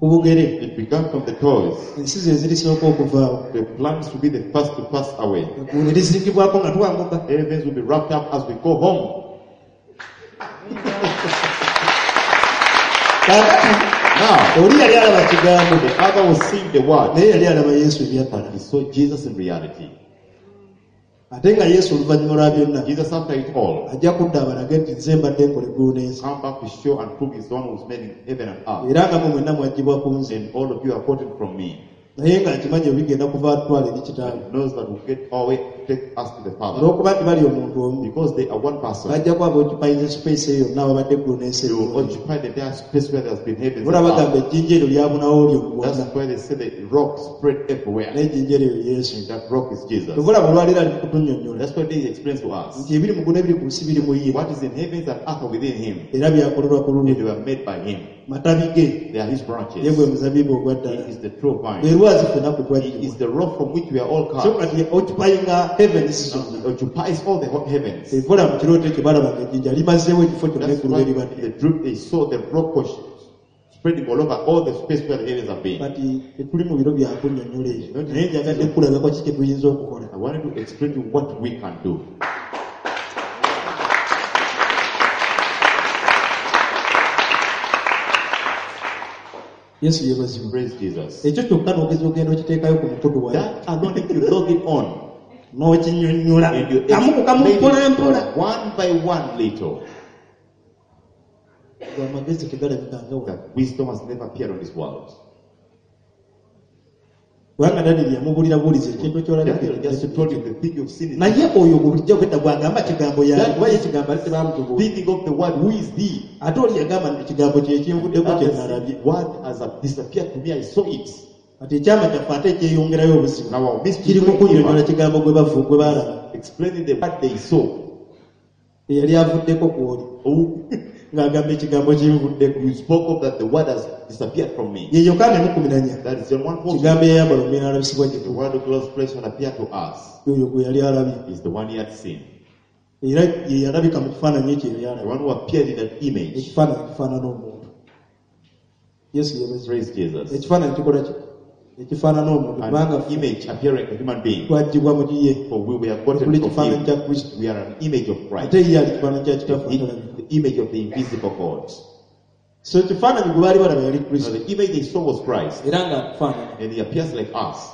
Ku bugere. It began from the toes. Ensi ze zirisooka okuvaawo. The plans will be the first to pass away. Eggulu ne lizingibwako nga twambuka. Heavens will be wrapped up as we go home. Kaakati Now, oli yali alaba kigambo the other was seeing the word, naye yali alaba Yesu ebyaddala. but he saw Jesus in reality. Ate nga Yesu oluvannyuma lwa byonna Jesus, after it all, ajja kudda abalage nti nze mbadde nkola eggulu n'ensi. come back to show and prove he's the one who's made heaven and earth. Era nga mmwe mwenna mwaggyibwa ku nze. And all of you are gotten from me. Naye ng'akimanyi bigenda kuva atwala eri kitaawe. Knows that will get our way to take us to the Father. Olw'okuba nti bali omuntu omu Because they are one person, bajja kuba boccupyinze space eyo yonna awabadde eggulu n'ensi they will ebyonna. occupy the entire space where there's been heavens Olaba and bagamba earth. ejjinja eryo lyabunawo lyo wonna. That's why they say the rock spread everywhere. Naye ejjinja eryo Yesu. And that rock is Jesus. Kyova olaba olwaleero ali mu kutunnyonnyola That's why they explain to us nti ebiri mu ggulu n'ebiri ku nsi biri mu ye what is in heavens and earth are within him. era byakolerwa ku And lulwe. they were made by him. Matabi ge They are his ye branches. gwe muzabibu ogwa ddala. He is the true Lwe vine. lwazi ffenna kwe He twaggyibwa. is the rock from which we are all So cut. kati occupyinga heavens zonna. He occupies all the heavens. Evola mu kirooto ekyo balaba ng'ejjinja limazeewo ekifo kyonna That's eggulu why we libadde. the dream they saw the rock was spreading all over all the space where the heavens have been. Kati tetuli mu biro bya kunnyonnyola ebyo naye njagadde kukulagako ki kye tuyinza okukola. I wanted to explain to you what we can do. Yesu yeebazibwe. Praise Jesus. Ekyo kyokka n'ogeza ogenda okiteekayo ku mukutu wali That alone, if you log it on n'okinnyonnyola and you kamu ku kamu explain mpola it mpola. one by one little, Amagezi tegalabika nga wano. that wisdom has never appeared on this world. Kubanga Daniel yamubuulira buulizi ekintu ky'olabika Daniel just told you the thing you've seen is naye oyo bulijjo obwedda bw'agamba kigambo yaali kuba ye ekigambo ate tebamutubuulira. thinking of the word, who is he? Ate oli yagamba nti ekigambo kye kinvuddeko kye nalabye. Word has disappeared to me, I saw it. Kati ekyama kyaffe ate ekyeyongerayo obuzibu Now our mystery kiri mu is kunnyonnyola kigambo gwe bavu gwe baalaba. explaining the word they saw. Eyali avuddeko ku oli Oh, ng'agamba ekigambo kinvuddeko. you spoke of that the word has disappeared from me. Ye Yokaana emu kumi na nnya. That is John 1:14. Kigambo eyayambala omubiri n'alabisibwa gye The tuli. word of God's flesh and appeared to us Oyo gwe yali alabye. is the one he had seen. Era ye yalabika mu kifaananyi ekyo yali The alabye. one who appeared in that image. Ekifaananyi kifaanana omuntu. Yesu yeebazibwe. Praise Jesus. Ekifaananyi kikola ki? Ekifaanana omuntu kubanga An image appearing a human being. twaggyibwa mu ye. For we were gotten Tuli from kifaananyi him. kya Kristo. We are an image of Christ. Ate ye ali kifaananyi kya Kitaffe The, atalabika. the image of the invisible God. So ekifaananyi gwe baali balaba yali Now Kristo. the image they saw was Christ. Era ng'atufaanana. And he appears like us.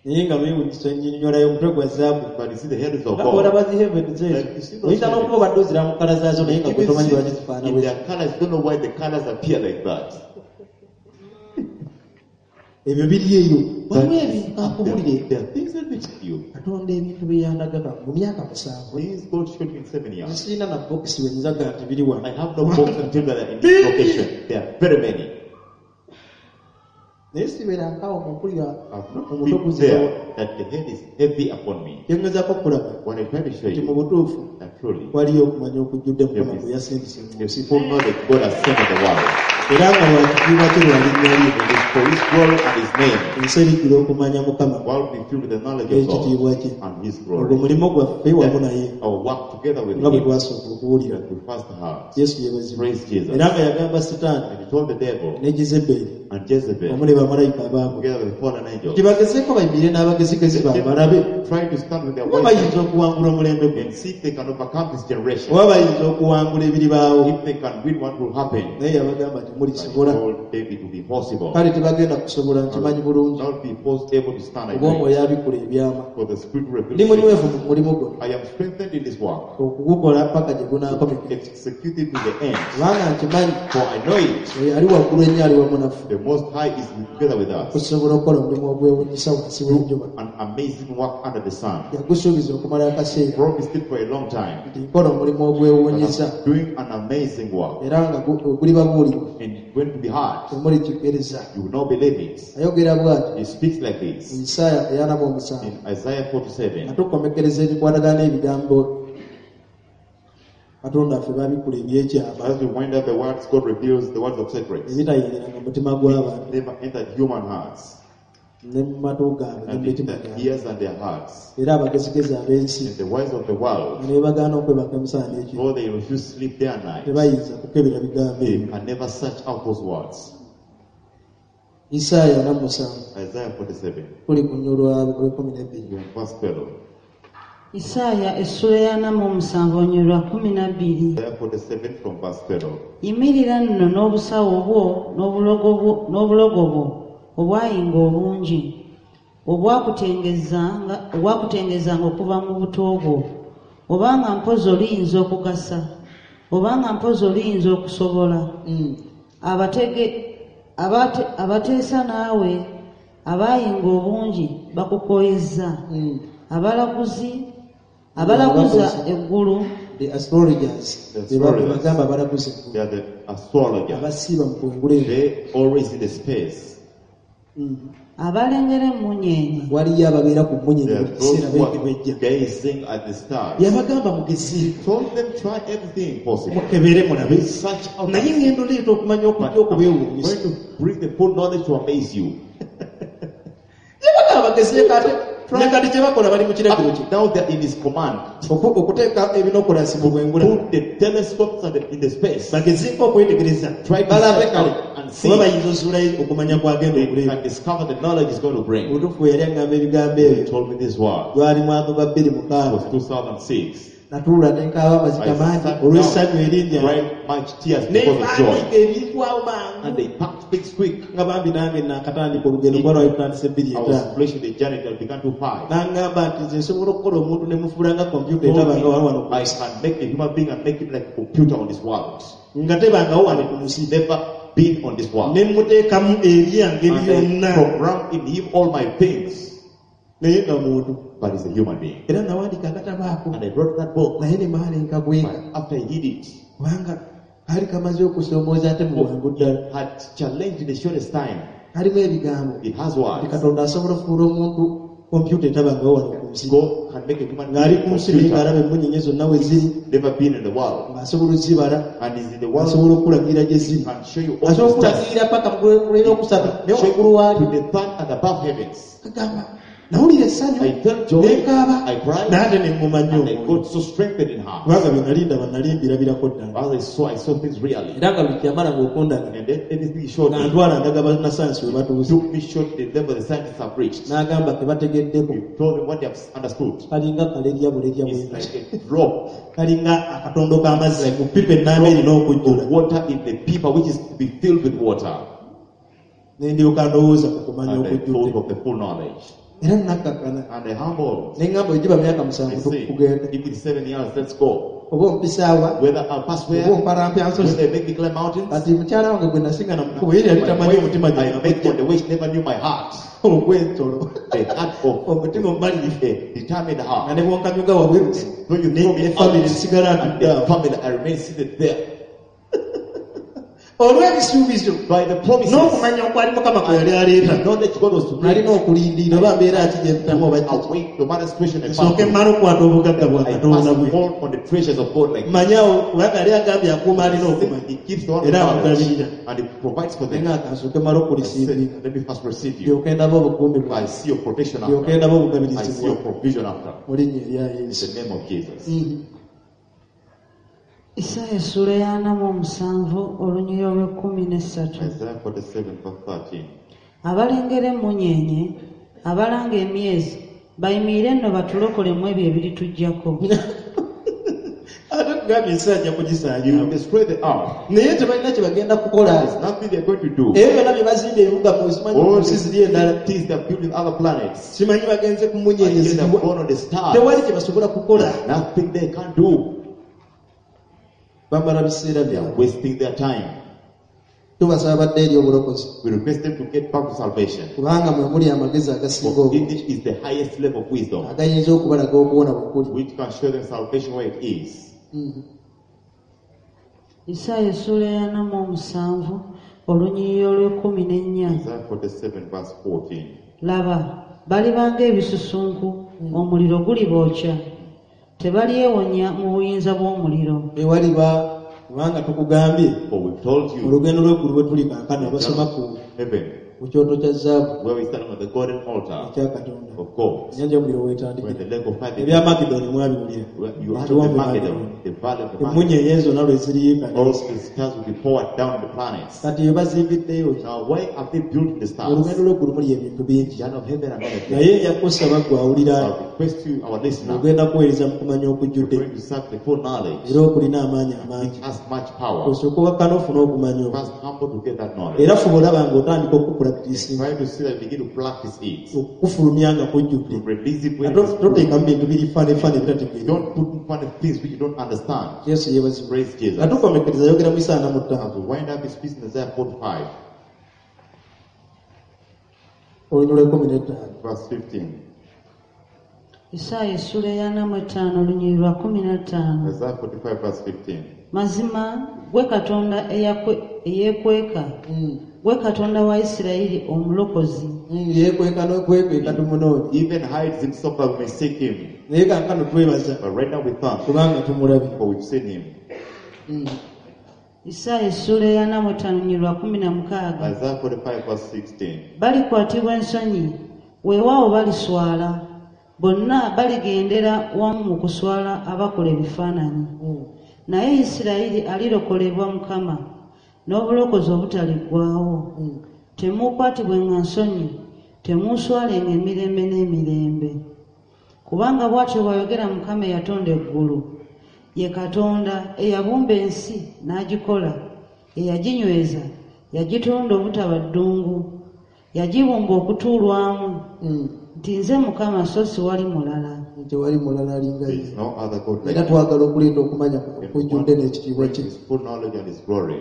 Naye nga beewuunyisa ennyinyonnyola y'omutwe gwa zaabu. But you see the heavens of Nga God. bw'olaba zi heaven zeezo, oyinza n'okuba obadde ozira mu kkala zaazo naye nga gwe Even tomanyi lwaki see zifaanana in bwe their colors, don't know why the colors appear like that. Ebyo biri eyo. But Waliwo ebintu kankubulire. there are things that we tell you. Katonda ebintu bye yandagaba mu myaka 7. Things God showed me in 7 years. Sirina na bokisi we nzaga nti biri wano. I have no box until that are in this location. There are very many. Naye sibeera nkaawo mu mpulira I've not omutwe been guzitowa. there that the head is heavy upon me. Kye ngezaako okulaba What I try to show nti mu you butuufu that truly waliyo okumanya okujjudde Mukama Yes. gwe yasindise mu the nsi. full knowledge God has sent in the world. Era nga lwa kitiibwa kye lwa linnya lye. It is for his glory and his name. Ensi erijjula okumanya Mukama The world will be filled with the knowledge of n'ekitiibwa God kye. and his Ogwo glory. mulimu gwaffe wamu naye Our work together with nga bwe him twasooka okuwulira. that we first heard. Yesu yeebazibwe. Praise Jesus. Era nga yagamba Sitaani And he told the devil ne Jezeberi and Jezebel wamu ne bamalayika abaabwe together with the fallen angels nti bagezeeko bayimirire n'abagezigezi baabwe balabe try to stand with their oba wisdom bayinza okuwangula omulembe guno and see if they can overcome this generation. oba bayinza okuwangula ebiribaawo. If they can win, what will happen? Naye yabagamba But he temulisobola. told them it will be possible. Kale tebagenda kusobola, nkimanyi bulungi, Not be able to stand, I oba pray. Omwoyo abikula ebyama. For the Spirit Ndi reveals. munywevu mu mulimu guno, I am strengthened in this work, okugukola paka gye gunaakomekera, execute it to the end. kubanga nkimanyi For I know it, oyo ali waggulu ennyo ali wamu naffe, the Most High is together with us. okusobola okukola omulimu ogwewunyisa wansi w'enjuba. An amazing work under the sun. Yagusuubiza okumala akaseera Promised it for a long time. nti nkola omulimu But ogwewunyisa, I'm doing an amazing work. era nga gulibabuulirwa, And it's going to be hard. temulikikkiriza. You will not believe it. Ayogera bw'ati He speaks like mu this Isaaya 47, in Isaiah 47. nga tukomekereza ebikwatagana n'ebigambo Katonda waffe babikula ebyekyama, As we wind up the words, God reveals the words of secrets. ebitayingira mu mutima gw'abantu Never entered human hearts, ne mu matu gaabwe ne mu and in mitima their gyabwe. ears and their hearts. Era abagezigezi ab'ensi And the wise of the world, ne bagaana okwebaka emisana n'ekiro, though they refuse sleep day and night, tebayinza kukebera bigambo they ebyo. can never search out those words. Isaaya 47, Isaiah 47, kuli ku nnyo lw'e12. from verse 12. Isaaya essula ya 47 olunyiriri lwa 12. Isaiah 47 from verse 12. Yimirira nno n'obusawo bwo n'obulogo bwo obwayinga obungi, obwakutengezanga okuva mu buto bwo, obanga mpozi oliyinza okugasa, obanga mpozi oliyinza okusobola. Abateesa naawe abayinga obungi bakukooyezza, abalaguza eggulu. The astrologers, The be astrologers. bagamba abalaguza eggulu, They are the astrologers. abasiiba mu kwengula ebyo. They always in the space. Abalengera emmunyeenye. Waliyo ababeera ku They mmunyeenye are buli those kiseera who are beekebejja. gazing at the stars. Yabagamba mugezi, Told them try everything possible. mukebere mulabe, Search out. naye ngenda oleeta okumanya But okujja I'm okubeewuunyisa. going to bring the full knowledge to amaze you. Yabagamba bagezeeko, ate ne kati kye bakola bali mu kiragiro kye. Now they're in his command. Okuteeka ebinokolasi mu bwengula, Put the telescopes and in the space. bagezeeko okwetegereza, Try to balabe search kale out and see. oba bayinza ozuulayo okumanya kwagenda They okuleeta. can discover the knowledge is going to bring. Obutuufu yali aŋŋamba ebigambo He ebyo, told me this word. gwali mwaka gwa bbiri It was mukaaga 2006. Natuula ne nkaaba amaziga I mangi sat olw'essanyu down, erinnya. cried much tears because of joy. Nebaandiika ebintu awo mangu, And they packed things quick. nga bambi nange nakatandika olugendo, kuba lwali tutandise bbiri I was etaano. finishing the journey that began to five. N'aŋŋamba nti nze nsobola okukola omuntu ne mufuula nga kompyuta Told etabanga wano wano me, ku I nsi, can make a human being and make him like a computer on this world. nga tebangawo wano ku nsi, Never been on this world. ne muteekamu ebyange And I byonna, program in him all my things. naye nga muntu. But he's a human being. Era nawandiika akatabo ako, And I wrote that book. Naye ne maala nkagweka, But after I hid it, kubanga kaali kamaze okusoomooza ate mu bwangu ddala. had challenged in the shortest time. Kalimu ebigambo It has nti words. Katonda asobola okufuula omuntu kompyuta etabangawo wano ku nsi, God can make a human ng'ali being ku a nsi naye computer. ng'alaba emmunyeenye zonna we ziri, Never been in the world. ng'asobola ozibala, And is in the world. asobola okulagirira gye ziri, Can show you all asobola the stars. okulagirira paka mu lwokusatu naye Show waggulu you waali. to the third and above heavens. Kagamba nawulira essanyu, I felt joy. nekaaba, I cried. naye ate ne ŋŋuma nnyo And I omwoyo, got so strengthened in heart. kubanga bye nali ndaba nali mbirabirako ddala. As I saw things really. Era nga buli kyamalanga okundaga, And then everything he showed Nga me, ntwala ndaga bannasayansi we batuuse. took me short the level the scientists have reached. N'agamba tebategeddeko. He told them what they have understood. Kalinga kalerya bulerya It's bwengati, like a drop Kalinga akatondo k'amazzi mu pipa ennamba erina okujjula. of water in the pipa which is to be filled with water. Ne ndyoka ndowooza ku kumanya And I thought okujjudde, of the full knowledge. Era nakkakkana And I humbled. ne ŋŋamba ogiba myaka I 7 say, kugenda, if it's 7 years, let's go. oba ompisaawa, Whether I'll pass oba where, ompalampya whether nsozi. they make me climb mountains. Kati mukyala wange gwe nasingana mu kkubo ye yali My tamanyi wife, omutima I met gye on the way, she never knew my heart. ogw'ensolo, The heart of omutima omumalirivu, a determined nga heart. ne bwonkanyuga wabweru When you throw me ne out, family nsigala and ntudde the awo family, I remain seated there. Olw'ebisuubizo By the promises, n'okumanya okwali Mukama kwe yali aleeta. the knowledge God was to bring, nalina okulindirira oba mbeera ki gye mpitamu oba kiki. await no matter situation I pass Nsooke through. mmale okukwata obugagga bwa I Katonda pass bwe all on the treasures of God like manyawo, kubanga yali agambye akuuma alina okumanya, He keeps the one with era knowledge amugabirira. and he provides for them. Naye nga kansooke mmale I okulisiibira, said, let me first receive you. ndyoke ndaba obukuumi I bwawe, see your protection ndyoke after. ndaba I obugabirizi see your bwawe provision after. mu linnya erya In Yesu. the name of Jesus. Isaaya essula ya 47 olunyiriri olw'e13. Isaiah 47 verse 13. Abalengera emmunyeenye, abalanga emyezi, bayimirire nno batulokolemu ebyo ebiritujjako. Ate nkugambye ensi ajja You will kugisaanyaawo destroy the earth. Naye tebalina kye bagenda kukola. There's nothing they're going to do. Ebyo byonna bye bazimba ebibuga ku simanyi ku All nsi the ziri endala cities they're building other planets. simanyi bagenze ku And mmunyeenye yet they've ziriwa gone on the stars. tewali kye basobola kukola. Nothing they can do. Bamala biseera They are byabwe. wasting their time. Tubasaba badde eri obulokozi We request them to get back to salvation. kubanga mwe muli amagezi agasinga For obungi English is the highest level of wisdom, agayinza okubalaga okuwona bwe kuli. which can show them salvation where it is. Isaaya essuula ey'ana mu omusanvu olunyiriri olw'ekkumi n'ennya. Isaiah 47, verse 14. Laba, balibanga ebisusunku, omuliro gulibookya. Tebalyewonya mu buyinza bw'omuliro. Ewaliba kubanga tukugambye For we've told you, olugendo lw'eggulu bwe tuli kaakano abasoma ku heaven, ku kyoto kya zaabu where we stand on the golden altar ekya Katonda of God, ennyanja y'omuliro where weetandikira the lake of fire ebya Magedoni mwabiwulira where you have the Ekiwonvu Magedon, Magedoni. the valley of the Magedon. Emmunyeenye zonna lwe ziriyiika All the stars will be poured down the planets. kati bye bazimbiddeyo ki? Now, why have they built the stars? Olugendo lw'eggulu muli ebintu bingi Journey of heaven and earth. naye nja kusaba gwe awulira I request you, our listener, ogenda kuweereza mu kumanya you're okujjudde going to serve the full knowledge, era okulina amaanyi amangi which has much power. osooka owakkana ofune okumanya okwo First, humble to get that knowledge. era fuba olaba ng'otandika okukupulakitisinga Try to see that you begin to practice it. okukufulumya nga kujjudde To release it when it is full. toteekamu bintu biri fanefaane ebitategeera Don't put in front of things which you don't understand. Yesu yeebazibwe. Praise Jesus. Nga tukomekereza yogera mu Isaaya ana mu ttaano As we wind up his speech in Isaiah 45, olunyiriri lw'ekkumi n'ettaano verse 15. Isaaya essuula ey'ana mu ttaano olunyiriri lwa kkumi na ttaano. Isaiah 45, verse 15. Mazima gwe Katonda eyeekweka, gwe Katonda wa Isirayiri omulokozi. Yeekweka n'okwekweka tumunoonya Even hides himself that we may seek him. naye kaakano twebaza But right now we thank, kubanga tumulabye. for we've seen him. Isaaya essuula ey'ana mu ttaano olunyiriri lwa kkumi na mukaaga. Isaiah 45, verse 16. Balikwatibwa ensonyi, weewaawo baliswala. Bonna baligendera wamu mu kuswala abakola ebifaananyi. Naye Isirayiri alirokolebwa Mukama n'obulokozi obutaliggwaawo. Temuukwatibwenga nsonyi, temuuswalenga emirembe n'emirembe. Kubanga bw'atyo bw'ayogera Mukama eyatonda eggulu, ye Katonda eyabumba ensi n'agikola, eyaginyweza, yagitonda obutaba ddungu, yagibumba okutuulwamu, nti nze Mukama so siwali mulala. Tewali mulala alinga There ye. is no other God like Era him. twagala okuleeta okumanya And we okujjudde want to n'ekitiibwa bring kye. His full knowledge and his glory.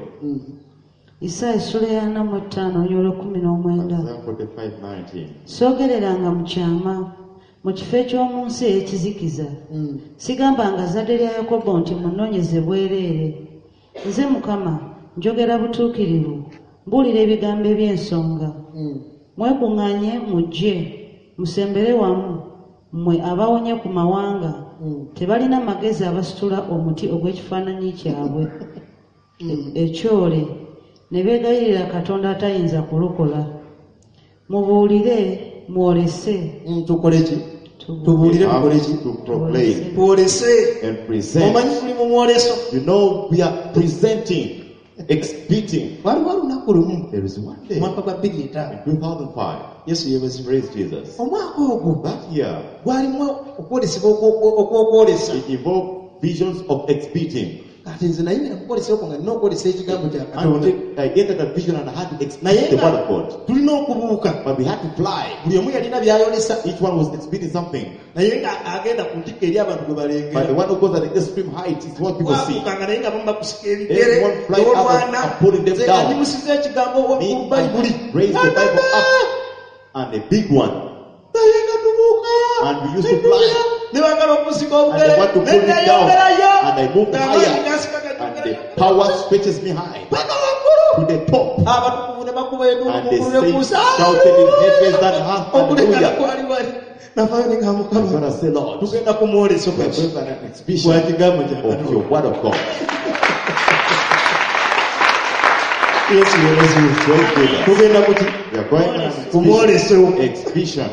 Isaaya essula ey'ana mu ttaano olunyiriri lw'ekkumi n'omwenda. Isaiah 45, 19. Soogereranga mu kyama, mu kifo eky'omu nsi ey'ekizikiza. Sigambanga zzadde lya Yakobo nti munoonyeze bwereere. Nze Mukama njogera butuukirivu, mbuulira ebigambo eby'ensonga. Mwekuŋŋaanye mujje, musembere wamu, mmwe abawonye ku mawanga. Tebalina magezi abasitula omuti ogw'ekifaananyi kyabwe ekyole, ne beegayirira Katonda atayinza kulokola. Mubuulire, mwolese. Tukole ki? Tubuulire We tukole have ki? to proclaim Twolese. and present. Omanyi tuli mu mwoleso. You know, we are presenting, exhibiting. Waliwo olunaku lumu There is one day omwaka gwa bbiri etaano in 2005, Yesu yeebazibwe. praise Jesus. Omwaka ogwo That year, gwalimu okwolesebwa okw'okwolesa. it involved visions of exhibiting. Kati nze nayingira mu kwolesa okwo nga nina okwolesa ekigambo kya Katonda. And I entered that vision and I had to Naye exhibit the nga word of God. tulina okubuuka. But we had to fly. Buli omu yalina by'ayolesa Each one was exhibiting something. naye nga agenda ku ntikko eri abantu gwe But the balengera. one who goes at the extreme height is what people see. Twabuukanga naye nga bamu bakusika ebigere Everyone fly up n'olwana. and pulling them Nze nga down. nyimusiza ekigambo Me, ku Bayibuli. I raised the Bible up and a big one. Naye nga tubuuka. And we used to fly. Ne baagala okusika And obugere. they want to Ne pull me down. neyongerayo. And I moved Ng'amaanyi higher. gansika And the gajongerayo. power stretches me high Paka waggulu. to the top. Abatukuvu ne bakuba enduulu And mu the ggulu ne saints kuusa. shouted in heavens and earth, Okulekana hallelujah. kwali wali. Navaayo ne ngamba I'm Mukama, gonna say, Lord, tugenda ku mwoleso we are gwaki going on an exhibition gwa kigambo kya of Katonda. your word of God. Yesu yeebazibwe. Praise Jesus. Tugenda kuki? We are going on an Ku mwoleso. exhibition.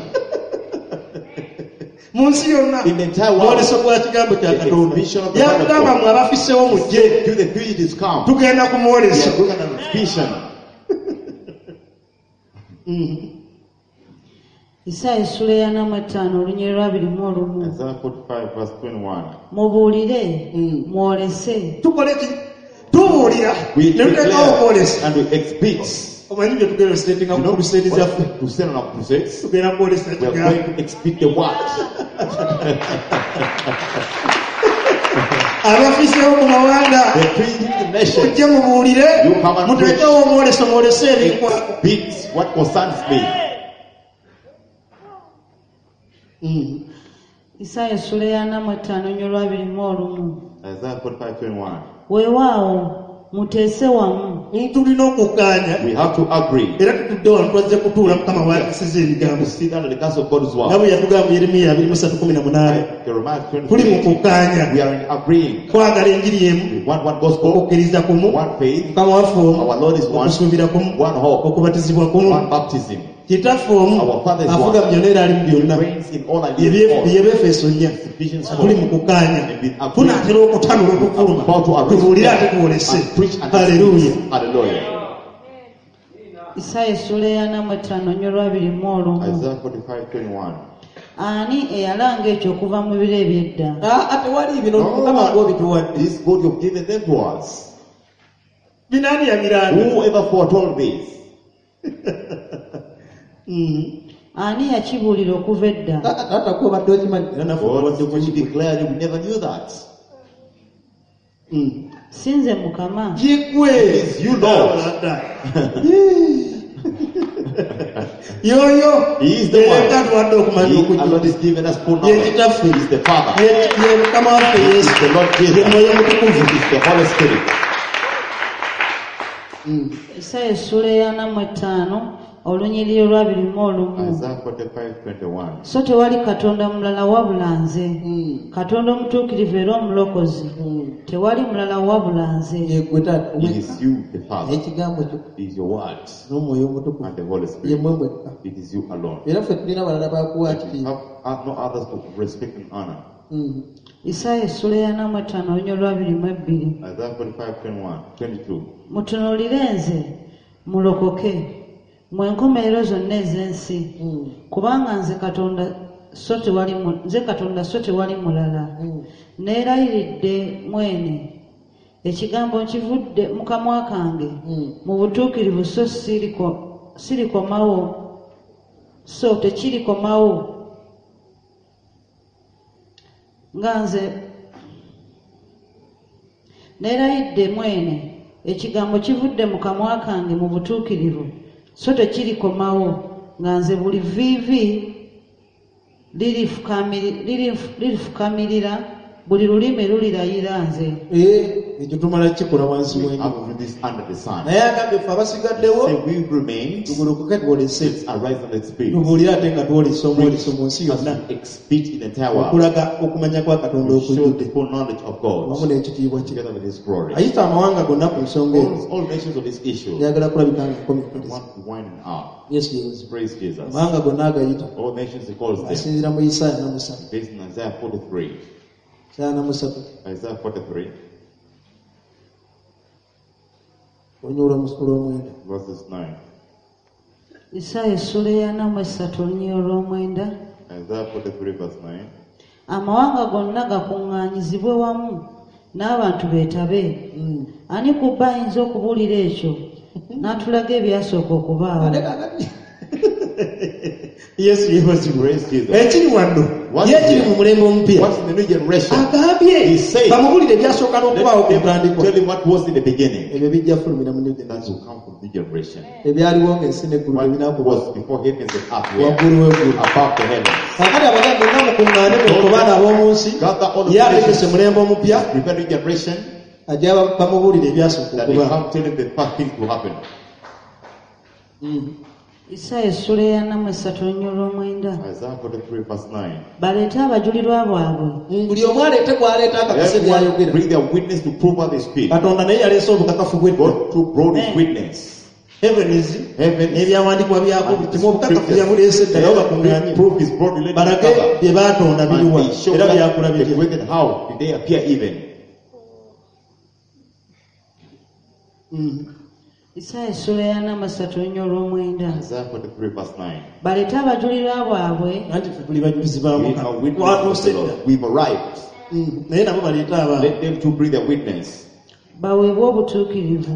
Mu nsi yonna. In the entire world. Mwoleso gwa kigambo kya The Katonda. exhibition of the word of Yatugamba God. mwe abafiseewo mujje. Do the fugitives come? Tugenda ku We mwoleso. are going on an exhibition. Isaaya essula eyana mu etaano olunyiriri lwa 21. Isaiah 45, verse 21. Mubuulire, mwolese, Tukole ki? Tubuulira We ne tuteekawo okwolesa. declare and we exhibit. Omanyi bye tugenda ositeetinga You ku know crusade zaffe. what to send on our crusades? Tugenda kwolesa We are kigambo. going to exhibit the word. Abafiseewo mu mawanga The preaching the nation. mujje mubuulire You come and muteekewo omwoleso mwolese ebinkwako. Exhibit what concerns me. Isaaya essula eyana mu etaano olunyiriri lwa 21. Isaiah 45, 21. Weewaawo muteese wamu, Tulina okukkaanya We have to agree. era tutudde wano twazze kutuula Mukama w'atusiza ebigambo. To sit under the counsel of God's Nga word. bwe yatugamba Yeremiya 23:18 Jeremiah tuli mu 23. kukkaanya We are in agreeing. kwagala enjiri emu We want one gospel, okukkiriza kumu one faith, Mukama waffe omu Our Lord is one, okusuubira kumu one hope, okubatizibwa kumu one baptism. kitaffe omu Our Father is afuga one. mu byonna era ali mu byonna Reigns in all and is in all. Yebefeso 4 Ephesians tuli mu 4. kukkaanya And we agree. tunaatera okutanula okufuluma About to arrest tubuulire ate them twolese and preach and haleluya exhibit. Hallelujah. Isaaya essula eyana mu etaano olunyiriri lwa 21. Isaiah 45, 21. Ani eyalanga ekyo okuva mu biro eby'edda? Aa, tewali bino Mukama gw'obituwadde. This God you've given them to us. Binaani yabiranga? Whoever foretold this? Ani yakibuulira okuva edda? Taata taata gw'obadde okimanyi. Era naffe God obadde you kuki declared we never knew that. Si nze Mukama. Yegwe. It is you, Lord. Yoyo He is the one. Yeka atuwadde okumanya He okujja alone is given us full Ye knowledge. kitaffe. He is the Father. Ye Mukama waffe He Yesu is the Lord ye Jesus. Mwoyo Mutukuvu. He is the Holy Spirit. Isaaya essula eyana mu etaano olunyiriri lwa 21. Isaiah 45, 21. So tewali Katonda mulala wabula nze, Katonda omutuukirivu era omulokozi, tewali mulala wabula nze. Yegwe taata. It is you, the Father. Ekigambo kyo It is your word n'omwoyo omutukuvu. and the Holy Ye Spirit. mmwe mwekka. It is you alone. Era ffe tulina abalala bakuwa We kitiibwa. have no others to respect and honor. Isaaya essula eyana mu etaano olunyiriri lwa 22. Isaiah 45, 21, 22. Mutunuulire nze mulokoke, mmwe enkomerero zonna ez'ensi, kubanga nze Katonda so tewali nze Katonda so tewali mulala. Neerayiridde mwene, ekigambo nkivudde mu kamwa kange, mu butuukirivu so sirikomawo, so tekirikomawo. Nga nze neerayidde mwene, ekigambo kivudde mu kamwa kange mu butuukirivu, so tekirikomawo, nga nze buli viivi lirifukamirira, buli lulimi lulirayira nze. Ekyo tumala kukikola wansi We w'enjuba. have to do this under the sun. Naye agambye ffe abasigaddewo Say we remain, tugolokoke twolese let's arise and exhibit. tubuulire ate nga twolesa omwoleso mu nsi As yonna we exhibit in the entire world. okulaga okumanya kwa Katonda We show the okujjudde full knowledge of Wamu God n'ekitiibwa kye. together with His glory. Ayita amawanga gonna ku nsonga eno. All nations of this issue Njagala kulabika nga nkomekkereza. want to wind up. Yesu yeebazibwe. Praise Jesus. Amawanga gonna agayita. All nations he calls them. Asinziira mu Isaaya 43. Based on Isaiah 43. Isaaya 43. Isaiah 43, Olunyiriri olw'omwenda. verses 9. Isaaya essula eyana mu esatu olunyiriri olw'omwenda. Isaiah 43, verse 9. Amawanga gonna gakuŋŋaanyizibwe wamu n'abantu beetabe. Ani ku bo ayinza okubuulira ekyo n'atulaga ebyasooka okubaawo? Ate kaakati Yesu yeebazibwe. Praise Jesus. Ekiri wano What ye is ekiri here? mu mulembe omupya What's in the new generation? agambye He said, bamubuulire ebyasooka n'okubaawo Let ku them ntandikwa. tell him what was in the beginning. Ebyo bijja fulumira mu new That generation. will come from the generation. Ebyaliwo ng'ensi n'eggulu What tebinakuba was before heavens and earth were waggulu w'eggulu. above the heavens. Kaakati abagambye nga mukuŋŋaane mwe baana ab'omu nsi Gather all the Ye ategese nations. mulembe omupya Prepare new generation ajja bamubuulire ebyasooka that they okubaawo. come tell him the first things to happen. Isaaya essula eyana mu esatu olunyiriri olw'omwenda. Isaiah 43, verse 9. Baleete abajulirwa bwabwe Buli omu aleete gw'aleeta akakase Everyone by'ayogera. bring their witness to prove what they speak. Katonda naye yaleese obukakafu bw'edda. God too brought his witness. Heavens Heaven n'ebyawandiikibwa byako and kimu obukakafu yabuleese dda nabo bakuŋŋaanye proof is brought related to balage other. bye baatonda biriwa And they show era that byakula they bitya. created how did they appear even. Isaaya essula eyana mu essatu olunya olw'omwenda. Isaiah 43 verse 9. Baleete abajulirwa baabwe Anti ffe tuli bajulizi ba We Mukama. are witnesses of Twatuuse the dda. Lord. We've arrived. Naye nabo baleete abaabwe. Let them to bring their witness. Baweebwe obutuukirivu.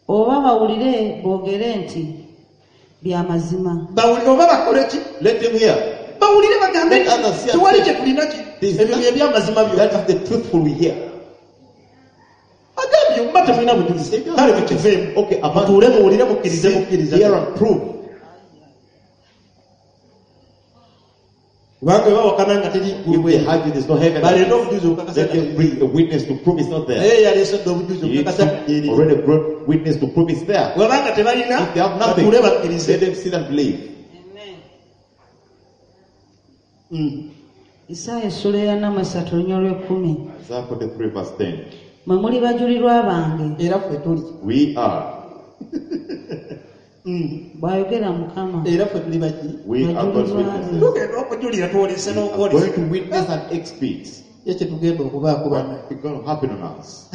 Oba bawulire boogere nti bya mazima. Bawulire oba bakole ki? Let them hear. Bawulire bagambe Let others nti hear. tewali kye tulina ki. This- Ebyo bye byamazima byokka. That is the truthful we hear. Agambye muba temulina bujulizi. Kale mukiveemu. Okay, about- Mutuule muwulire mukkirize mukkiriza. Hear and prove. Kubanga bwe bawakana nga teri If ggulu they argue there's no heaven, baleete obujulizi obukakasa let them bring a witness to prove it's not there. naye yaleese dda obujulizi He obukakasa nti eri. already brought witness to prove it's there. Bwebanga tebalina If they have nothing, batuule bakkirize. let them sit and believe. Isaaya essula eyana mu essatu olunya olw'ekkumi. Isaiah 43 verse 10. Mwe muli bajulirwa bange, Era ffe tuli. We are. bw'ayogera Mukama. Era ffe tuli baki. We are God's witnesses. Tugenda okujulira twolese We are n'okwolesa. going to witness and exhibit Ye kye tugenda okubaako bana. what is going to happen on us.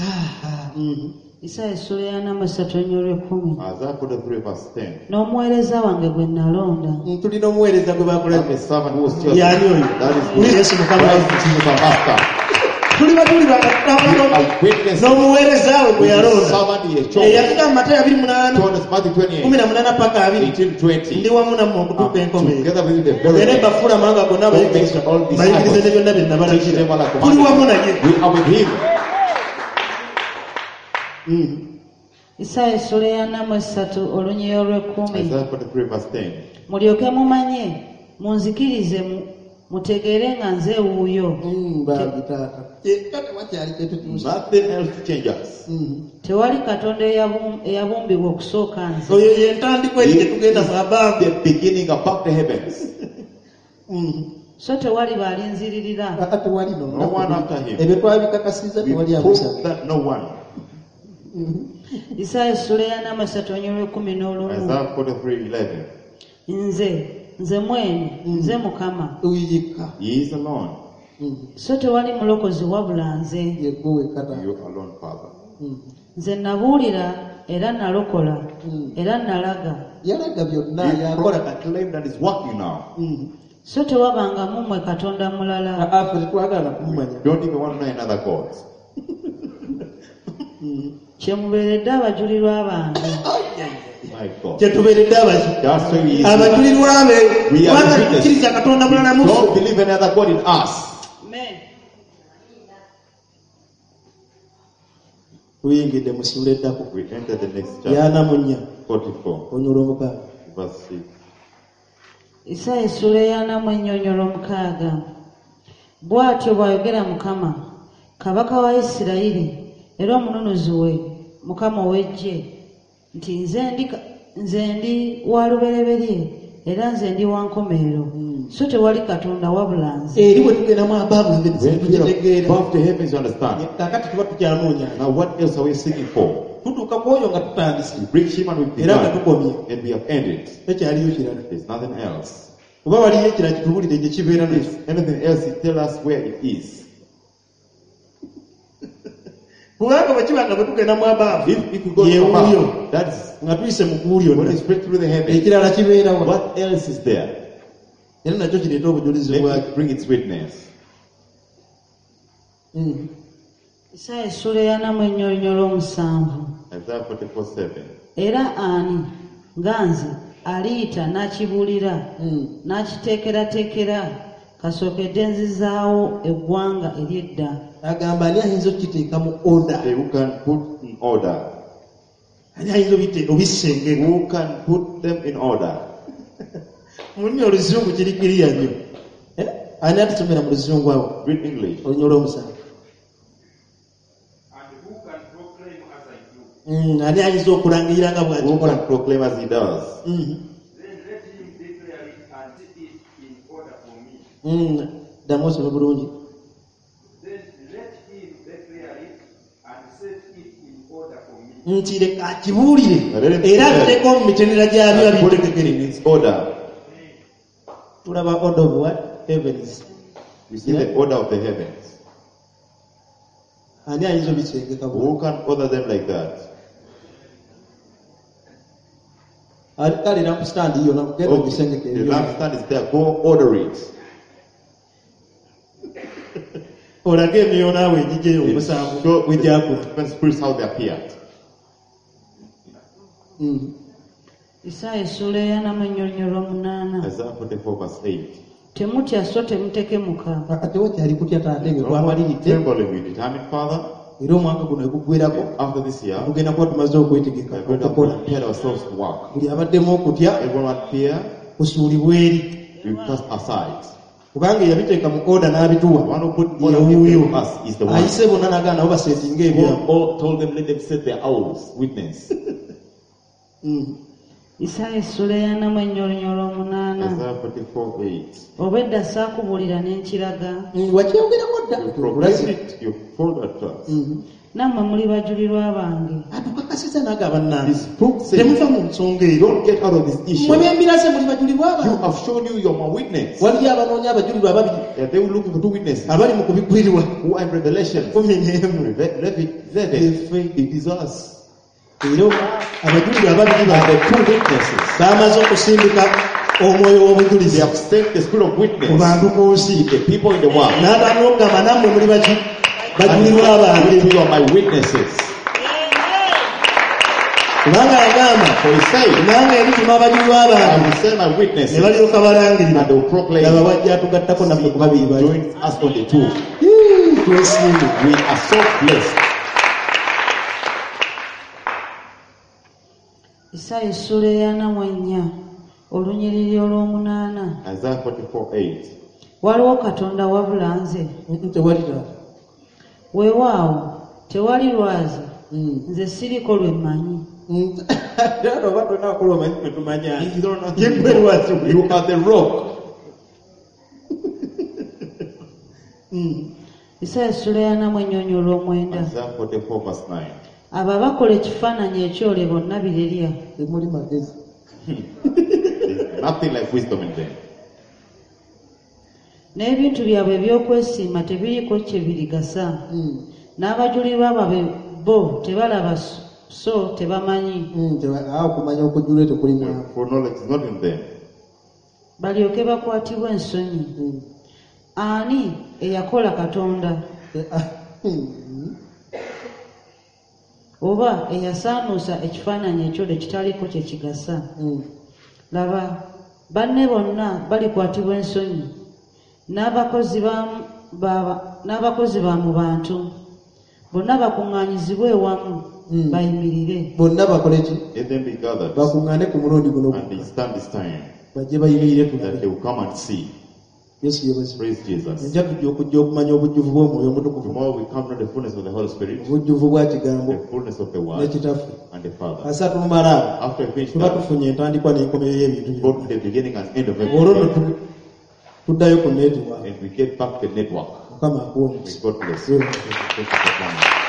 Isaaya essula eyana mu essatu olunya olw'ekkumi. Isaiah 43 verse 10. N'omuweereza wange gwe nalonda, Tulina omuweereza gwe I'm bakola. a servant who was chosen. Yaani oyo. That is me. Yesu Mukama Christ Jesus our Master. Tuli bajulirwa We are witnesses. n'omuweereza we gwe The yalonda. servant he has chosen. Eyatugamba Matayo abiri munaana Told us Matthew 28, kumi na munaana paka abiri 18, 20. ndi wamu nammwe okutuuka enkomerero. Together with you the very Era end. bafuula amawanga gonna abayigiriza All disciples. bayigirize ne byonna bye Teach nabalagira. them all I Tuli commanded. wamu naye. We are with him. Isaaya essula eyana mu essatu olunya olw'ekkumi. Isaiah 43 verse 10. Mulyoke mumanye, munzikirize mutegeere nga nze wuuyo. Bambi taata. Kyekka tewakyali kyetutuusa. Nothing else to change us. Tewali Katonda eyabumbibwa okusooka nze. Oyo ye ntandikwa eri gye tugenda mu abaavu. The beginning above the heavens. So tewali balinziririra. Aa, tewali no. No one after him. Ebyo twabikakasizza We tewali amusaba. prove that no one. Isaaya essula eyana mu essatu olunya olw'ekkumi n'olumu. Isaiah 43 11. Nze, nze mwene, nze Mukama. Uyika. He is alone. So tewali mulokozi wabula nze. Yegwe wekka taata. You alone, Father. Nze nabuulira era nalokola era nalaga. Yalaga byonna He yakola kati. proclaimed that is working now. So tewabanga mu mmwe Katonda mulala. Aa, ffe tetwagala na kumumanya. Don't even want to know another God. Kye mubeeredde abajulirwa bange. My God. Kye tubeeredde abajulirwa. That's why we is. Abajulirwa be We are kubanga the witness. tukkiriza Katonda mulala mu Don't ffe. believe any other God in us. Tuyingidde mu ssuula eddako. We enter the next chapter, Yana mu nnya 44, olunya olw'omukaaga. verse 6. Isaaya essula eyana mu ennyonyola omukaaga. Bw'atyo bw'ayogera Mukama, Kabaka wa Isirayiri era omununuzi we, Mukama ow'eggye, nti nze ndi wa lubereberye era nze ndi wa nkomerero, so tewali Katonda wabula nze. Eri bwe tugendamu abaavu nze When we are tukitegeera. above the heavens, you understand. Kaakati tuba tukyanoonya. Now, what else are we seeking for? Tutuuka ku oyo nga tutandise We reach him and we era nga began, tukomye. and we have ended. Tekyaliyo kirala. There's nothing else. Oba waliyo ekirala kitubuulire gye kibeera nakyo. If anything else, he tell us where it is. Kubanga bwe kiba nga bwe tugenda mu abaavu If we go ye to wuuyo above, that's nga tuyise mu ggulu when lyonna we spread through the heavens. Ekirala kibeerawo. What else is there? era nakyo kireeta obujulizi Let bwakyo. it bring its witness. Isaaya essula eyana mu ennyonyola omusanvu. Isaiah 44 7. Era ani nga nze aliyita n'akibuulira n'akiteekerateekera kasookedde nzizaawo eggwanga ery'edda. Agamba ani ayinza okukiteeka mu order? Say, who can put in order? Ani ayinza obisengeka? Who can put them in order? Mu lulimi oluzungu kiri kiriya nnyo. Eh? Ani atusomera mu luzungu awo? Read English. Olunya olw'omusanvu. And who can proclaim as I do? Ani ayinza okulangirira nga Who bw'akikola? can proclaim as he does? Then let him declare it and set it in order for me. Ddamu osome bulungi. Then let him declare it and set it in order for me. Nti leka akibuulire era abiteekeo mu mitendera gyabyo And put it abitegekere. in its order. Tulaba order of what? Heavens. We see the order of the heavens. Ani ayinza obisengeka bulungi? Who can order them like that? Kale lampstand yona genda Okay. ogisengeke The ebyo. lampstand is there. Go order it. Olage emyoyo naawe egigyeyo omusanvu Show bwe the gyakula. different spirits how they appeared. Isaaya essuula eyana mu ennyonyo lw'omunaana. Isaiah 44 verse 8. Temutya so temutekemuka. Tewakyali kutya taata ebyo No more twamaliridde trembling, we determined, Father. era omwaka guno eguggwerako After this year, tugenda kuba tumaze okwetegeka we are going to okukola. prepare ourselves to work. Buli abaddemu okutya Everyone had fear, kusuulibwa eri we cast aside. kubanga eyabiteeka mu oda n'abituwa The one who put order yewuuyo in us is the one. ayise bonna n'agaana nabo basetinga ebyabwe. God all told them, let them set their owls, witness. Isaaya essuula eyana mu ennyonyo lw'omunaana. Isaiah 44 8. Obwedda saakubuulira ne nkiraga, Wakyogerako dda You tulaze. proclaimed it, you told it to us. nammwe muli bajulirwa bange. Atukakasiza n'agaba bannange This book says, Temuva mu nsonga eyo. don't get out of this mmwe issue. bembiraze muli bajulirwa You bange. have shown you you're my witness. Waliyo abanoonya abajulirwa ababiri Yeah, they were looking for two witnesses abali mu kubikkulirwa who are in Revelation. 11. 11. It is us. Era Abajulirwa ababiri And bano the two witnesses. bamaze okusindika omwoyo They w'obujulizi have sent the spirit of ku witness bantu ku nsi. the people in the world. N'abaana okugamba nammwe muli baki bajulirwa bange. And you are my witnesses. Kubanga yagamba For he said, nange erituma abajulirwa I bange will send my ne witnesses balyoka balangirira. and they will proclaim. laba wajja atugattako naffe ku babiri bali. Join us on the two. Hii, twesiimye. We are so blessed. Isaaya essuula eyana mu ennya olunyiriri olw'omunaana. Isaiah 44 8. Waliwo Katonda wabula nze. Tewali taata. Weewaawo tewali lwazi, nze siriko lwe mmanyi. Taata oba tolina wakola omanyi ffe tumanya. You don't know Ye gwe lwazi. You are the rock. Isaaya essuula eyana mu ennyonyo olw'omwenda. Isaiah 44 verse 9. Abo abakola ekifaananyi ekyole bonna birerya. Temuli magezi. There's nothing like wisdom in them. N'ebintu byabwe eby'okwesiima tebiriiko kye birigasa. N'abajulirwa baabwe bo tebalaba so tebamanyi. Awo okumanya okujjula tekuli mwavu. For knowledge is not in them. Balyoke bakwatibwe ensonyi. Ani eyakola Katonda oba eyasaanuusa ekifaananyi ekyole ekitaliiko kye kigasa? Laba, banne bonna balikwatibwa ensonyi, n'abakozi ba mu bantu bonna bakuŋŋaanyizibwe ewamu bayimirire. Bonna bakole ki? Let them be gathered Bakuŋŋaane ku mulundi guno and they stand this time bajje bayimirire that tulabe. they will come and see. Yesu yeebazibwe. Praise Jesus. Enja tujja okujja okumanya obujjuvu bw'omwoyo omutukuvu, Tomorrow we come to the fullness of the Holy Spirit, obujjuvu bwa kigambo the fullness of the ne Word kitaffe. and the Father. Asa tumala awo After we finish tuba that, tufunye entandikwa n'enkomerero y'ebintu go byonna. to the beginning and end of Olwo nno everything, tuddayo ku netiwaaka. and we get back to the network. Mukama akuwe May omukisa. God bless you. Thank you for coming.